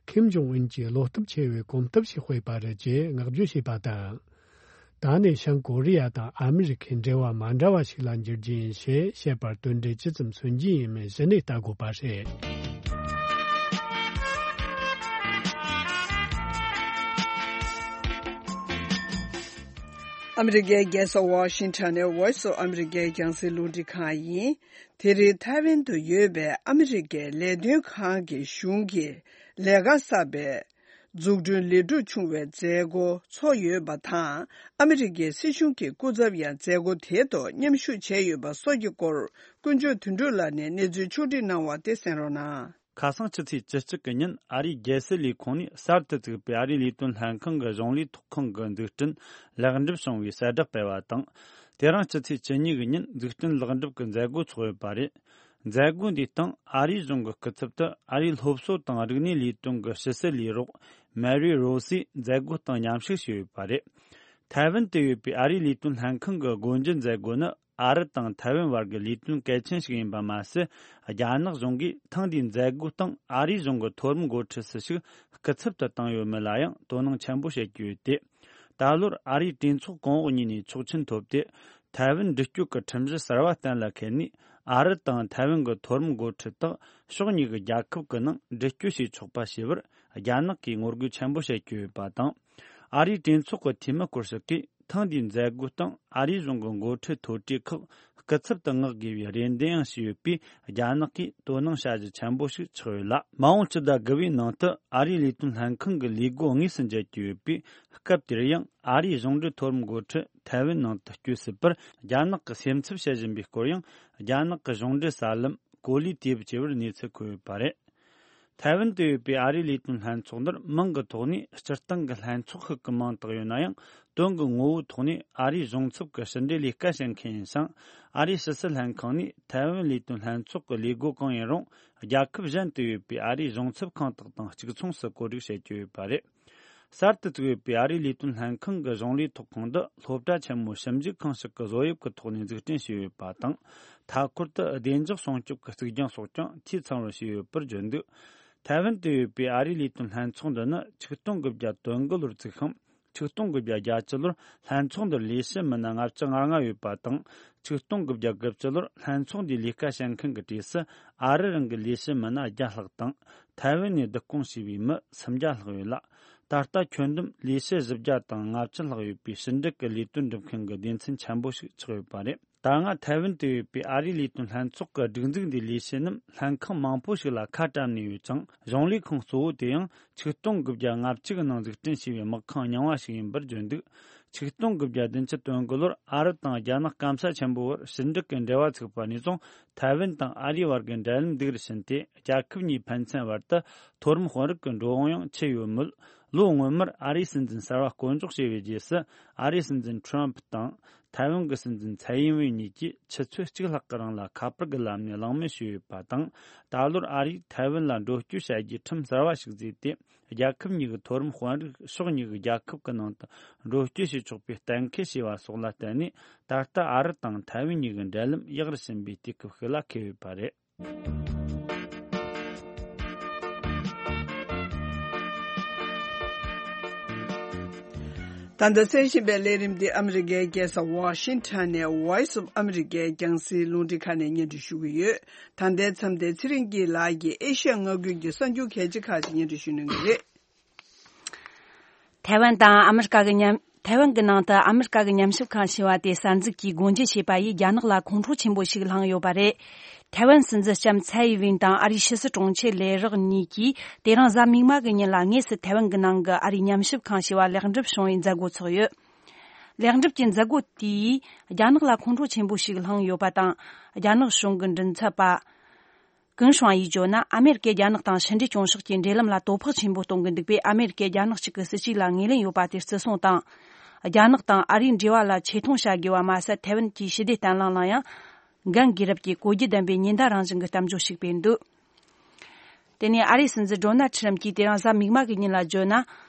ཁིམ་ཇོང་ཨུན་གྱིས་བློ་སྟོབས་ཆེ་བའི་གོམ་སྟབས་ཤིག་སྤོས་པ་རེད་ཅེས་བསྔགས་བརྗོད་བྱས་པ་དང་། ད་ནས་བྱང་ཀོ་རི་ཡ་དང་ཨ་མི་རི་ཁའི་འབྲེལ་བ་མ་འདྲ་བ་ཞིག་ལ་འགྱུར་རྒྱུ་ཡིན་ཞེས་བཤད་པར་དོན་འབྲས་ཇི་ཙམ་སོན་རྒྱུ་ཡིན་མིན་གཞི་ནས་ལྟ་དགོས་པ་རེད། ཨ་མི་རི་ཀའི་རྒྱལ་ས་ཝ་ཤིང་ཊོན་ནས་Voice of America རྒྱང་སྲིང་རླུང་འཕྲིན་ཁང་ཡིན། དེ་རིང་ཐའེ་ཝན་དུ་ཡོད་པའི་ཨ་མི་རི་ཀའི་ལས་དོན་ཁང་གི་གཞུང་གི་ལས་ཀ་གསར་པའི་འཛུགས་སྐྲུན་ལས་སྒྲུབ་བྱུང་བའི་མཛད་སྒོ་ཚོགས་ཡོད་པ་དང་། ཨ་མི་རི་ཀའི་སྲིད་གཞུང་གི་སྐུ་ཚབ་ཡང་མཛད་སྒོ་དེའི་ཐོག་མཉམ་ཞུགས་བྱས་ཡོད་པ་སོགས་ཀྱི་སྐོར། དཀོན་མཆོག་དོན་གྲུབ་ལགས་ནས་གནས་ཚུལ་ཕྱོགས་བསྒྲིགས་གནང་བ་དེ་གསན་རོགས་གནང་། ཁ་སང་ཕྱི་ཚེས་བཅུ་གཅིག་གི་ཉིན་ཨ་རིའི་རྒྱལ་སྲིད་ལས་ཁུངས་ནས་གསར་དུ་བཙུགས་པའི་ཨ་རིའི་ལས་དོན་ལྷན་ཁང་གི་གཞུང་ལས་ཐོག་ཁང་གི་འཛུགས་སྐྲུན་ལེགས་འགྲུབ་བྱུང་བའི་གསལ་བསྒྲགས་སྤེལ་བ་དང་། དེ་རིང་ཕྱི་ཚེས་བཅུ་གཉིས་ཀྱི་ཉིན་འཛུགས་སྐྲུན་ལེགས་འགྲུབ་ཀྱི་མཛད་སྒོ་ཚོགས་ཡོད་པ་རེད། མཛད་སྒོ་འདིའི་སྟེང་ཨ་རིའི་གཞུང་གི་སྐུ་ཚབ་ཏུ་ཨ་རིའི་སློབ་གསོ་དང་རིག་གནས་ལས་དོན་གྱི་ཕྱི་སྲིད་ལས་རོགས་མེ་རི་རོ་སིས་མཛད་སྒོའི་སྟེང་མཉམ་ཞུགས་བྱས་ཡོད་པ་རེད། ཐའེ་ཝན་དུ་ཡོད་པའི་ཨ་རིའི་ལས་དོན་ལྷན་ཁང་གི་སྒོ་འབྱེད་མཛད་སྒོ་ནི། ཨ་རི་དང་ཐའེ་ཝན་བར་གྱི་ལས་དོན་གལ་ཆེན་ཞིག་ཡིན་པ་མ་ཟད། རྒྱ་ནག་གཞུང་གིས་ཐེངས་འདིའི་མཛད་སྒོའི་སྟེང་ཨ་རིའི་གཞུང་གི་མཐོ་རིམ་འགོ་ཁྲིད་སུ་ཞིག་སྐུ་ཚབ་ཏུ་བཏང་ཡོད་མེད་ལ་ཡང་དོ་སྣང་ཆེན་པོ་བྱེད་ཀྱི་ཡོད་དེ། ད་ལོར་ཨ་རིའི་གྲོས་ཚོགས་གོང་འོག་གཉིས་ནས་ཆོག་མཆན་ཐོབ་སྟེ། ཐའེ་ཝན་འདྲི་གཅོད་ཀྱི་ཁྲིམས་གཞི་གསར་བ་གཏན་ལ་འཁེལ་ནས། ཨ་རི་དང་ཐའེ་ཝན་གྱི་མཐོ་རིམ་འགོ་ཁྲིད་དག་ཕྱོགས་གཉིས་ཀྱི་རྒྱལ་ཁབ་ཀྱི་ནང་འདྲི་གཅོད་བྱེད་ཆོག་པ་བྱས་པར་རྒྱ་ནག་གིས་ངོ་རྒོལ་ཆེན་པོ་བྱེད་ཀྱི་ཡོད་པ་དང་། ཨ་རིའི་གྲོས་ཚོགས་ཀྱི་འཐུས་མི་སྐོར་ཞིག་གིས། ཐེངས་འདིའི་མཛད་སྒོའི་སྟེང་ཨ་རིའི་གཞུང་གི་འགོ་ཁྲིད་མཐོ་གྲས་ཁག་སྐུ་ཚབ་ཏུ་མངགས་དགོས་པའི་རེ་འདུན་ཡང་ཞུས་ཡོད་པས། རྒྱ་ནག་གིས་དོ་སྣང་བྱ་གཞི་ཆེན་པོ་ཞིག་ཆགས་ཡོད་ལ། མ་འོངས་ཕྱི་ཟླ་དགུ་པའི་ནང་དུ་ཨ་རིའི་ལས་དོན་ལྷན་ཁང་གི་ལས་སྒོ་དངོས་སུ་མཇལ་རྒྱུ་ཡོད་པས། སྐབས་དེར་ཡང་ཨ་རིའི་གཞུང་འབྲེལ་མཐོ་རིམ་འགོ་ཁྲིད་ཐའེ་ཝན་ནང་དུ་བསྐྱོད་སྲིད་པར་རྒྱ་ནག་གིས་སེམས་འཚབ་བྱེད་བཞིན་པའི་སྐོར་ཡང་། རྒྱ་ནག་གི་གཞུང་འབྲེལ་གསར་ལམ་གོ་ལའི་ཊི་ཝི་བཅས་པར་གནས་ཚུལ་འཁོད་ཡོད་པ་རེད། ཐའེ་ཝན་དུ་ཡོད་པའི་ཨ་རིའི་ལས་དོན་ལྷན་ཚོགས་འདིར་མིང་གི་ཐོག་ནས་སྤྱིར་བཏང་གི་ལྷན་ཚོགས་ཤིག་གི་མིང་བཏགས་ཡོད་ན་ཡང་ དོན་གྱི་ངོ་བོའི་ཐོག་ནས་ཨ་རིའི་གཞུང་ཚབ་ཀྱི་ཕྱི་འབྲེལ་ལས་ཀ་བྱེད་མཁན་ཡིན་ཞིང་། ཨ་རིའི་ཕྱི་སྲིད་ལྷན་ཁང་ནས་ཐའེ་ཝན་ལས་དོན་ལྷན་ཚོགས་ཀྱི་ལས་སྒོ་གང་ཡིན་རུང་། རྒྱལ་ཁབ་གཞན་དུ་ཡོད་པའི་ཨ་རིའི་གཞུང་ཚབ་ཁང་དག་དང་གཅིག་མཚུངས་སུ་བཀོད་སྒྲིག་བྱེད་ཀྱི་ཡོད་པ་རེད། གསར་དུ་བཙུགས་ཡོད་པའི་ཨ་རིའི་ལས་དོན་ལྷན་ཁང་གི་གཞུང་ལས་ཐོག་ཁང་འདི་སློབ་གྲྭ་ཆེན་མོ་ཞིབ་འཇུག་ཁང་ཞིག་གི་བཟོ་དབྱིབས་ཀྱི་ཐོག་ནས་འཛུགས་སྐྲུན་བྱས་ཡོད་པ་དང་། མཐའ་འཁོར་དུ་བདེ་འཇགས་སྲུང་སྐྱོབ་ཀྱི་གཙིགས་རྒྱང་སོགས་ཀྱང་འཐུས་ཚང་བར་བྱས་ཡོད་པར་བརྗོད་འདུག་ཐའེ་ཝན་དུ་ཡོད་པའི་ཨ་རིའི་ལས་དོན་ལྷན་ཚོགས་འདི་ནི་ཆིག་སྟོང་དགུ་བརྒྱ་དོན་དགུ་ལོར་བཙུགས་ཤིང་། ཆིག་སྟོང་དགུ་བརྒྱ་བརྒྱད་ཅུ་ལོར་ལྷན་ཚོགས་འདིར་ལས་བྱེད་མི་སྣ་ལྔ་བཅུ་ང་ལྔ་ཡོད་པ་དང་། ཆིག་སྟོང་དགུ་བརྒྱ་དགུ་བཅུ་ལོར་ལྷན་ཚོགས་འདིའི་ལས་ཀ་བྱེད་མཁན་གྱི་གྲས་སུ་ཨ་རི་རང་གི་ལས་བྱེད་མི་སྣ་བརྒྱ་ལྷག་དང་། ཐའེ་ཝན་ནས་བསྡུ་སྐོང་བྱས་པའི་མི་སུམ་བརྒྱ་ལྷག་ཡོད་ལ། ད་ལྟ་ཁྱོན་བསྡོམས་ལས་བྱེད་བཞི་བརྒྱ་དང་ལྔ་བཅུ་ལྷག་ཡོད་པའི་ཕྱི་འབྲེལ་གྱི་ལས་དོན་སྒྲུབ་མཁན་གྱི་སྡེ་ཚན་ཆེན་པོ་ཞིག་ཆགས་ཡོད་པ་རེད། ད་སྔ་ཐའེ་ཝན་དུ་ཡོད་པའི་ཨ་རིའི་ལས་དོན་ལྷན་ཚོགས་ཀྱི་སྒྲིག་འཛུགས་འདིའི་ལས་བྱེད་རྣམས་ལྷན་ཁང་མང་པོ་ཞིག་ལ་ཁ་བཀྲམ་ནས་ཡོད་ཅིང་། གཞུང་ལས་ཁང་གཙོ་བོ་དེ་ཡང་ཆིག་སྟོང་དགུ་བརྒྱ་ལྔ་བཅུ་གི་ནང་འཛུགས་སྐྲུན་བྱས་པའི་དམག་ཁང་རྙིང་བ་ཞིག་ཡིན་པར་བརྗོད་འདུག་ཆིག་སྟོང་དགུ་བརྒྱ་བདུན་ཅུ་དོན་དགུ་ལོར་ཨ་རི་དང་རྒྱ་ནག་སྐམ་ས་ཆེན་པོའི་བར་ཕྱི་འབྲེལ་གྱི་འབྲེལ་བ་ཚུགས་པ་ནས་བཟུང་། ཐའེ་ཝན་དང་ཨ་རིའི་བར་གྱི་འབྲེལ་ལམ་སྡུག་རུ་ཕྱིན་ཏེ། རྒྱལ་ཁབ་གཉིས་ཕན་ཚུན་བར་དུ་མཐོ་རིམ་དཔོན་རིགས་ཀྱི་འགྲོ་འོང་ཡང་ཆེ་ཡོད་མོད། ལོ་སྔོན་མར་ཨ་རིའི་སྲིད་འཛིན་གསར་བ་བསྐོ་འཇོག་བྱས་པའི་རྗེས་སུ། ཨ་རིའི་སྲིད་འཛིན་ཁྲོམ་ཕུ་དང་། ཐའེ་ཝན་གྱི་སྲིད་འཛིན་ཚའེ་ཡིན་ཝེ་གཉིས་ཀྱིས་ཆུ་ཚོད་གཅིག་ལྷག་གི་རིང་ལ་ཁ་པར་གྱི་ལམ་ནས་གླེང་མོལ་བྱས་ཡོད་པ་དང་། ད་ལོར་ཨ་རིས་ཐའེ་ཝན་ལ་འགྲོ་སྐྱོད་བྱ་རྒྱུའི་ཁྲིམས་གསར་བ་ཞིག་བཟོས་ཏེ། རྒྱལ་ཁབ་གཉིས་ཀྱི་མཐོ་རིམ་དཔོན་རིགས་ཕྱོགས་གཉིས་ཀྱི་རྒྱལ་ཁབ་ཀྱི་ནང་དུ་འགྲོ་སྐྱོད་བྱེད་ཆོག་པའི་གཏན་འཁེལ་བྱས་པ་སོགས་ལ་བརྟེན་ནས། ད་ལྟ་ཨ་རི་དང་ཐའེ་ཝན་གཉིས་ཀྱི་འབྲེལ་ལམ་ཡག་རུ་ཕྱིན་པའི་དུས་སྐབས་ཤིག་ལ་འཁེལ་ཡོད་པ་རེད། ད་ལྟ་གསན་བཞིན་པའི་ལས་རིམ་འདི་ཨ་མི་རི་ཀའི་རྒྱལ་ས་ཝ་ཤིང་ཊོན་ནས་Voice of America་རྒྱང་སྲིང་རླུང་འཕྲིན་ཁང་ནས་སྙན་སྒྲོན་ཞུ་གི་ཡོད། ད་ལྟའི་མཚམས་དེ་ཚེ་རིང་སྐྱིད་ལགས་ཀྱིས་ཨེ་ཤ་ཡ་མངའ་ཁུལ་གྱི་གསར་འགྱུར་གལ་ཆེ་ཁག་ཅིག་སྙན་སྒྲོན་ཞུ་གནང་གི་རེད། ཐའེ་ཝན་དང་ཨ་མི་རི་ཀ་གི་མཉམ། ཐའེ་ཝན་གྱི་ནང་དུ་ཨ་མི་རི་ཀ་གི་ཉམས་ཞིབ་ཁང་ཞེས་པ་དེ་གསར་འཛུགས་ཀྱིས་སྒོ་འབྱེད་བྱས་པ་ཡིས་རྒྱ་ནག་ལ་ཁོང་ཁྲོ་ཆེན་པོ་ཞིག་བསླངས་ཡོད་པ་རེད། ཐའེ་ཝན་སྲིད་འཛིན་ལྕམ་ཚའེ་ཡི་ཝིན་དང་ཨ་རིའི་ཕྱི་སྲིད་དྲུང་ཆེ་ལས་རོགས་གཉིས་ཀྱིས་དེ་རིང་གཟའ་མིག་དམར་གྱི་ཉིན་ལ་དངོས་སུ་ཐའེ་ཝན་གྱི་ནང་གི་ཨ་རིའི་ཉམས་ཞིབ་ཁང་ཞེས་པ་ལེགས་འགྲུབ་བྱུང་བའི་མཛད་སྒོ་ཚོགས་ཡོད། ལེགས་འགྲུབ་ཀྱི་མཛད་སྒོ་དེས་རྒྱ་ནག་ལ་ཁོང་ཁྲོ་ཆེན་པོ་ཞིག་བསླངས་ཡོད་པ་དང་། རྒྱ་ནག་གཞུང་གི་མགྲིན་ཚབ་པ། ཀུན་ཧྲང་ཡིས་བརྗོད་ན། ཨ་མེ་རི་ཀས་རྒྱ་ནག་དང་ཕྱི་འབྲེལ་སྐྱོང་ཕྱོགས་ཀྱི་འབྲེལ་ལམ་ལ་དོ་ཕོག་ཆེན་པོ་གཏོང་གི་འདུག་པས། ཨ་མེ་རི་ཀས་རྒྱ་ནག་གཅིག་གི་སྲིད་ཇུས་ལ་ངོས་ལེན་ཡོད་པ་དེ་བརྩི་སྲུང་དང་། རྒྱ་ནག་དང་ཨ་རིའི་འབྲེལ་བ་ལ་ཆེ་མཐོང་བྱ་དགོས་པ་མ་ཟད། ཐའེ་ཝན་གྱི་ཞི་བདེ་བརྟན་ལྷིང་ལ་ཡང་འགན་འགེལ་རབས་ཀྱི་གོ་རྒྱུ་ལྡན་པའི་ཉེན་བརྡ་རང་བཞིན་གྱི་གཏམ་བརྗོད་ཞིག་སྤེལ་འདུག་དེ་ནས་ཨ་རིའི་སྲིད་འཛིན་ཌོ་ནལ་ཁྲི་རམ་གྱིས་དེ་རིང་གཟའ་མིག་དམར་གྱི་ཉིན་ལ་བརྗོད་ན།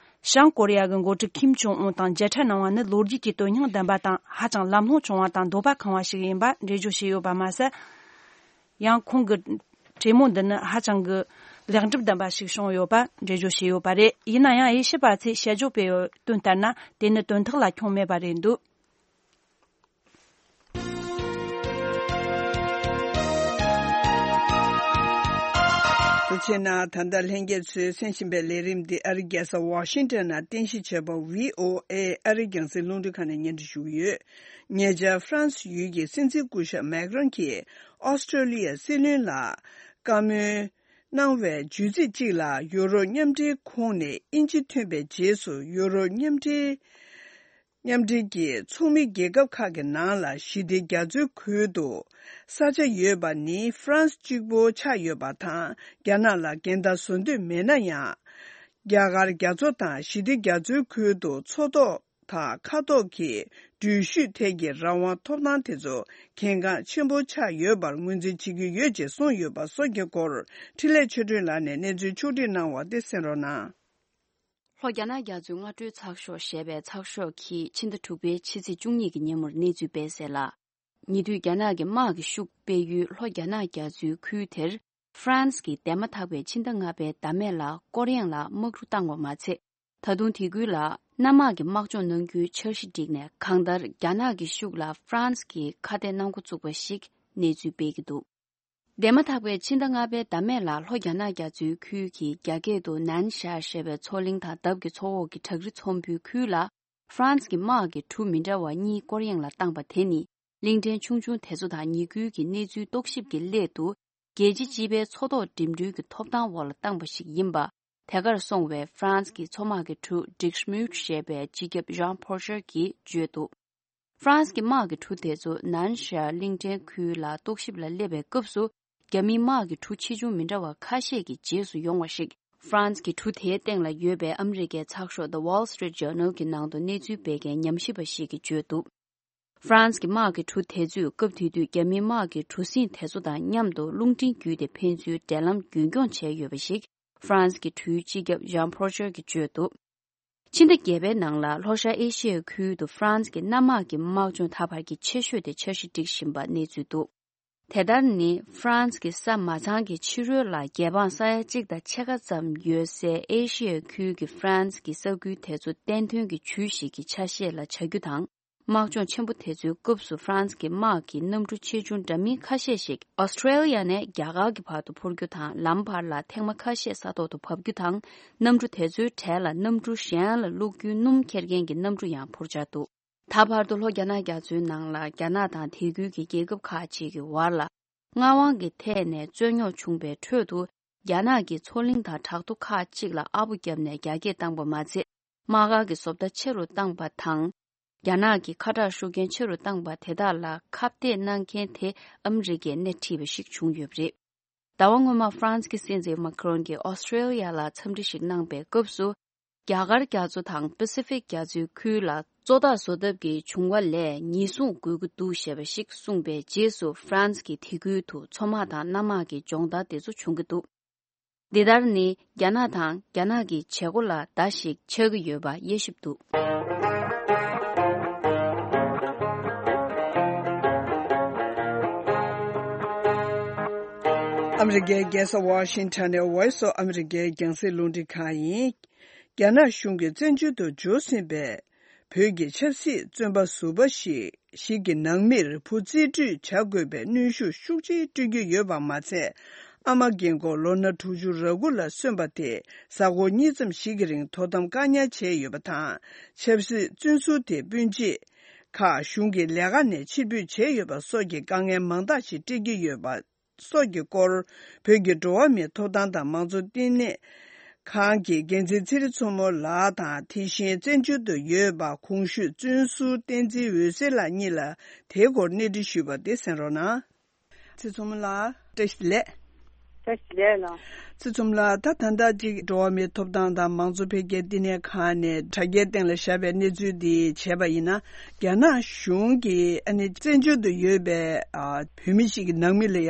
བྱང་ཀོ་རི་ཡ་གི་འགོ་ཁྲིད་ཁིམ་ཇོང་ཨུན་དང་མཇལ་འཕྲད་གནང་བ་ནི་ལོ་རྒྱུས་ཀྱི་དོན་སྙིང་ལྡན་པ་དང་། ཧ་ཅང་ལམ་ལྷོང་བྱུང་བ་དང་འདོད་པ་ཁེངས་པ་ཞིག་ཡིན་པ་འགྲེལ་བརྗོད་བྱས་ཡོད་པ་མ་ཟད། ཡང་ཁོང་གི་གྲོས་མོལ་འདི་ནི་ཧ་ཅང་གི་ལེགས་འགྲུབ་ལྡན་པ་ཞིག་བྱུང་ཡོད་པ་འགྲེལ་བརྗོད་བྱས་ཡོད་པ་རེད། ཡིན་ན་ཡང་དབྱེ་ཞིབ་པ་ཚོས་དཔྱད་བརྗོད་སྤེལ་ཡོད་དོན་ལྟར་ན། དེ་ནི་དོན་དག་ལ་ཁྱོན་མེད་པ་རེད་འདུག་དེ་བྱས་ན་ད་ལྟ་ལྷན་རྒྱས་ཚོས་གསན་བཞིན་པའི་ལས་རིམ་འདི་ཨ་རིའི་རྒྱལ་ས་ཝ་ཤིང་ཊོན་ནས་རྟེན་གཞི་བྱས་པ་ཝི་ཨོ་ཨེ་ཨ་རིའི་རྒྱང་སྲིང་རླུང་འཕྲིན་ཁང་ནས་སྙན་སྒྲོན་ཞུ་གི་ཡོད། ཉེ་ཆར་ཧྥ་རན་སི་ཡུལ་གྱི་སྲིད་འཛིན་སྐུ་ཞབས་མེག་རོན་གྱིས་ཨོ་སི་ཀྲོ་ལི་ཡ་སྲིད་བློན་ལ་བཀའ་མོལ་གནང་བའི་བརྗོད་ཚིག་གཅིག་ལ། ཡུ་རོབ་མཉམ་འབྲེལ་ཁོངས་ནས་དབྱིན་ཇི་ཐོན་པའི་རྗེས་སུ། ཡུ་རོབ་མཉམ་འབྲེལ་མཉམ་འབྲེལ་གྱི་ཚོགས་མི་རྒྱལ་ཁབ་ཁག་གི་ནང་ལ་ཞི་བདེ་རྒྱ་མཚོའི་ཁུལ་དུ་ས་ཆ་ཡོད་པ་ནི་ཧྥ་རན་སི་གཅིག་པོ་ཆགས་ཡོད་པ་དང་། རྒྱ་ནག་ལ་འགལ་ཟླ་བཟོ་འདོད་མེད་ན་ཡང་། རྒྱ་གར་རྒྱ་མཚོ་དང་ཞི་བདེ་རྒྱ་མཚོའི་ཁུལ་དུ་མཚོ་ཐོག་དང་མཁའ་ཐོག་གི་འགྲུལ་བཞུད་ཐད་ཀྱི་རང་དབང་ཐོབ་ཐང་དེ་ཚོ་གལ་འགངས་ཆེན་པོ་ཆགས་ཡོད་པར་ངོས་འཛིན་བྱེད་ཀྱི་ཡོད་ཅེས་གསུངས་ཡོད་པ་སོགས་ཀྱི་སྐོར་འཕྲིན་ལས་ཆོས་སྒྲོན་ལགས་ནས་གནས་ཚུལ་ཕྱོགས་སྒྲིག་གནང་བ་དེ་གསན་རོགས་གནང་། ལྷོ་རྒྱ་ནག་རྒྱ་མཚོའི་སྔ་དྲོའི་ཚགས་ཤོག་ཞེས་པའི་ཚགས་ཤོག་གིས་ཕྱི་ཟླ་དྲུག་པའི་ཕྱི་ཚེས་བཅུ་གཉིས་ཀྱི་ཉིན་མོར་གནས་ཚུལ་སྤེལ་གསལ་ལ། ཉེ་དུས་རྒྱ་ནག་གི་དམག་གི་ཤུགས་སྤེལ་ཡུལ་ལྷོ་རྒྱ་ནག་རྒྱ་མཚོའི་ཁུལ་དེར། ཧྥ་རན་སི་གིས་འདས་མ་ཐག་པའི་ཕྱི་ཟླ་ལྔ་པའི་ཟླ་སྨད་ལ་ཀོ་རི་ཡང་ལ་དམག་གྲུ་བཏང་བ་མ་ཚད། ད་དུང་དེ་ཁུལ་ལ་གནམ་དམག་གི་དམག་སྦྱོང་གནང་རྒྱུའི་འཆར་གཞི་བསྒྲིགས་ནས། གང་ལྟར་རྒྱ་ནག་གི་ཤུགས་ལ་ཧྥ་རན་སི་གིས་ཁ་གཏད་གནང་འགོ་བཙུགས་པ་ཞིག་གནས་ཚུལ་སྤེལ་གྱི་འདུག་འདས་མ་ཐག་པའི་ཕྱི་ཟླ་ལྔ་པའི་ཟླ་སྨད་ལ་ལྷོ་རྒྱ་ནག་རྒྱ་མཚོའི་ཁུལ་གྱི་རྒྱ་སྐད་དུ་ནན་ཤར་ཞེས་པའི་མཚོ་གླིང་དང་འདབས་ཀྱི་མཚོ་འོག་གི་བྲག་རི་ཚོམ་བུའི་ཁུལ་ལ། ཧྥ་རན་སི་གི་དམག་གི་གྲུ་མི་འདྲ་བ་གཉིས་ཀོ་རི་ཡང་ལ་བཏང་པ་དེ་ནི། གླིང་ཕྲན་ཆུང་ཆུང་དེ་ཚོ་དང་ཉེ་ཁུལ་གྱི་གནས་ཚུལ་རྟོག་ཞིབ་ཀྱི་སླད་དུ། རྒྱལ་སྤྱི་སྤྱི་པའི་མཚོ་ཐོག་འགྲིམ་འགྲུལ་གྱི་ཐོབ་ཐང་འོག་ལ་བཏང་པ་ཞིག་ཡིན་པ། དེ་གར་སོང་བའི་ཧྥ་རན་སི་གི་མཚོ་དམག་གི་གྲུ་ཌིག་ཤ་མུད་ཞེས་པའི་སྤྱི་ཁྱབ་ཞང་ཕོར་ཤར་གྱིས་བརྗོད་འདུག་ཧྥ་རན་སི་གི་དམག་གི་གྲུ་དེ་ཚོ་ནན་ཤར་གླིང་ཕྲན་ཁུལ་ལ་རྟོག་ཞིབ་ལ་སླེབས་པའི་སྐབས་སུ། རྒྱ་མིའི་དམག་གི་གྲུ་ཆེ་ཆུང་མི་འདྲ་བ་ཁ་ཤས་ཀྱི་རྗེས་སུ་ཡོང་བ་ཞིག་ ཧྥ་རན་སི་གི་གྲུ་དེའི་སྟེང་ལ་ཡོད་པའི་ཨ་མི་རི་ཀའི་ཚགས་ཤོག་The Wall Street Journal གི་ནང་དུ་གནས་ཚུལ་སྤེལ་མཁན་ཉམས་ཞིབ་པ་ཞིག་གིས་བརྗོད་འདུག་ཧྥ་རན་སི་གི་དམག་གི་གྲུ་དེ་ཚོས་སྐབས་དེ་དུས་རྒྱ་མིའི་དམག་གི་གྲུ་གཟིངས་དེ་ཚོ་དང་མཉམ་དུ་རླུང་འཕྲིན་བརྒྱུད་དེ་ཕན་ཚུན་འབྲེལ་ལམ་རྒྱུན་འཁྱོངས་བྱས་ཡོད་པ་ཞིག་ཧྥ་རན་སི་གི་གྲུའི་སྤྱི་ཁྱབ་ཞང་ཕོར་ཤར་གྱིས་བརྗོད་འདུག་ཕྱི་ཟླ་བརྒྱད་པའི་ནང་ལ་ལྷོ་ཤར་ཨེ་ཤི་ཡའི་ཁུལ་དུ་ཧྥ་རན་སི་གི་གནམ་དམག་གི་དམག་སྦྱོང་ད་བར་གྱི་ཆེ་ཤོས་དེ་འཆར་གཞི་སྒྲིག་བཞིན་པ་གནས་ཚུལ་འདུག་དེ་ལྟར་ནི་ཧྥ་རན་སི་གི་ས་མ་ཚང་གི་ཕྱི་རོལ་ལ་རྒྱལ་འབངས་ས་ཡ་གཅིག་དང་ཕྱེད་ཀ་ཙམ་ཡོད་སའི་ཨེ་ཤི་ཡའི་ཁུལ་གྱི་ཧྥ་རན་སི་གི་ས་ཁུལ་དེ་ཚོ་བསྟན་དོན་གྱི་ཇུས་ཤིག་གི་ཆ་ཤས་ལ་བྱ་རྒྱུ་དང་། དམག་སྦྱོང་ཆེན་པོ་དེ་ཚོའི་སྐབས་སུ་ཧྥ་རན་སི་གི་དམག་གི་གནམ་གྲུ་ཆེ་ཆུང་འདྲ་མིན་ཁ་ཤས་ཤིག་ཨོ་སི་ཁྲེ་ལི་ཡ་ནས་རྒྱ་གར་གྱི་བར་དུ་འཕུར་རྒྱུ་དང་། ལམ་བར་ལ་ཐེངས་མ་ཁ་ཤས་ས་ཐོག་ཏུ་བབས་རྒྱུ་དང་། གནམ་གྲུ་དེ་ཚོའི་གྲས་ལ་གནམ་གྲུ་གཞན་ལ་བླུག་རྒྱུའི་སྣུམ་འཁྱེར་མཁན་གྱི་གནམ་གྲུ་ཡང་འཕུར་འཆར་འདུག་ད་བར་དུ་ལྷོ་རྒྱ་ནག་རྒྱ་མཚོའི་ནང་ལ་རྒྱ་ནག་དང་དེ་ཁུལ་གྱི་རྒྱལ་ཁབ་ཁག་ཅིག་གི་བར་ལ་མངའ་དབང་གི་ཐད་ནས་རྩོད་རྙོག་བྱུང་པའི་ཁྲོད་དུ། རྒྱ་ནག་གིས་མཚོ་གླིང་དང་བྲག་རྡོ་ཁག་ཅིག་ལ་ཨ་པོ་བརྒྱབ་ནས་རྒྱ་སྐྱེད་བཏང་པ་མ་ཚད། དམག་སྒར་གྱི་བཟོ་ལྟ་ཆེ་རུ་བཏང་པ་དང་། རྒྱ་ནག་གི་ཁ་དྲག་ཤུགས་རྐྱེན་ཆེ་རུ་བཏང་པ་དེ་དག་ལ་ཁ་གཏད་གནང་མཁན་དེ་ཨ་མི་རི་ཀས་སྣེ་ཁྲིད་པ་ཞིག་བྱུང་ཡོད་པ་རེད། ཟླ་བ་སྔོན་མ་ཧྥ་རན་སི་གི་སྲིད་འཛིན་མཱ་ཁི་རོན་གྱིས་ཨོ་སི་ཁྲེ་ལི་ཡ་ལ་འཚམས་འདྲི་ཞིག་གནང་པའི་སྐབས་སུ། རྒྱ་གར་རྒྱ་མཚོ་དང་པེ་སི་ཕིག་རྒྱ་མཚོའི་ཁུལ་ལ་གཙོ་བདག་བཟོ་ཐབས་ཀྱི་བྱུང་བ་ལས་ཉེན་སྲུང་དགོས་ཀྱི་འདུག་ཞེས་པ་ཞིག་གསུངས་པའི་རྗེས་སུ། ཧྥ་རན་སི་གིས་དེ་ཁུལ་དུ་མཚོ་དམག་དང་གནམ་དམག་གི་སྦྱོང་བརྡར་དེ་ཚོ་བྱུང་གི་འདུག་འདི་ལྟར་ནི་རྒྱ་ནག་དང་རྒྱ་ནག་གི་བྱེད་སྒོ་ལ་བརྡ་ཞིག་ཆགས་ཀྱི་ཡོད་པ་དབྱེ་ཞིབ་འདུག་ཨ་མི་རི་ཀའི་རྒྱལ་ས་ཝ་ཤིང་ཊོན་ནས་Voice of America རྒྱང་སྲིང་རླུང་འཕྲིན་ཁང་ཡིན། རྒྱ་ནག་གཞུང་གིས་བཙན་བྱོལ་དུ་འབྱོར་ཟིན་པའི་བོད་ཀྱི་ཆབ་སྲིད་བཙོན་པ་ཟུར་པ་ཞིག་ཞིག་གི་ནང་མིར་བུ་རྩིས་སྤྲོད་བྱ་དགོས་པའི་གནོན་ཤུགས་ཤུགས་ཆེ་སྤྲོད་ཀྱི་ཡོད་པ་མ་ཚད། ཨ་མ་རྒན་འཁོགས་ལོ་ན་དྲུག་ཅུ་རེ་དགུ་ལ་སོན་པ་དེ་གཟའ་འཁོར་གཉིས་ཙམ་ཞིག་གི་རིང་དོ་དམ་བཀག་ཉར་བྱས་ཡོད་པ་དང་། ཆབ་སྲིད་བཙོན་ཟུར་དེ་སྤུན་མཆེད་ཁག་གཞུང་གི་ལས་ཀ་ནས་ཕྱིར་འབུད་བྱས་ཡོད་པ་སོགས་ཀྱི་དཀའ་ངལ་མང་དག་ཞིག་འཕྲད་ཀྱི་ཡོད་པ་སོགས་ཀྱི་སྐོར། བོད་ཀྱི་འགྲོ་བ་མིའི་ཐོབ་ཐང་དང་མང་གཙོ་བསྟི་གནས་ཁང་གི་འགན་འཛིན་ཚེ་རིང་མཚོ་མོ་ལགས་དང་། དེ་བཞིན་བཙན་བྱོལ་དུ་ཡོད་པ་གོང་ཞུས་བཙོན་ཟུར་བསྟན་འཛིན་འོད་ཟེར་ལགས་གཉིས་ལ་དེའི་སྐོར་གནས་འདྲི་ཞུས་པ་དེ་གསན་རོགས་གནང་། ཚེ་རིང་མཚོ་མོ་ལགས། བཀྲ་ཤིས་བདེ་ལེགས། བཀྲ་ཤིས་བདེ་ལེགས་ལགས། ཚེ་རིང་མཚོ་མོ་ལགས། ད་ད་ལྟ་ཅིག་འགྲོ་བ་མིའི་ཐོབ་ཐང་དང་མང་གཙོ་འཕེལ་རྒྱས་བསྟི་གནས་ཁང་ནས་དྲ་རྒྱའི་སྟེང་ལ་བཞག་པའི་གནས་ཚུལ་འདི་བྱས་པ་ཡིན་ན། རྒྱ་ནག་གཞུང་གིས་ཨ་ནི་བཙན་བྱོལ་དུ་ཡོད་པའི་ཨ་བོད་མི་ཞིག་གི་ནང་མི་ལ་ཡ་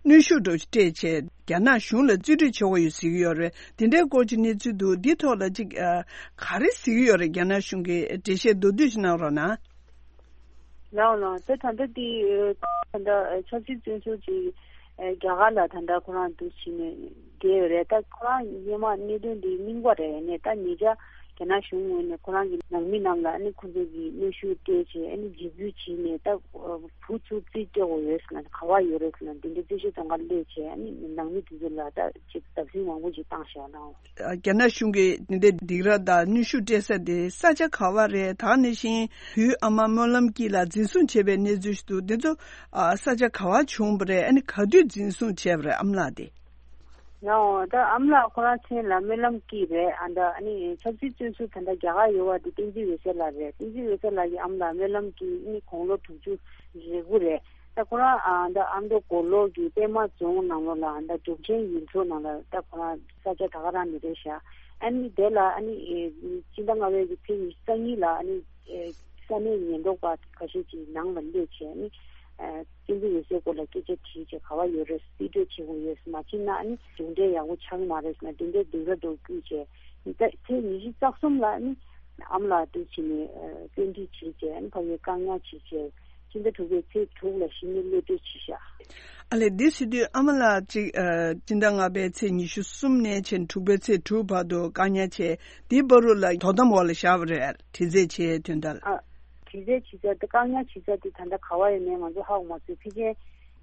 གནོན་ཤུགས་འདྲ་པོ་ཞིག་སྤྲད་བྱས་རྒྱ་ནག་གཞུང་ལ་རྩིས་སྤྲོད་བྱེད་དགོས་ཡོད་ཟེར་གྱི་ཡོད་རེད། དེ་འདྲའི་སྐོར་གྱི་གནས་ཚུལ་འདུག་འདི་ཐོག་ལ་ཅིག་ཨ་ག་རེ་ཟེར་གྱི་ཡོད་རེད། རྒྱ་ནག་གཞུང་གིས་འགྲེལ་བཤད་མདོར་བསྡུས་ཤིག་གནང་རོགས་གནང་། ལགས་ལགས། ད་ད་ལྟ་དེ་ད་ལྟ་ཆབ་སྲིད་བཙོན་ཟུར་ཅིག་རྒྱ་གར་ལ་ད་ལྟ་ཁོ་རང་འདུག་བྱས་ནས་བསྡད་ཡོད་རེད། ད་ཁོ་རང་སྔོན་མ་གནད་དོན་འདི་རྙིང་པ་རེད། ཡིན་ནའི་ད་ཉེ་ཆར་རྒྱ་ནག་གཞུང་ངོས་ནས་ཁོ་རང་གི་ནང་མི་རྣམས་ལ་ཨ་ནི་ཁོ་ཚོ་གི་གནོན་ཤུགས་སྤྲད་བྱས་ཨ་ནི་འཇིགས་སྐུལ་བྱས་ནས། ད་བུ་ཚོ་རྩིས་སྤྲད་དགོས་ཡོད་ཟེར་ན་ག་པར་ཡོད་རེད་ཟེར་ན་འདི་འདྲའི་རྩིས་ཞིབ་ཚོང་ཁང་སླེབས་བྱས་ཨ་ནི་ནང་མི་དེ་ཚོ་ལ་ད་ཅིག་བརྡབ་གསིག་མང་པོ་ཅིག་བཏང་བཞག་གནང་། རྒྱ་ནག་གཞུང་གིས་འདི་འདྲའི་སྡིགས་ར་དང་གནོན་ཤུགས་སྤྲད་ས་དེ་ས་ཆ་ག་པ་རེད། ད་ག་ནང་བཞིན་བུའི་ཨ་མ་སྨོན་ལམ་སྐྱིད་ལགས་འཛིན་བཟུང་བྱས་པའི་གནས་ཚུལ་ཞིག་འདུག་འདི་ཚོ་ཨ་ས་ཆ་ག་པ་བྱུང་བ་རེད། ཨ་ནི་ག་དུས་འཛིན་བཟུང་བྱས་པ་རེད། ཨ་མ་ལགས་དེ། ཡང་ད་ཨ་མ་ལགས་ཁོ་རང་མཚན་ལ་སྨོན་ལམ་སྐྱིད་རེད། ཨ་ད་ཨ་ནི་ཆབ་སྲིད་བཙོན་ཟུར་ད་ལྟ་རྒྱ་གར་ཡོད་པ་དེ་བསྟན་འཛིན་འོད་ཟེར་ལགས་རེད། བསྟན་འཛིན་འོད་ཟེར་ལགས་ཀྱི་ཨ་མ་ལགས་སྨོན་ལམ་སྐྱིད་ཨ་ནི་དགུང་ལོ་དྲུག་ཅུ་རེ་དགུ་རེད། ད་ཁོ་རང་ཨ་ད་ཨ་མདོ་མགོ་ལོག་གི་པད་མ་རྫོང་ནང་ལོགས་ལ་ཨ་ད་འབྲུག་ཆེན་ཡུལ་ཚོ་ནང་ལ་ད་ཁོ་རང་ས་ཆ་ད་ག་རང་ནས་རེད་ཤག་ཨ་ནི་དེ་ལ་ཨ་ནི་ཨེ་སྤྱི་ཟླ་ལྔ་པའི་གི་ཚེས་ཉི་ཤུ་རྩ་གཉིས་ལ་ཨ་ནི་ཨེ་ས་གནས་ཉེན་རྟོག་པ་ཁ་ཤས་ཀྱིས་ནང་ལ་སླེབས་བྱས་ཨ་ནི་ཨེ་བསྟན་འཛིན་འོད་ཟེར་སྐོར་ལ་སྐད་ཆ་དྲིས་བྱས་ག་པར་ཡོད་རེད། རྩིས་སྤྲོད་བྱེད་དགོས་ཡོད། མ་བྱས་ན་ཨ་ནི་གཞུང་འབྲེལ་ཡག་པོ་ཆགས་ཀྱི་མ་རེད་ཟེར་ན་དེ་འདྲའི་སྡིགས་ར་འདྲ་བོ་བསྐུལ་བྱས་ཨ་ནི་ད་ཚེས་ཉི་ཤུ་རྩ་གསུམ་ལ་ཨ་ནི་ཨ་མ་ལགས་དེ་བྱས་ནས་ཨེ་བཙན་ཁྲིད་བྱས་བྱས་ཨ་ནི་ཕ་གིར་བཀག་ཉར་བྱས་བྱས། སྤྱི་ཟླ་དྲུག་པའི་ཚེས་དྲུག་ལ་གཞི་ནས་གློད་གྲོལ་བྱས་ཤག་ཨ་ལས། འདི་ཟེར་དུས་ཨ་མ་ལགས་ཅིག་ཨ་སྤྱི་ཟླ་ལྔ་པའི་ཚེས་ཉི་ཤུ་གསུམ་ནས་བྱས་དྲུག་པའི་ཚེས་དྲུག་བར་དུ་བཀག་ཉར་བྱས། འདིའི་བར་དུ་ལ་དོ་དམ་འོག་ལ་བཞག་པ་རེད། དྲི་རྩད་བྱས་དོན་དག་ཨ་དྲི་རྩད་བྱེད་ས་དེ་བཀག་ཉར་བྱེད་ས་དེ་ད་ལྟ་ག་པར་ཡོད་མེད་ང་ཚོ་ཧ་གོ་མ་སོང་། ཕལ་ཆེར་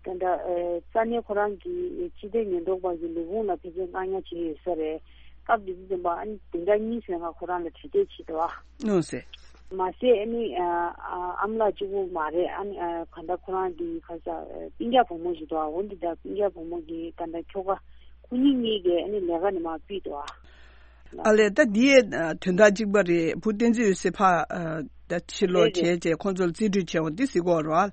ད་ལྟ་ཨ་ས་གནས་ཁོ་རང་གི་སྤྱི་བདེ་ཉེན་རྟོག་པ་གི་ལས་ཁུངས་ལ་ཕལ་ཆེར་བཀག་ཉར་བྱས་ཡོད་ས་རེད། སྐབས་དེ་དུས་ཙམ་པ་ཨ་ནི་བདུན་ཕྲག་གཉིས་ཙམ་ལ་ཁོ་རང་ལ་དྲི་རྩད་བྱས་འདུག་ཨ། ཨོ་ཟེར། མ་ཟད་ཨ་ནི་ཨ་ཨ་ཨ་མ་ལགས་གཅིག་པུ་མ་རེད། ཨ་ནི་ཨ་གང་ལྟར་ཁོ་རང་གི་ཁ་ས་ཨ་སྤུན་ཀྱག་བུ་མོ་ཞིག་འདུག་ཨ། འོ་འདི་དང་སྤུན་ཀྱག་བུ་མོ་གི་ད་ལྟ་ཁྱོ་ག་ཁོ་གཉིས་གཉིས་ཀས་ཨ་ནི་ལས་ཀ་ནས་མར་ཕུད་འདུག་ཨ། ཨ་ལས། ད་འདི་ཡི་ཨ་དོན་དག་གཅིག་པ་རེད། བུ་བསྟན་འཛིན་འོད་ཟེར་ཕར་ཨ་ད་ཕྱིར་ལོག་རེད་རེད། བྱས་བྱས་ཁོང་ཚོ་ལ་རྩིས་སྤྲོད་བྱས་འོ་འདི་ཟེར་གོ་རོ་ཨ།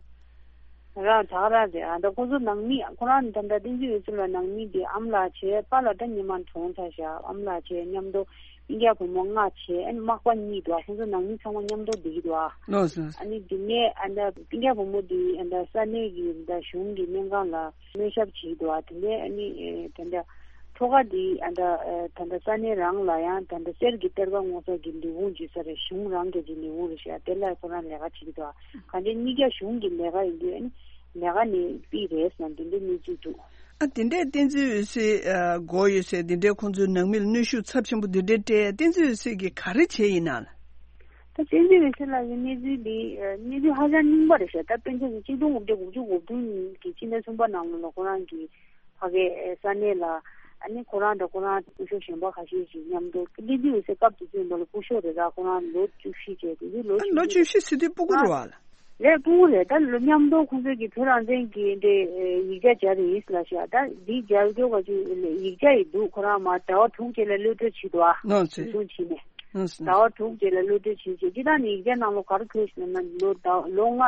རང་ད་ག་རང་རེད། ཨ་ད་ཁོ་ཚོ་ནང་མི་ཁོ་རང་ད་ལྟ་བསྟན་འཛིན་འོད་ཟེར་ལགས་ནང་མི་དེ་ཨ་མ་ལགས་བྱས། པཱ་ལགས་ད་སྔོན་མ་གྲོངས་ཚར་ཤག་ཨ་མ་ལགས་བྱས། མཉམ་དུ་སྤུན་ཀྱག་བུ་མོ་ལྔ་བྱས། ཨ་ནི་མག་པ་གཉིས་འདུག་ཁོ་ཚོ་ནང་མི་ཚང་མ་མཉམ་དུ་བསྡད་ཀྱི་འདུག་ཨ་ལགས་སོ། ཨ་ནི་དེ་ནས་ཨ་ད་སྤུན་ཀྱག་བུ་མོ་དེ་ཨ་ད་ས་གནས་ཀྱི་ད་གཞུང་གི་སྨན་ཁང་ལ་སྨན་ཞབས་བྱེད་ཀྱི་འདུག་ཨ་དེ་ནས་ཨ་ནི་ཨེ་ད་ད་ཁྲོ་ག་འདི་ཨ་ད་ཨ་ད་ད་ས་གནས་རང་ལ་ཡང་ད་ད་གསེར་གྱི་གཏེར་ཁ་སྔོག་ས་གི་ལས་ཁུངས་ཅིག་ས་རེད། གཞུང་རང་གི་ཅིག་ལས་ཁུངས་རེད་ཤག་དེ་ལ་ཁོ་རང་ལས་ཀ་བྱེད་ཀྱི་འདུག་ག་འདྲའི་གཉིས་ཀ་གཞུང་གི་ལས་ཀ་ཡིན་དུས་ཨ་ནི་ལས་ཀ་ནས་ཕུད་རེད་ཟེར་ན་འདི་འདྲའི་གནས་ཚུལ་འདུག་ཨ་དེ་འདྲའི་བསྟན་འཛིན་འོད་ཟེར་ཨ་མགོ་ཡོད་ཟེར་དེ་འདྲའི་ཁོང་ཚོའི་ནང་མི་ལ་གནོན་ཤུགས་ཚབས་ཆེན་པོ་འདི་འདྲའི་སྤྲད། བསྟན་འཛིན་འོད་ཟེར་གྱིས་ག་རེ་བྱས་ཡིན་ན་ལགས། ད་བསྟན་འཛིན་འོད་ཟེར་ལགས་ཀྱི་གནས་ཚུལ་འདི་ཨ་གནས་ཚུལ་ཧ་ཅང་རྙིང་པ་རེད་ཤག་ད་དཔེར་ན་ཆིག་སྟོང་དགུ་བརྒྱ་དགུ་བཅུ་གོ་བདུན་གྱི་ཕྱི་ཟླ་གསུམ་པ་ནང་ལོགས་ལ་ཁོ་རང་གི་ཕ་གའི་ས་གནས་ལ་ཨ་ནི་ཁོ་རང་དང་ཁོ་རང་སྐུ་ཞབས་གཞན་པ་ཁ་ཤས་ཤིག་མཉམ་དུ་བསྟན་འཛིན་འོད་ཟེར་སྐབས་དེ་ཚོ་ཡིན་པ་ལ་སྐུ་ཞབས་རེད། ད་ཁོ་རང་ལོ་བཅུ་བཞི་བྱས། དེ་དུས་ལོ་ཨ་ལོ་བཅུ་བཞི་ཟེར་དུས་སྤུ་གུ་རེད་བ་ལགས། ལས་སྤུ་གུ་རེད། ད་ལོ་མཉམ་དུ་ཁོང་ཚོས་ཀྱི་བོད་རང་བཙན་གྱི་འདི་ཡིག་ཆ་སྦྱར་ཡིན་ལབ་ཤག་ད་འདི་སྦྱར་རྒྱུ་ག་ཅིག་ཡིག་ཆ་ཡི་འདུག་ཁོ་རང་མ་ཟླ་བ་དྲུག་རྗེས་ལ་གློད་གྲོལ་བྱས་འདུག་ཨ། ནོ་ཟེར། འཛིན་བཟུང་བྱས་ནས། ཟླ་བ་དྲུག་རྗེས་ལ་གློད་གྲོལ་བྱས་རྗེས་ཅི་ལྟར་ནས་ཡིག་ཆ་ནང་ལོགས་ག་རེ་འཁོད་ཟེར་ན་ལོ་ཟླ་ལོ་ལྔ་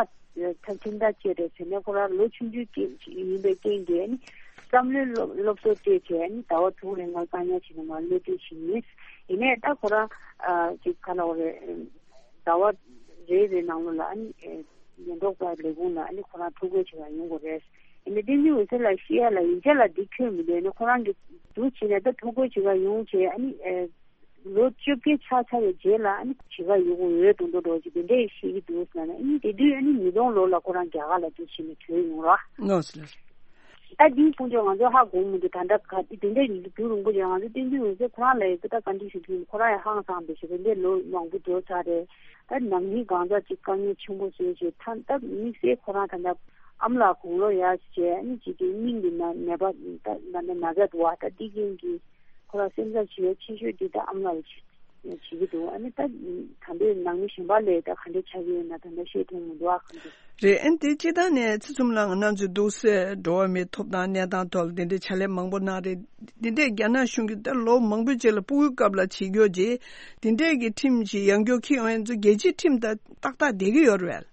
ཁྲིམས་ཐག་བཅད་རེད་ཟེར་ནས་ཁོ་རང་ལོ་ཆུང་ཆུང་སྐྱེས་ཡིན་པའི་རྐྱེན་གྱིས་ནི་བསམ་བློའི་སློབ་སློབ་གསོ་སྤྲད་བྱས་ནི་ཟླ་བ་དྲུག་རིང་ལ་བཀག་ཉར་བྱས་ནས་མར་གློད་གྲོལ་བྱས་ཡིན། ཡིན་ནའི་ད་ཁོ་རང་ཅིག་ག་ལ་བ་རེད། ཟླ་བ་རེ་རེ་ནང་ལོགས་ལ་ཨ་ནི་ཉེན་རྟོག་པ་ལས་ཁུངས་ལ་ཨ་ནི་ཁོ་རང་ཐོ་འགོད་བྱེད་པར་ཡོང་དགོས་རེད། ཡིན་ནའི་བསྟན་འཛིན་འོད་ཟེར་ལགས་བཤད་ཡ་ལ་ཡིག་ཆ་ལ་འདི་འཁོད་མི་འདུག་ནི་ཁོ་རང་གིས་འདུག་བྱས་ནས་ད་ཐོ་འགོད་བྱེད་པར་ཡོང་བྱས་ཨ་ནི། ལོ་བཅོ་བརྒྱད་ཆགས་ཚར་བའི་རྗེས་ལ་ཨ་ནི་བྱེད་ཀ་ཡོད་དགོས་ཡོད་མདོག་མདོག་འདྲ་བོ་ཅིག་དེ་འདྲས་བཤད་ཀྱི་འདུག་ཟེར་ན་ཨ་ནི་དེ་དུས་ཨ་ནི་ཉིས་སྟོང་ལོ་ལ་ཁོ་རང་རྒྱ་གར་ལ་འདུག་བྱས་ནས་བྲོས་ཡོང་ར། ནོ་ཟེར། ད་འདིའི་ཁོང་ཚོས་ང་ཚོ་ཧ་གོ་མི་འདུག་ད་ལྟ་ག་དེ་དེ་འདྲས་རྒྱུན་རིང་པོ་ཅིག་ང་ཚོ་བསྟན་འཛིན་འོད་ཟེར་ཁོ་རང་ལ་ཡི་ད་ག་འདྲས་ཞིག་འདུག་ཁོ་རང་ཡང་ཧང་སངས་པའི་ཞིག་དེ་འདྲས་ལོ་མང་པོ་འགྲོ་ཚར་རེད། ད་ནང་མི་གང་ཟག་ཅིག་དཀའ་ངལ་ཆེན་པོ་བཟོས་བྱས་ད་ད་དམིགས་བསལ་ཁོ་རང་ད་ལྟ་ཨ་མ་ལགས་དགུང་ལོ་ཡར་བྱས་ཨ་ནི་ཅིག་གི་སྙིང་གི་ན་ནད་པ་ད་ད་ན་ཚ་འདུག་བ། ད་འདི་རྐྱེན་གྱིས། ཁོ་རང་སེམས་འཚབ་བྱེད་ཡ་ཆེ་ཤོས་འདི་ད་ཨ་མ་ལགས་བྱེད་ཀྱི་འདུག་ཨ་ནི་ད་ད་འདོད་ནང་མི་གཞན་པ་ལས་ད་ག་འདྲ་ཆགས་ཀྱི་ཡོད་ན་ད་ལྟ་ཤེས་ཐུབ་མི་འདུག་ཨ་གང་འདུག་རེད། ཨ་ནི་དེ་སྤྱིར་བཏང་ནས་ཚེ་ཚོམ་ལགས་ང་རང་ཚོའི་འདུག་སེ་འགྲོ་བ་མིའི་ཐོབ་ཐང་གནས་སྟངས་ཐོག་ལ་འདི་འདྲའི་ཕྱག་ལས་མང་པོ་གནང་རེད། འདི་འདྲའི་རྒྱ་ནག་གཞུང་གིས་ད་ལོ་མང་པོའི་རྗེས་ལ་སྤུ་གུའི་སྐབས་ལ་བྱེད་རྒྱུ་རྗེས་འདི་འདྲའི་གི་ཁྲིམས་ཤིག་ཡང་བསྐྱར་འཁྱེར་ཡོང་ཡ་ཚོ་རྒྱལ་སྤྱིའི་ཁྲིམས་དང་ཏག་ཏག་བསྡད་ཀྱི་ཡོད་རེད།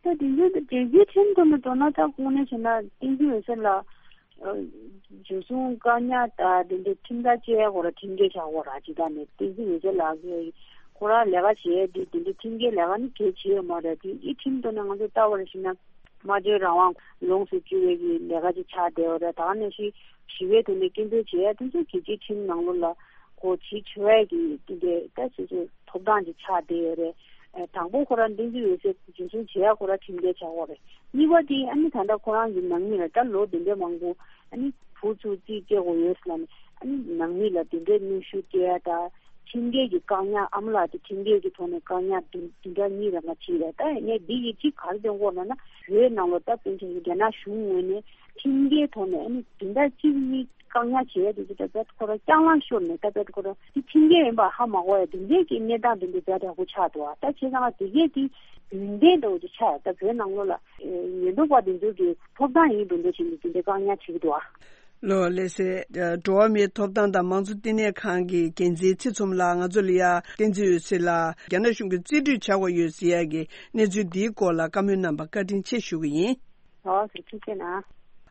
ད་དེ་འདྲའི་ད་རྒྱལ་སྤྱིའི་ཁྲིམས་ཐོག་ནས་མདོར་ན་ད་དངོས་གནས་བྱས་ན་བསྟན་འཛིན་འོད་ཟེར་ལགས། འཇུ་བཟུང་བཀག་ཉར་དང་དེ་འདྲའི་ཁྲིམས་ཐག་བཅད་ཡ་ཁོ་རང་ཁྲིམས་འགལ་ཆགས་ཁོ་རང་ཇི་ལྟར་ནས་བསྟན་འཛིན་འོད་ཟེར་ལགས་ཀྱིས་ཁོ་རང་ལས་ཀ་བྱེད་ཡ་དེ་དེ་འདྲའི་ཁྲིམས་འགལ་ལས་ཀ་ནི་གལ་ཆེ་ཡོད་མ་རེད། དེ་ཡི་ཁྲིམས་ཐོག་ནས་ང་ཚོ་ལྟ་བ་རེ་ཞིག་ན་སྨྲ་བརྗོད་རང་དབང་ལོངས་སུ་སྤྱོད་པའི་གི་ལས་ཀ་ཅིག་ཆགས་བསྡད་ཡོད་རེད། ད་ག་ནང་བཞིན་ཞི་བའི་ཐོག་ནས་སྐད་འབོད་བྱེད་ཡ་དེ་ཚོ་རྒྱལ་སྤྱིའི་ཁྲིམས་ནང་ལོགས་ལ་གོ་བྱེད་ཆོག་ཡ་གི་དེ་འདྲའི་ད་སོ་སོའི་ཐོབ་ཐང་ཅིག་ཆགས་བསྡད་ཡོད་རེད། དང་པོ་ཁོ་རང་བསྟན་འཛིན་འོད་ཟེར་འཇུ་བཟུང་བྱེད་ཡ་ཁོ་རང་ཁྲིམས་འགལ་ཆགས་ཡོད་རེད། གཉིས་པ་དེ་ཨ་ནི་ད་ལྟ་ཁོ་རང་གི་ནང་མི་ལ་ད་ལོ་དེ་འདྲའི་མང་པོ་ཨ་ནི་བུ་ཚོ་རྩིས་སྤྲད་དགོས་ཡོད་ཟེར་ལབ་ནས་ཨ་ནི་ནང་མི་ལ་དེ་འདྲའི་གནོན་ཤུགས་སྤྲད་ཡ་ད་ཁྲིམས་འགལ་གྱི་བཀག་ཉར་ཨ་མ་ལགས་དེ་ཁྲིམས་འགལ་གྱི་ཐོག་ནས་བཀག་ཉར་བདུན་བདུན་ཕྲག་གཉིས་རང་ང་བྱས་རེད། ད་ཡིན་ནའི་འདི་ཡི་གཅིག་ག་རེ་སྟོན་གོ་ན་ན་བོད་ནང་ལོ་ད་དཔེར་ན་རྒྱ་ནག་གཞུང་ངོས་ནས་ཁྲིམས་འགལ་ཐོག་ནས་ཨ་ནི་བདུན་ཕྲག་གཅིག་གཉིས་བཀག་ཉར་བྱས་ཡ་དེ་ཚོ་ད་ད་ཁོ་རང་ལྕགས་ལམ་ཤོར་ནས་ད་ད་ཁོ་རང་དེ་ཁྲིམས་འགལ་ཡིན་པ་ཧ་མ་གོ་ཡ་དེ་འདྲའི་གི་གནས་སྟངས་དེ་འདྲ་ཛ་དྲག་པོ་ཆགས་འདུག་ཨ། ད་བྱས་ཙང་དེ་གས་དེ་རྒྱུན་ལྡན་འདྲ་བོ་ཅིག་ཆགས་ཡ། ད་བོད་ནང་ལོགས་ལ་ཉེན་རྟོག་པ་དེ་ཚོ་གི་ཐོབ་ཐང་ཡིན་འགྲོ་འགྲོ་བྱས་ནས་དེ་འདྲའི་བཀག་ཉར་བྱེད་ཀྱི་འདུག་ཨ། ལོ་ལགས་སེ། འགྲོ་བ་མིའི་ཐོབ་ཐང་དང་མང་གཙོ་བསྟི་གནས་ཁང་གི་འགན་འཛིན་ཚེ་ཚོམ་ལགས་ང་ཚོ་ལ་ཡ་བསྟན་འཛིན་འོད་ཟེར་ལགས་རྒྱ་ནག་གཞུང་གིས་རྩིས་སྤྲོད་བྱ་དགོས་ཡོད་ཟེར་ཡ་གི་གནས་ཚུལ་འདིའི་སྐོར་ལ་བཀའ་མོལ་གནང་བར་བཀའ་དྲིན་ཆེ་ཞུ་གི་ཡིན། ཨོ་ཟེར་ཐུགས་རྗེ་གནང་།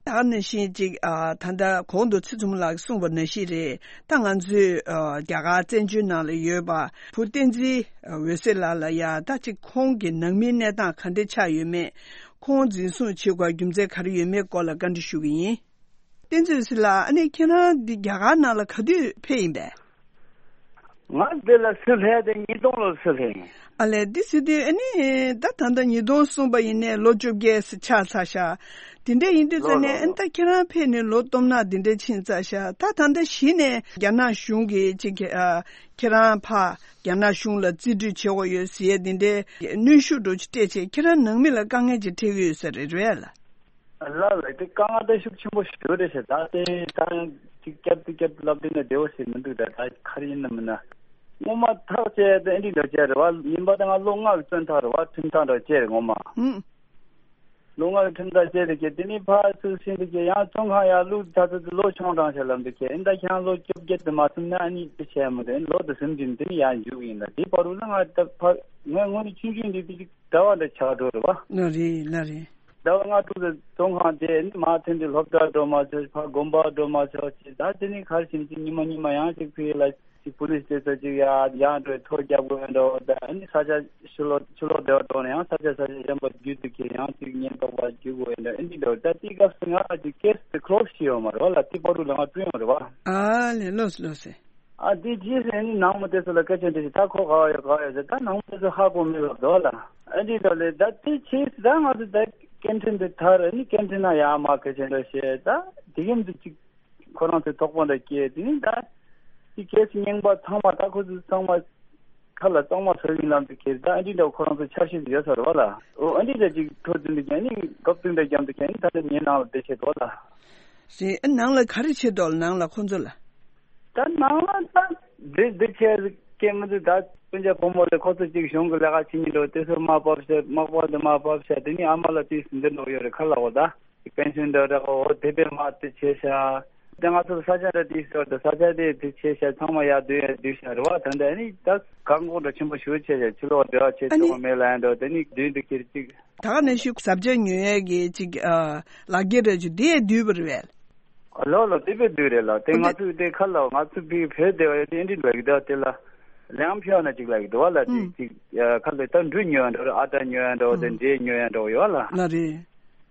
ད་ག་ནང་བཞིན་ཅིག་ཨ། ད་ལྟ་གོང་དུ་ཚེ་ཚོམ་ལགས་ཀྱིས་གསུངས་པ་ནང་བཞིན་རེད། ད་ང་ཚོས་ཨ། རྒྱ་གར་བཙན་བྱོལ་ནང་ལ་ཡོད་པ་བུ་བསྟན་འཛིན་འོད་ཟེར་ལགས་ལ་ཡ་ད་ཅིག་ཁོང་གི་ནང་མིའི་གནས་སྟངས་ག་འདྲ་ཆགས་ཡོད་མེད། ཁོང་འཛིན་བཟུང་བྱེད་དགོས་རྒྱུ་མཚན་ག་རེ་ཡོད་མེད་སྐོར་ལ་བཀའ་འདྲི་ཞུ་གི་ཡིན། བསྟན་འཛིན་འོད་ཟེར་ལགས། ཨ་ནི་ཁྱེད་རང་འདི་རྒྱ་གར་ནང་ལ་ག་དུས་ཕེབས་ཡིན་པས། ང་འདི་ལ་སུ་སླེབས་དེ་ཉིས་སྟོང་ལོར་སུ་སླེབས་ཡིན། ཨ་ལས་འདི་ཟེར་དུས་ཨ་ནི་ད་ད་ལྟ་ཉིས་སྟོང་གསུངས་པ་ཡིན་ནའི་ལོ་བཅོ་བརྒྱད་ཆགས་ཚར་ཤག་དེ་འདྲ་ཡིན་དུས་ཙ་ལོ་ནས་ལོ་ཨ་ནི་ལོ། ད་ཁྱེད་རང་ཕེབས་ནས་ལོ་སྟོང་ཕྲག་འདི་འདྲ་ཕྱིན་ཚར་ཤག་ད་ད་ལྟ་གཞི་ནས་རྒྱ་ནག་གཞུང་གིས་ཅིག་ཨ། ཁྱེད་རང་ཕར་རྒྱ་ནག་གཞུང་ལ་རྩིས་སྤྲོད་བྱེད་དགོས་ཡོད་ཟེར་ཡས་འདི་འདྲའི་གནོན་ཤུགས་འདྲ་ཅིག་སྤྲད་བྱས་ཁྱེད་རང་ནང་མི་ལ་དཀའ་ངལ་ཅིག་འཕྲད་ཀྱི་ཡོད་ས་རེད་རེད་ལ། ལ་ལ་དེ་དཀའ་ངལ་ད་ཤུགས་ཆེན་པོ་ཞིག་ཡོད་རེད་ཤག་ད་དེ་ད་ཅིག་བསྐྱར་དུ་བསྐྱར་དུ་ལབ་དུས་ན་བདེ་བོ་ཞིག་མི་འདུག་ད་ད་ག་རེ་ཡིན་ནམ་ན། སྔོན་མ་ཐག་བཅད་དེ་ཨེ་འདྲ་འདྲ་བྱས་རེད་བ། ཡིན་པ་ད་ང་ལོ་ལྔ་གི་བཙོན་ཐག་རེད་བ། ཁྲིམས་ཐག་འདྲ་བཅད་རེད་སྔོན་མ། ཧུམ། ལོ་ལྔ་གི་ཁྲིམས་ཐག་བཅད་དེ་ཁྱེད་དེ་ནས་ཕར་ཚུར་ཕྱིན་དུས་ཁྱེད་ཡང་བཙོན་ཁང་ཡར་བླུགས་ད་ཚོད་དུ་ལོ་ཆུང་དྲགས་ཤག་ལབ་འདུག་ཁྱེད་ཨེ་ད་ཁྱེད་རང་ལོ་བཅོ་བརྒྱད་དུ་མ་ཟིན་ན་ཨ་ནི་དེ་བྱས་མི་འདུག་ལོ་དུ་ཟིན་དུས་དེ་ནས་ཡར་འཇུག་གི་ཡིན་ད། དེ་བར་དུ་ལ་ང་ད་ཕར་ངས་དངོས་གནས་ཆུང་ཆུང་འདི་དེ་ཅིག་གྲྭ་བ་འདྲ་ཆགས་འགྲོ་རེད་བ། ལ་རེད་ལ་རེད། ཟླ་བ་ལྔ་དྲུག་ཙམ་བཙོན་ཁང་བསྡད། ཨ་ནི་མར་ཐོན་དུས་སློབ་གྲྭ་འགྲོ་མ་ཆོག་ཕར་དགོན་པ་འགྲོ་མ་ཆོག་ཅིག་ད་དེ་ནི་ག་རེ་བྱེད་ཅིག་ཉི་མ་ཉི་མ་ཡང་ཅིག་ཕ་གི་ལ་ཅིག་པུ་ལིས་དེ་ཚོ་ཅིག་ཡ་ཡང་འགྲོ་ཐོ་རྒྱབ་དགོས་ཡ་འགྲོ། ད་ཨ་ནི་ས་ཆ་ཕྱི་ལོགས་ཕྱི་ལོགས་བསྡད་པ་འགྲོ་ན་ཡང་ས་ཆ་ས་ཆ་གཞན་པ་བརྒྱུད་དུ་འཁྱེར་ཡང་ཅིག་ཉེན་རྟོག་པ་བརྒྱུད་དགོས་ཡ་འགྲོ། ཨ་ནི་འགྲོ་ད་དེའི་སྐབས་སུ་ང་ལ་ཅིག་ཀེ་སི་དེ་ཁོ་ལོ་ཤི་ཡོད་མ་རེད་བ་ལ། དེ་བར་དུ་ལ་ང་བསྐྲུན་ཡོད་རེད་བ། ཨ་ལེ་ལོས་ལོས་སེ། ཨ་དེ་རྗེས་སུ་ཨ་ནི་ནང་མི་དེ་ཚོ་ལ་སྐད་ཆ་འདྲི་ཞིག་ད་ཁོ་ག་བ་ཡོད་ག་བ་ཡོད་ཟེར། ད་ནང་མི་དེ་ཚོ་ཧ་གོ་མེད་ལབ་འདུག་ལ། ཨ་འདི་འདྲ་ལས་ད་དེ་ཆེས་ད་ང་ཚོ་ད་ཀེན་ཊིན་དེ་དར་ཨ་ནི་ཀེན་ཊིན་ན་ཡར་མར་སྐད་ཆ་འདྲ་བཤད། ད་དེ་གམ་དུ་ཅིག་ཁོ་རང་ཚོའི་དོགས་པ་འདྲ་སྐྱེས། དེ་ནི་ད་དེ་གལ་སྲིད་རྙིང་པ་ཚང་མ་ད་ཁོ་ཚོ་ཚང་མ་ཁ་ལ་གཙང་མ་བཟོ་ཡིན་ལམ་དུ་ཁྱེར། ད་ཨ་འདི་འདྲ་ཁོ་རང་ཚོ་འཆར་གཞི་དེ་ཡོད་ས་རེད་བ་ལ། ཨོ་ཨ་འདི་འདྲ་ཅིག་འཕྲོ་བསྟུན་དུ་ཀྱང་ནི་སྐབས་བསྟུན་པའི་རྒྱང་དུ་ཀྱང་ནི་ད་ལྟ་ངའི་ནང་ལ་བསྡད་བྱས་འདུག་ལ། རེད། ཨ་ནང་ལ་ག་རེ་བྱེད་འདུག་ལ་ནང་ལ་ཁོ་ཚོ་ལ། ད་ནང་ལ་ད་འདི་འདི་བྱས་སྐད་མི་འདུག་ད་སྤུན་ཀྱག་བུ་མོ་ལས་ཁོ་ཚོ་གཅིག་གཞུང་གི་ལས་ཀ་བྱེད་ཉིན་འགྲོ་དེ་ཚོ་མ་བབས་ཤག་མག་པ་འདི་མ་བབས་ཤག་དེ་ནི་ཨ་མ་ལ་དུས་སུ་འདི་འགྲོ་ཡོད་རེད་ཁ་ལ་འོ་ད་པེན་ཤོན་འདྲ་འདྲ་འོ་དེ་པའི་མ་དེ་བྱས་ཤག་དེ་ང་ཚོ་ས་ཆ་འདྲ་དེ་ཚོ་ད་ས་ཆ་དེ་དེ་བྱས་ཤག་ཚང་མ་ཡར་བསྡུས་ཡར་བསྡུས་ཤག་རེད་བ། ད་འདྲ་ནི་ད་གང་དགོས་འདྲ་ཆེན་པོ་ཞུ་བྱས་ཤག་ཕྱི་ལོགས་འབྲེལ་བ་བྱེད་ཨ་ནི་ཆོག་མེད་ལ་ཡང་འགྲོ་དེ་ནི་བསྡུས་འདུག་ཁྱེར་གཅིག་ད་ག་ནས་ཤུགས་ཟབ་ཆ་ཉོ་ཡས་ཀྱི་ཅིག་ཨ་ལག་འཁྱེར་རེ་ཅིག་དེ་ཡས་བསྡུས་པ་རེད་བས། ལོ་ལོ་དེ་བས་བསྡུས་རེད་ལ། དེ་ཨ་ང་ནི་ཚོས་དེ་ཁ་ལ་ང་ཚོ་བི་བོད་སྡེ་བ་ཡོད་དེ་ཨེ་འདྲི་ལབ་ཀྱི་འདུག་དེ་ལ་ལེའང་ཕྱོགས་ན་ཅིག་ལབ་ཀྱི་འདུག་བ་ལ། ཅིག་ཨུམ། ཅིག་ཁ་ལ་ད་འབྲུ་ཉོ་ཡ་འདྲ་བོ་ཨ་ཊ་ཉོ་ཡ་འདྲ་བོ་དེ་ཨུམ། འབྲས་ཉོ་ཡ་འདྲ་བོ་ཡོད་ལ། ལ་རེད།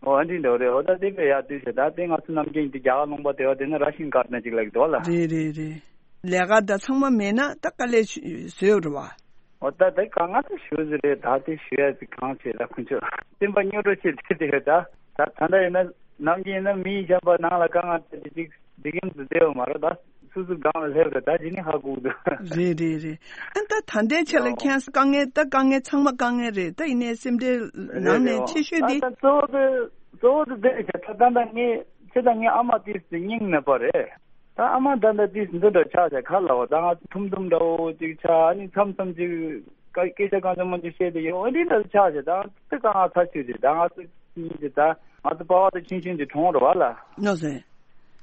ཨོ་ཨེ་འདྲི་འདྲ་བོ་རེད། ཨོ་ད་དེ་བས་ཡར་བསྡུས་བྱས་ད་དེ་ང་ཚོ་ནམ་རྒྱུན་དེ་རྒྱ་གར་ལུང་པ་སྡེ་བ་དེ་ན་ར་ཤིན་ཀར་ན་ཅིག་ལབ་ཀྱི་འདུག་བ་ལ། རེད་རེད་རེད། ལས་ཀ་ད་ཚང་མ་མེད་ན་ད་དཀའ་ལས་བཟོས་ཡོད་རེད་བ། འོ་ད་དེ་གང་ང་ཚོ་ཞུ་ཟི་རེད། ད་དེ་ཞུ་ཡ་དེ་གང་བྱེད་ད་ཁོང་ཚོས་སེམས་པ་སྙོ་སྒྲོ་བྱེད་དེ་དེ་ད་ད་ད་ད་ཡིན་ན་ནམ་རྒྱུན་ཡིན་ན་མི་གཞན་པ་ནང་ལ་དཀའ་ངལ་དེ་ཅིག་འདི་གིན་དུ་བསྡད་ཡོད་མ་རེད། ད་སུ་སུ་སྒང་ལ་སླེབས་རེད། ད་ཇི་ནི་ཧ་གོ་གི་འདུག་རེད་རེད་རེད། ཨ་ད་ད་ལྟའི་ཆ་ལ་ཨོ་ཁྱེད་དཀའ་ངལ་ད་དཀའ་ངལ་ཚང་མ་དཀའ་ངལ་རེད། ད་ཡིན་ནའི་སེམས་ཁྲལ་རེད་ནང་རེད། ནས་ཨོ་ཆེ་ཤོས་ད་དེ་ད་གཙོ་བོ་དེ་གཙོ་བོ་དེ་དེ་རེད་ཤག་ད་ད་ད་ངས་ཁྱེད་ད་ངའི་ཨ་མ་དེ་སྙིང་ནད་པ་རེད། ད་ཨ་མ་ད་ལྟ་དུས་འདི་འདྲ་ཆགས་ཆགས་ཁ་ལ་བ་ད་ང་ཚོ་ཐུམ་ཐུམ་འདྲ་བོ་ཅིག་ཆགས། ཨ་ནི་མཚམས་མཚམས་ཅིག་སྐད་ཆ་གང་བྱུང་མང་བྱུང་བཤད་དེ་ཡོང་། ཨ་འདི་འདྲ་ཆགས་ཆགས་ད་ང་ཚོ་གང་ང་ཚ་ཤོས་ཅིག་ད་ང་ཚོ་གཉིས་ཅིག་ད་ང་ཚོ་པ་བ་ད་ཆུང་ཆུང་ཅིག་གྲོངས་རེད་བ་ལ། ནོ་ཟེ།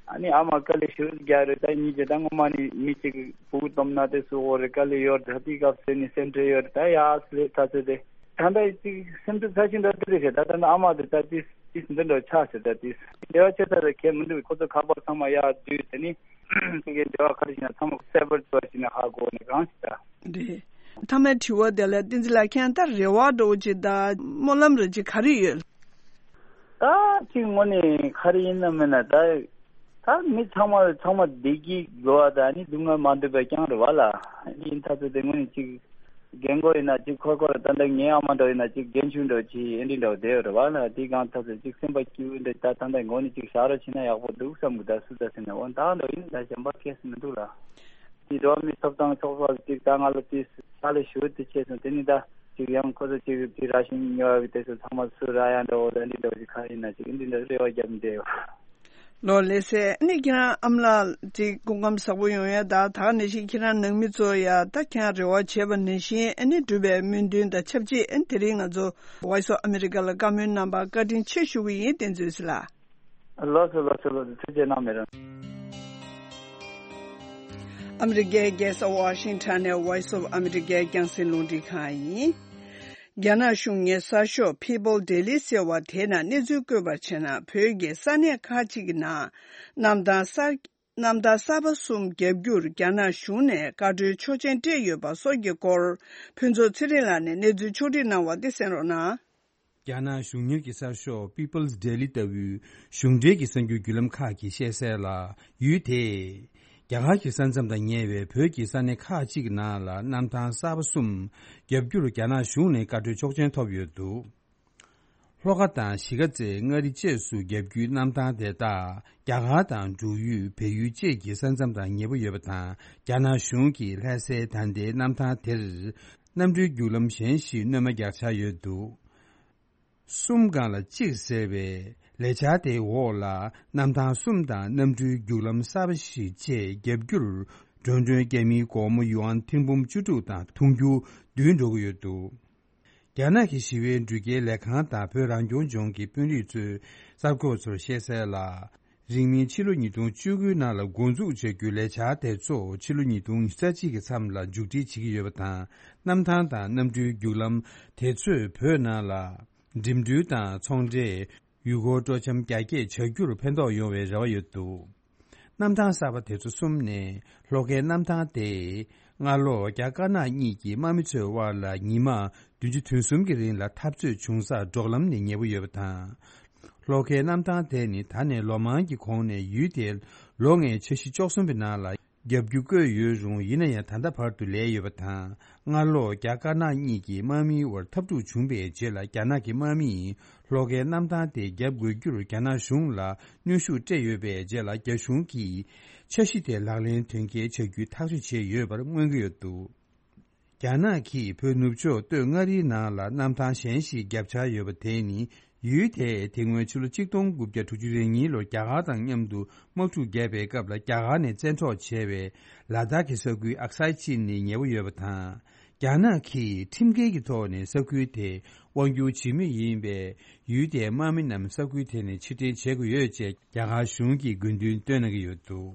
ཨ་ནི་ཨ་མ་དཀའ་ལས་ཞེ་པོ་རྒྱག་རེད། ད་གཉིས་ཅིག་ད་སྔོན་མ་ནི་མི་གཅིག་སྤུ་གུ་སྟོབས་ན་དེ་སུ་འོ་རེད་དཀའ་ལས་ཡོད་རེད། ད་དེའི་སྐབས་སུ་ནི་སེམས་ཁྲལ་ཡོད་རེད། ད་ཡ་སི་ལེ་ད་ཚོད་དེ། ད་ལྟ་ཅིག་སེམས་ཚོར་ཚ་ཤིང་འདྲ་དེ་རེད་ཤག་ད་ལྟ་ནི་ཨ་མ་དེ་ད་ཏིས་ཏིས་འདི་འདྲ་ཆགས་ཤག་ད་ཏིས་འབྲེལ་བ་ཆེ་ས་རེད་ཁྱད་མི་འདུག་ཁོ་ཚོ་ཁ་པར་ཚང་མ་ཡར་བསྡུས་དེ་ནི་ཁྱེད་ཀྱི་འབྲེལ་བ་ག་རེ་ཞིག་ན་ཚང་མ་སེ་བར་ཚོར་ཞིག་ན་ཧ་གོ་ནི་གང་ཞིག་ད། རེད། མཐའ་མའི་དྲི་བ་དེ་ལ་བསྟན་འཛིན་ལགས་ཁྱེད་ད་རེ་བ་འདྲ་བོ་ཅིག་ད་སྨོན་ལམ་རེ་ཅིག་ག་རེ་ཡོད། ད་ཅིག་དངོས་གནས་ག་རེ་ཡིན་ན་མིན་ན་ད། ད་མི་ཚང་མ་ཚང་མ་བདེ་སྐྱིད་དགོས་པ་དང་ནི་སྡུག་བསྔལ་མ་འདོད་པ་རྐྱང་རེད་བ་ལ། འདི་ཡིན་ཐ་ཚོད་དེ་དངོས་གནས་ཅིག་རྒན་རྒོན་ཡིན་ན་ཅིག་ཁོ་ཁོ་ར་ད་ལྟ་ངའི་ཨ་མ་འདྲ་ཡིན་ན་ཅིག་རྒན་ཆུང་འདྲ་ཅིག་ཨེ་འདྲི་འདྲ་བསྡད་ཡོད་རེད་བ་ལ། འདི་གང་ཐ་ཚོད་ཅིག་སེམས་པ་སྐྱིད་པོ་འདྲ་ད་ད་ལྟ་མགོ་ནས་ཅིག་བཞག་རོགས་བྱས་ན་ཡག་པོ་འདུག་བསམ་གི་ད་སུ་ད་ཟེར་ན་འོ་ད་འདྲ་ཡིན་ད་གཞན་པ་སྐྱེས་སུ་མི་འདུག་ལ། འདི་འགྲོ་བ་མིའི་ཐོབ་ཐང་ཚོགས་པ་ཅིག་ད་ང་ལ་དེ་ཕྱག་ལས་ཞུ་དེ་བྱས་སོང་དེ་ནི་ད་ཅིག་ཡང་ཁོ་ཚོ་ཅིག་དེ་ར་ཤིང་ཉོ་བ་གི་དེ་ཚོ་ཚང་མ་སུ་ར་ཡ་འདྲ་འོ་ད་འདི་འདྲ་ཅིག་ག་ཡིན་ན་ཅིག་འདི་འདྲ་རེ་བ་རྒྱབ་འདྲ་ཡོད། ལོ་ལེ་སེ་ནི་ཁྱེད་རང་ཨ་མ་ལགས་ཅིག་སྐུ་ཁམས་བཟང་པོ་ཡོང་ཡ་ད་ད་ག་ནང་བཞིན་ཁྱེད་རང་ནང་མི་ཚོ་ཡ་ད་ཁྱེད་རང་རེ་བ་བྱས་པ་ནང་བཞིན་ཨ་ནི་འགྲུབ་པའི་སྨོན་འདུན་དང་ཆབས་ཅིག་ཨ་ནི་དེ་རིང་ང་ཚོ་Voice of America་ལ་བཀའ་མོལ་གནང་བར་བཀའ་དྲིན་ཆེ་ཞུ་གི་ཡིན་བསྟན་འཛིན་ལགས། ལགས་སོ་ལགས་སོ་ལགས་སོ་ཐུགས་རྗེ་གནང་མི་རང་། ཨ་མི་རི་ཀའི་རྒྱལ་ས་ཝ་ཤིང་ཊོན་ནས་Voice of America་རྒྱང་སྲིང་རླུང་འཕྲིན་ཁང་ཡིན། རྒྱ་ནག་གཞུང་གི་གསར་ཤོག་People Daily་ཟེར་བ་དེ་ནང་གནས་ཚུལ་བཀོད་པར་བྱས་ན་བོད་ཀྱི་ས་གནས་ཁག་ཅིག་གི་ནང་གནམ་ཐང་གསར་གནམ་ཐང་གསར་པ་གསུམ་བརྒྱབ་རྒྱུར་རྒྱ་ནག་གཞུང་ནས་བཀའ་འཁྲོལ་ཆོག་མཆན་སྤྲད་ཡོད་པ་སོགས་ཀྱི་སྐོར་ཕུན་ཚོགས་ཚེ་རིང་ལགས་ནས་གནས་ཚུལ་ཕྱོགས་སྒྲིག་གནང་བ་དེ་གསན་རོགས་གནང་། རྒྱ་ནག་གཞུང་གཉེར་གྱི་གསར་ཤོག་People's Daily་ལྟ་བུའི་གཞུང་འབྲེལ་གྱི་གསར་འགྱུར་བརྒྱུད་ལམ་ཁག་གིས་བཤད་གསལ་ལ། ཡུལ་དེས་རྒྱ་གར་གྱི་ས་མཚམས་དང་ཉེ་བའི་བོད་ཀྱི་ས་གནས་ཁག་ཅིག་ནང་ལ་གནམ་ཐང་གསར་པ་གསུམ་བརྒྱབ་རྒྱུར་རྒྱ་ནག་གཞུང་ནས་བཀའ་འཁྲོལ་ཆོག་མཆན་ཐོབ་ཡོད་འདུག་ལྷོ་ཁ་དང་གཞིས་ཀ་རྩེ་མངའ་རིས་བཅས་སུ་བརྒྱབ་རྒྱུའི་གནམ་ཐང་དེ་དག་རྒྱ་གར་དང་འབྲུག་ཡུལ་བལ་ཡུལ་བཅས་ཀྱི་ས་མཚམས་དང་ཉེ་པོ་ཡོད་པ་དང་། རྒྱ་ནག་གཞུང་གིས་ལྷ་སའི་ད་ལྟའི་གནམ་ཐང་དེར་གནམ་གྲུའི་རྒྱུག་ལམ་གཞན་ཞིག་སྣོན་མ་རྒྱག་འཆར་ཡོད་འདུག་གསུམ་སྒང་ལ་གཅིག་ཟེར་བའི་ལས་འཆར་དེའི་འོག་ལ་གནམ་ཐང་གསུམ་དང་གནམ་གྲུའི་རྒྱུག་ལམ་གསར་པ་ཞིག་བཅས་བརྒྱབ་རྒྱུར་མགྲོན་ཁྲོད་རྒྱ་མིའི་སྒོར་མོ་ཡུ་ཨན་ཐེར་འབུམ་བཅུ་དྲུག་དང་ཐུང་རྒྱུ་བསྡུས་འགྲོ་གི་ཡོད་འདུག་རྒྱ་ནག་གི་ཞི་བའི་འགྲུལ་སྐྱེལ་ལས་ཁང་དང་བོད་རང་སྐྱོང་ལྗོངས་ཀྱི་དཔོན་རིགས་ཚོས་གསར་འགོད་པ་ཚོར་བཤད་གསལ་ལ། རིང་མིན་ཕྱི་ལོ་ཉིས་སྟོང་བཅུ་དགུའི་ནང་ལ་འགོ་འཛུགས་བྱ་རྒྱུའི་ལས་འཆར་དེ་ཚོ་ཕྱི་ལོ་ཉིས་སྟོང་ཉི་ཤུ་རྩ་གཅིག་གི་མཚམས་ལ་མཇུག་སྒྲིལ་བྱེད་ཀྱི་ཡོད་པ་དང་། གནམ་ཐང་དང་གནམ་གྲུའི་རྒྱུག་ལམ་དེ་ཚོས་བོད་ནང་ལ་ འགྲིམ་འགྲུལ་དང་ཚོང་འབྲེལ། ཡུལ་སྐོར་སྤྲོ་འཆམ་རྒྱ་སྐྱེད་བྱ་རྒྱུར་ཕན་ཐོགས་ཡོང་བའི་རེ་བ་ཡོད་འདུག་གནམ་ཐང་གསར་པ་དེ་ཚོ་གསུམ་ནས་ལྷོ་ཁའི་གནམ་ཐང་དེ་སྔ་ལོགས་རྒྱ་དཀར་ནག་གཉིས་ཀྱི་དམག་མི་ཚོའི་དབར་ལ་ཉི་མ་བདུན་ཅུ་དོན་གསུམ་གྱི་རིང་ལ་འཐབ་རྩོད་བྱུང་སར་འབྲོག་ལམ་ནས་ཉེ་པོ་ཡོད་པ་དང་། ལྷོ་ཁའི་གནམ་ཐང་དེ་ནི་ད་ནས་ལོ་མང་གི་གོང་ནས་ཡུལ་དེར་ལོ་ལྔའི་འཆར་གཞི་བཅུ་གསུམ་པའི་ནང་ལ་རྒྱབ་སྐྱོར་བཀོད་ཡོད་རུང་། ཡིན་ན་ཡང་ད་ལྟ་བར་དུ་ལས་ཡོད་པ་དང་། སྔ་ལོགས་རྒྱ་དཀར་ནག་གཉིས་ཀྱི་དམག་མིའི་དབར་འཐབ་འཁྲུག་བྱུང་པའི་རྗེས་ལ། རྒྱ་ནག་གི་དམག་མིས་ལྷོ་ཁའི་གནམ་ཐང་དེ་བརྒྱབ་དགོས་རྒྱུར་རྒྱ་ནག་གཞུང་ལ་གནོན་ཤུགས་སྤྲད་ཡོད་པའི་རྗེས་ལ། རྒྱ་གཞུང་གིས་འཆར་གཞི་དེ་ལག་ལེན་དོན་འཁྱོལ་བྱ་རྒྱུའི་ཐག་གཅོད་བྱས་ཡོད་པར་མངོན་གྱི་ཡོད་འདུག་རྒྱ་ནག་གིས་བོད་ནུབ་ཕྱོགས་སྟོད་མངའ་རིས་ནང་ལ་གནམ་ཐང་གཞན་ཞིག་བརྒྱབ་འཆར་ཡོད་པ་དེ་ནི། ཡུལ་དེས་དེ་སྔོན་ཕྱི་ལོ་གཅིག་སྟོང་དགུ་བརྒྱ་དྲུག་ཅུ་རེ་གཉིས་ལོར་རྒྱ་གར་དང་མཉམ་དུ་དམག་འཁྲུག་བརྒྱབ་པའི་སྐབས་ལ། རྒྱ་གར་ནས་བཙན་འཕྲོག་བྱས་པའི་ལ་དྭགས་ཀྱི་ས་ཁུལ་ཨག་སའི་ཅི་ནི་ཉེ་བོ་ཡོད་པ་དང་། རྒྱ་ནག་གིས་ཁྲིམས་འགལ་གྱི་ཐོག་ནས་ས་ཁུལ་དེ་དབང་སྒྱུར་བྱེད་མུས་ཡིན་པས། ཡུལ་དེའི་དམག་མི་རྣམས་ས་ཁུལ་དེ་ནས་ཕྱིར་འཐེན་བྱེད་དགོས་ཡོད་ཅེས་རྒྱ་གར་གཞུང་གིས་དགོས་འདུན་བཏོན་གནང་གི་ཡོད་འདུག་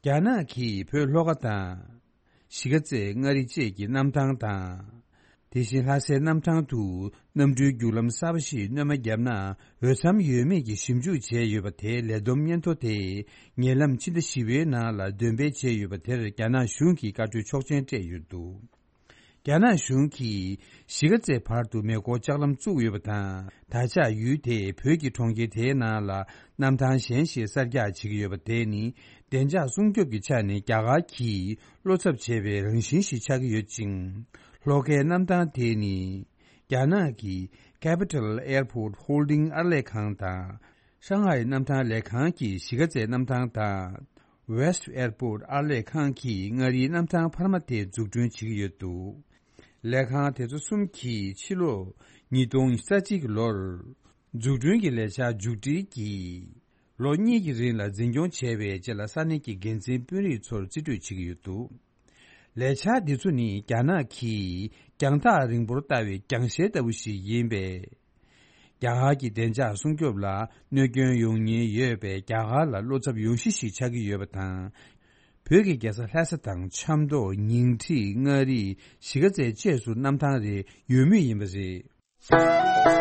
རྒྱ་ནག་གིས་བོད་ལྷོ་ཁ་དང་། གཞིས་ཀ་རྩེ་མངའ་རིས་བཅས་ཀྱི་གནམ་ཐང་དང་། དེ་བཞིན་ལྷ་སའི་གནམ་ཐང་དུ་གནམ་གྲུའི་རྒྱུག་ལམ་གསར་པ་ཞིག་སྣོན་མ་བརྒྱབ་ན་འོས་འཚམ་ཡོད་མེད་ཀྱི་ཞིབ་འཇུག་བྱས་ཡོད་པ་དེའི་ལས་བསྡོམས་སྙན་ཐོ་དེ་ཉེ་ལམ་ཕྱི་ཟླ་བཞི་པའི་ནང་ལ་འདོན་སྤེལ་བྱས་ཡོད་པ་དེར་རྒྱ་ནག་གཞུང་གིས་བཀའ་འཁྲོལ་ཆོག་མཆན་སྤྲད་ཡོད་འདུག་རྒྱ་ནག་གཞུང་གིས་གཞིས་ཀ་རྩེ་བར་དུ་མེ་འཁོར་ལྕགས་ལམ་བཙུགས་ཡོད་པ་དང་། ད་ཆ་ཡུལ་དེས་བོད་ཀྱི་གྲོང་ཁྱེར་དེའི་ནང་ལ་གནམ་ཐང་གཞན་ཞིག་གསར་རྒྱག་བྱེད་ཀྱི་ཡོད་པ་དེ་ནི། བདེ་འཇགས་སྲུང་སྐྱོབ་ཀྱི་ཆ་ནས་རྒྱ་གར་གྱིས་བློ་འཚབ་བྱེད་པའི་རང་བཞིན་ཞིག་ཆགས་ཀྱི་ཡོད་ཅིང་། ལྷོ་ཁའི་གནམ་ཐང་དེ་ནི། རྒྱ་ནག་གི་Capital Airport Holding ཨར་ལས་ཁང་དང་། ཧྲང་ཧའེ་གནམ་ཐང་ལས་ཁང་གིས་གཞིས་ཀ་རྩེ་གནམ་ཐང་དང་། West Airport ཨར་ལས་ཁང་གིས་མངའ་རིས་གནམ་ཐང་འཕར་མ་དེ་འཛུགས་སྐྲུན་བྱེད་ཀྱི་ཡོད་འདུག་ལས་ཁང་དེ་ཚོ་གསུམ་གྱིས་ཕྱི་ལོ་ཉིས་སྟོང་རྩ་གཅིག་ལོར་འཛུགས་སྐྲུན་གྱི་ལས་འཆར་མཇུག་སྒྲིལ་གྱིས། ལོ་གཉིས་ཀྱི་རིང་ལ་འཛིན་སྐྱོང་བྱས་པའི་རྗེས་ལ། ས་གནས་ཀྱི་འགན་འཛིན་དཔོན་རིགས་ཚོར་རྩིས་སྤྲོད་བྱེད་ཀྱི་ཡོད་འདུག་ལས་འཆར་འདི་ཚོ་ནི་རྒྱ་ནག་གིས་རྒྱང་ཐག་རིང་པོར་ལྟ་བའི་རྒྱང་ཤེལ་ལྟ་བུ་ཞིག་ཡིན་པས། རྒྱ་གར་གྱི་བདེ་འཇགས་སྲུང་སྐྱོབ་ལ་གནོད་སྐྱོན་ཡོང་ཉེན་ཡོད་པས། རྒྱ་གར་ལ་བློ་འཚབ་ཡོང་གཞི་ཞིག་ཆགས་ཀྱི་ཡོད་པ་དང་། བོད་ཀྱི་རྒྱལ་ས་ལྷ་ས་དང་ཆབ་མདོ། ཉིང་ཁྲི། མངའ་རིས། གཞིས་ཀ་རྩེ་བཅས་སུ་གནམ་ཐང་རེ་ཡོད་མུས་ཡིན་པ་རེད།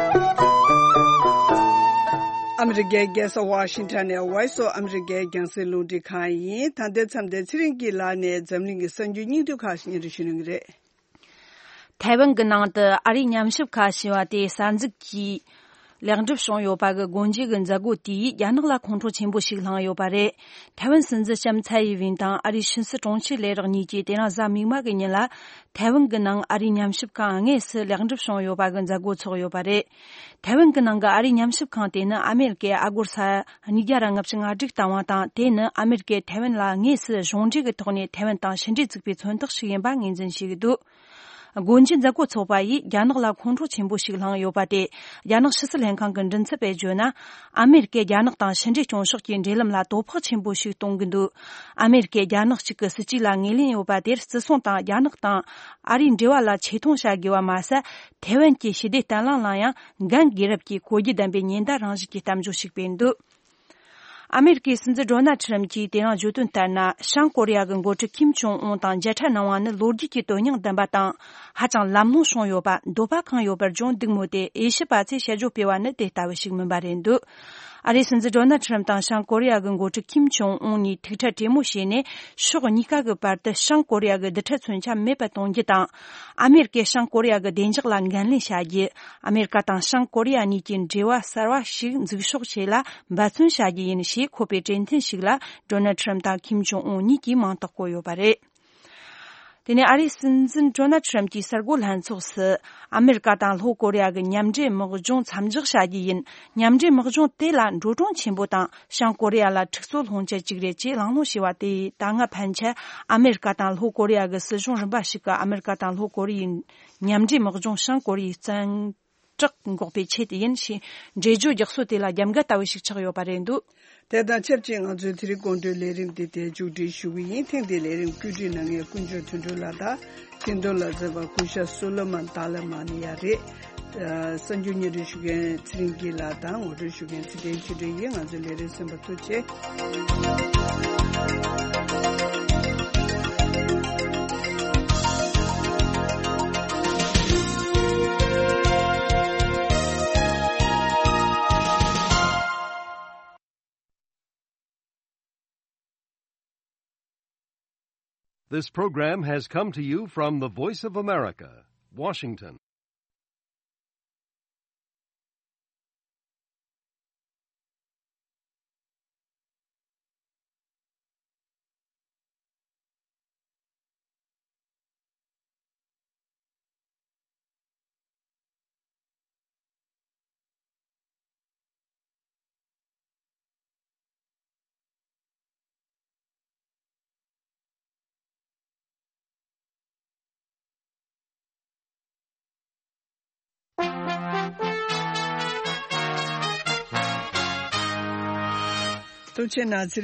ཨ་མི་རི་ཀའི་རྒྱལ་ས་ཝ་ཤིང་ཊོན་ནས་Voice of America རྒྱང་སྲིང་རླུང་འཕྲིན་ཁང་ཡིན། ད་ལྟའི་མཚམས་འདིར་ཚེ་རིང་སྐྱིད་ལགས་ནས་འཛམ་གླིང་གི་གསར་འགྱུར་སྙིང་བསྡུས་ཁག་ཞིག་སྙན་སྒྲོན་ཞུ་གནང་གི་རེད། ཐའེ་ཝན་གྱི་ནང་དུ་ཨ་རིའི་ཉམས་ཞིབ་ཁང་ཞེས་པ་དེ་གསར་འཛུགས་ཀྱིས་ལེགས་འགྲུབ་བྱུང་ཡོད་པ་གི་སྒོ་འབྱེད་ཀྱི་མཛད་སྒོ་དེས་རྒྱ་ནག་ལ་ཁོང་ཁྲོ་ཆེན་པོ་ཞིག་བསླངས་ཡོད་པ་རེད། ཐའེ་ཝན་སྲིད་འཛིན་ལྕམ་ཚའེ་ཡི་ཝེན་དང་ཨ་རིའི་ཕྱི་སྲིད་དྲུང་ཆེ་ལས་རོགས་གཉིས་ཀྱིས་དེ་རིང་གཟའ་མིག་དམར་གྱི་ཉིན་ལ། ཐའེ་ཝན་གྱི་ནང་ཨ་རིའི་ཉམས་ཞིབ་ཁང་དངོས་སུ་ལེགས་འགྲུབ་བྱུང་ཡོད་པ་གི་མཛད་སྒོ་ཚོགས་ཡོད་པ་རེད། ཐའེ་ཝན་གྱི་ནང་གི་ཨ་རིའི་ཉམས་ཞིབ་ཁང་དེ་ནི་ཨ་མེ་རི་ཀས་ཨ་སྒོར་ས་ཉིས་བརྒྱ་ར་ལྔ་བཅུ་ང་དྲུག་བཏང་བ་དང་། དེ་ནི་ཨ་མེ་རི་ཀས་ཐའེ་ཝན་ལ་དངོས་སུ་གཞུང་འབྲེལ་གྱི་ཐོག་ནས་ཐའེ་ཝན་དང་ཕྱི་འབྲེལ་བཙུགས་པའི་མཚོན་རྟགས་ཤིག་ཡིན་པ་ངོས་འཛིན་བྱེད་ཀྱི་འདུག་སྒོ་འབྱེད་མཛད་སྒོ་ཚོགས་པ་ཡིས་རྒྱ་ནག་ལ་ཁོང་ཁྲོ་ཆེན་པོ་ཞིག་བསླངས་ཡོད་པ་དེ། རྒྱ་ནག་ཕྱི་སྲིད་ལྷན་ཁང་གི་མགྲིན་ཚབ་པས་བརྗོད་ན། ཨ་མེ་རི་ཀས་རྒྱ་ནག་དང་ཕྱི་འབྲེལ་སྐྱོང་ཕྱོགས་ཀྱི་འབྲེལ་ལམ་ལ་དོ་ཕོག་ཆེན་པོ་ཞིག་གཏོང་གི་འདུག་ཨ་མེ་རི་ཀས་རྒྱ་ནག་གཅིག་གི་སྲིད་ཇུས་ལ་ངོས་ལེན་ཡོད་པ་དེར། བརྩི་སྲུང་དང་རྒྱ་ནག་དང་ཨ་རིའི་འབྲེལ་བ་ལ་ཆེ་མཐོང་བྱ་དགོས་པ་མ་ཟད། ཐའེ་ཝན་གྱི་ཞི་བདེ་བརྟན་ལྷིང་ལ་ཡང་འགན་དགོས་རབས་ཀྱི་གོ་རྒྱུ་ལྡན་པའི་ཉེན་བརྡ་རང་བཞིན་གྱི་གཏམ་བརྗོད་ཞིག་སྤེལ་འདུག་ཨ་མེ་རི་ཀའི་སྲིད་འཛིན་ཌོ་ནལ་ཁྲི་རམ་གྱིས་དེ་རིང་བརྗོད་དོན་ལྟར་ན། བྱང་ཀོ་རི་ཡ་གི་འགོ་ཁྲིད་ཁིམ་ཇོང་ཨུན་དང་མཇལ་འཕྲད་གནང་བ་ནི་ལོ་རྒྱུས་ཀྱི་དོན་སྙིང་ལྡན་པ་དང་། ཧ་ཅང་ལམ་ལྷོང་བྱུང་ཡོད་པ། འདོད་པ་ཁེངས་ཡོད་པར་སྦྱོང་འདུག་མོད་དེ། དབྱེ་ཞིབ་པ་ཚོས་དཔྱད་བརྗོད་སྤེལ་བ་ནི་དེ་ལྟ་བུ་ཞིག་མིན་པ་རེད་འདུག་ཨ་རིའི་སྲིད་འཛིན་ཌོ་ནལ་ཁྲི་རམ་དང་བྱང་ཀོ་རི་ཡ་གི་འགོ་ཁྲིད་ཁིམ་ཇོང་ཨུན་གཉིས་ཐུག་འཕྲད་གྲོས་མོལ་བྱས་ནས། ཕྱོགས་གཉིས་ཀ་གི་བར་དུ་བྱང་ཀོ་རི་ཡ་གི་རྡུལ་ཕྲན་མཚོན་ཆ་མེད་པར་གཏོང་རྒྱུ་དང་། ཨ་མེ་རི་ཀས་བྱང་ཀོ་རི་ཡ་གི་བདེ་འཇགས་ལ་འགན་ལེན་བྱ་རྒྱུ། ཨ་མེ་རི་ཀ་དང་བྱང་ཀོ་རི་ཡ་གཉིས་ཀྱི་འབྲེལ་བ་གསར་བ་ཞིག་འཛུགས་ཕྱོགས་ཆེད་ལ་འབད་བརྩོན་བྱ་རྒྱུ་ཡིན་ཞེས་འཁོད་པའི་གྲོས་མཐུན་ཞིག་ལ། ཌོ་ནལ་ཁྲི་རམ་དང་ཁིམ་ཇོང་ཨུན་གཉིས་ཀྱིས་མིང་རྟགས་བཀོད་ཡོད་པ་རེད། དེ་ནས་ཨ་རིའི་སྲིད་འཛིན་ཌོ་ནལ་ཁྲི་རམ་གྱིས་གསར་འགོད་ལྷན་ཚོགས་སུ། ཨ་མེ་རི་ཀ་དང་ལྷོ་ཀོ་རི་ཡ་གི་མཉམ་འབྲེལ་དམག་སྦྱོང་མཚམས་འཇོག་བྱ་རྒྱུ་ཡིན། མཉམ་འབྲེལ་དམག་སྦྱོང་དེ་ལ་འགྲོ་གྲོན་ཆེན་པོ་དང་། བྱང་ཀོ་རི་ཡ་ལ་འཁྲུག་རྩོད་སློང་བྱེད་ཅིག་རེད་ཅེས་གླེང་སློང་བྱས་པ་དེས། ད་སྔ་ཕན་ཆད་ཨ་མེ་རི་ཀ་དང་ལྷོ་ཀོ་རི་ཡ་གི་སྲིད་གཞུང་རིམ་པ་ཞིག་གིས་ཨ་མེ་རི་ཀ་དང་ལྷོ་ཀོ་རི་ཡའི་མཉམ་འབྲེལ་དམག་སྦྱོང་བྱང་ཀོ་རི་ཡའི་བཙན་དྲག་འགོག་པའི་ཆེད་དུ་ཡིན་ཞེས་འགྲེལ་བརྗོད་རྒྱག་སྲོལ་དེ་ལ་རྒྱབ་འགལ་ལྟ་བུ་ཞིག་ཆགས་ཡོད་པ་རེད་འདུག་དེ་དང་ཆབས་ཅིག་ང་ཚོའི་དེ་རིང་དགོང་དྲོའི་ལས་རིམ་འདི་དེ་མཇུག་སྒྲིལ་ཞུ་གི་ཡིན། ཐེངས་འདིའི་ལས་རིམ་བཀོད་སྒྲིག་གནང་མཁན་དཀོན་མཆོག་དོན་གྲུབ་ལགས་དང་། སྐྱིད་འདོན་ལ་མཛད་པ་སྐུ་ཞབས་སོ་ལོ་མོན་ཏཱ་ལ་མ་ནི་ཡ་རེད། གསར་འགྱུར་སྙན་སྒྲོན་ཞུ་མཁན་ཚེ་རིང་སྐྱིད་ལགས་དང་ངོ་སྤྲོད་ཞུ་མཁན་ཚེ་བརྟན་ཆོས་སྒྲོན་ཡིན། ང་ཚོའི་ལས་རིམ་གསན་པར་ཐུགས་རྗེ་ཆེ། This program has come to you from the Voice of America, Washington. ཐུགས་རྗེ་གནང་།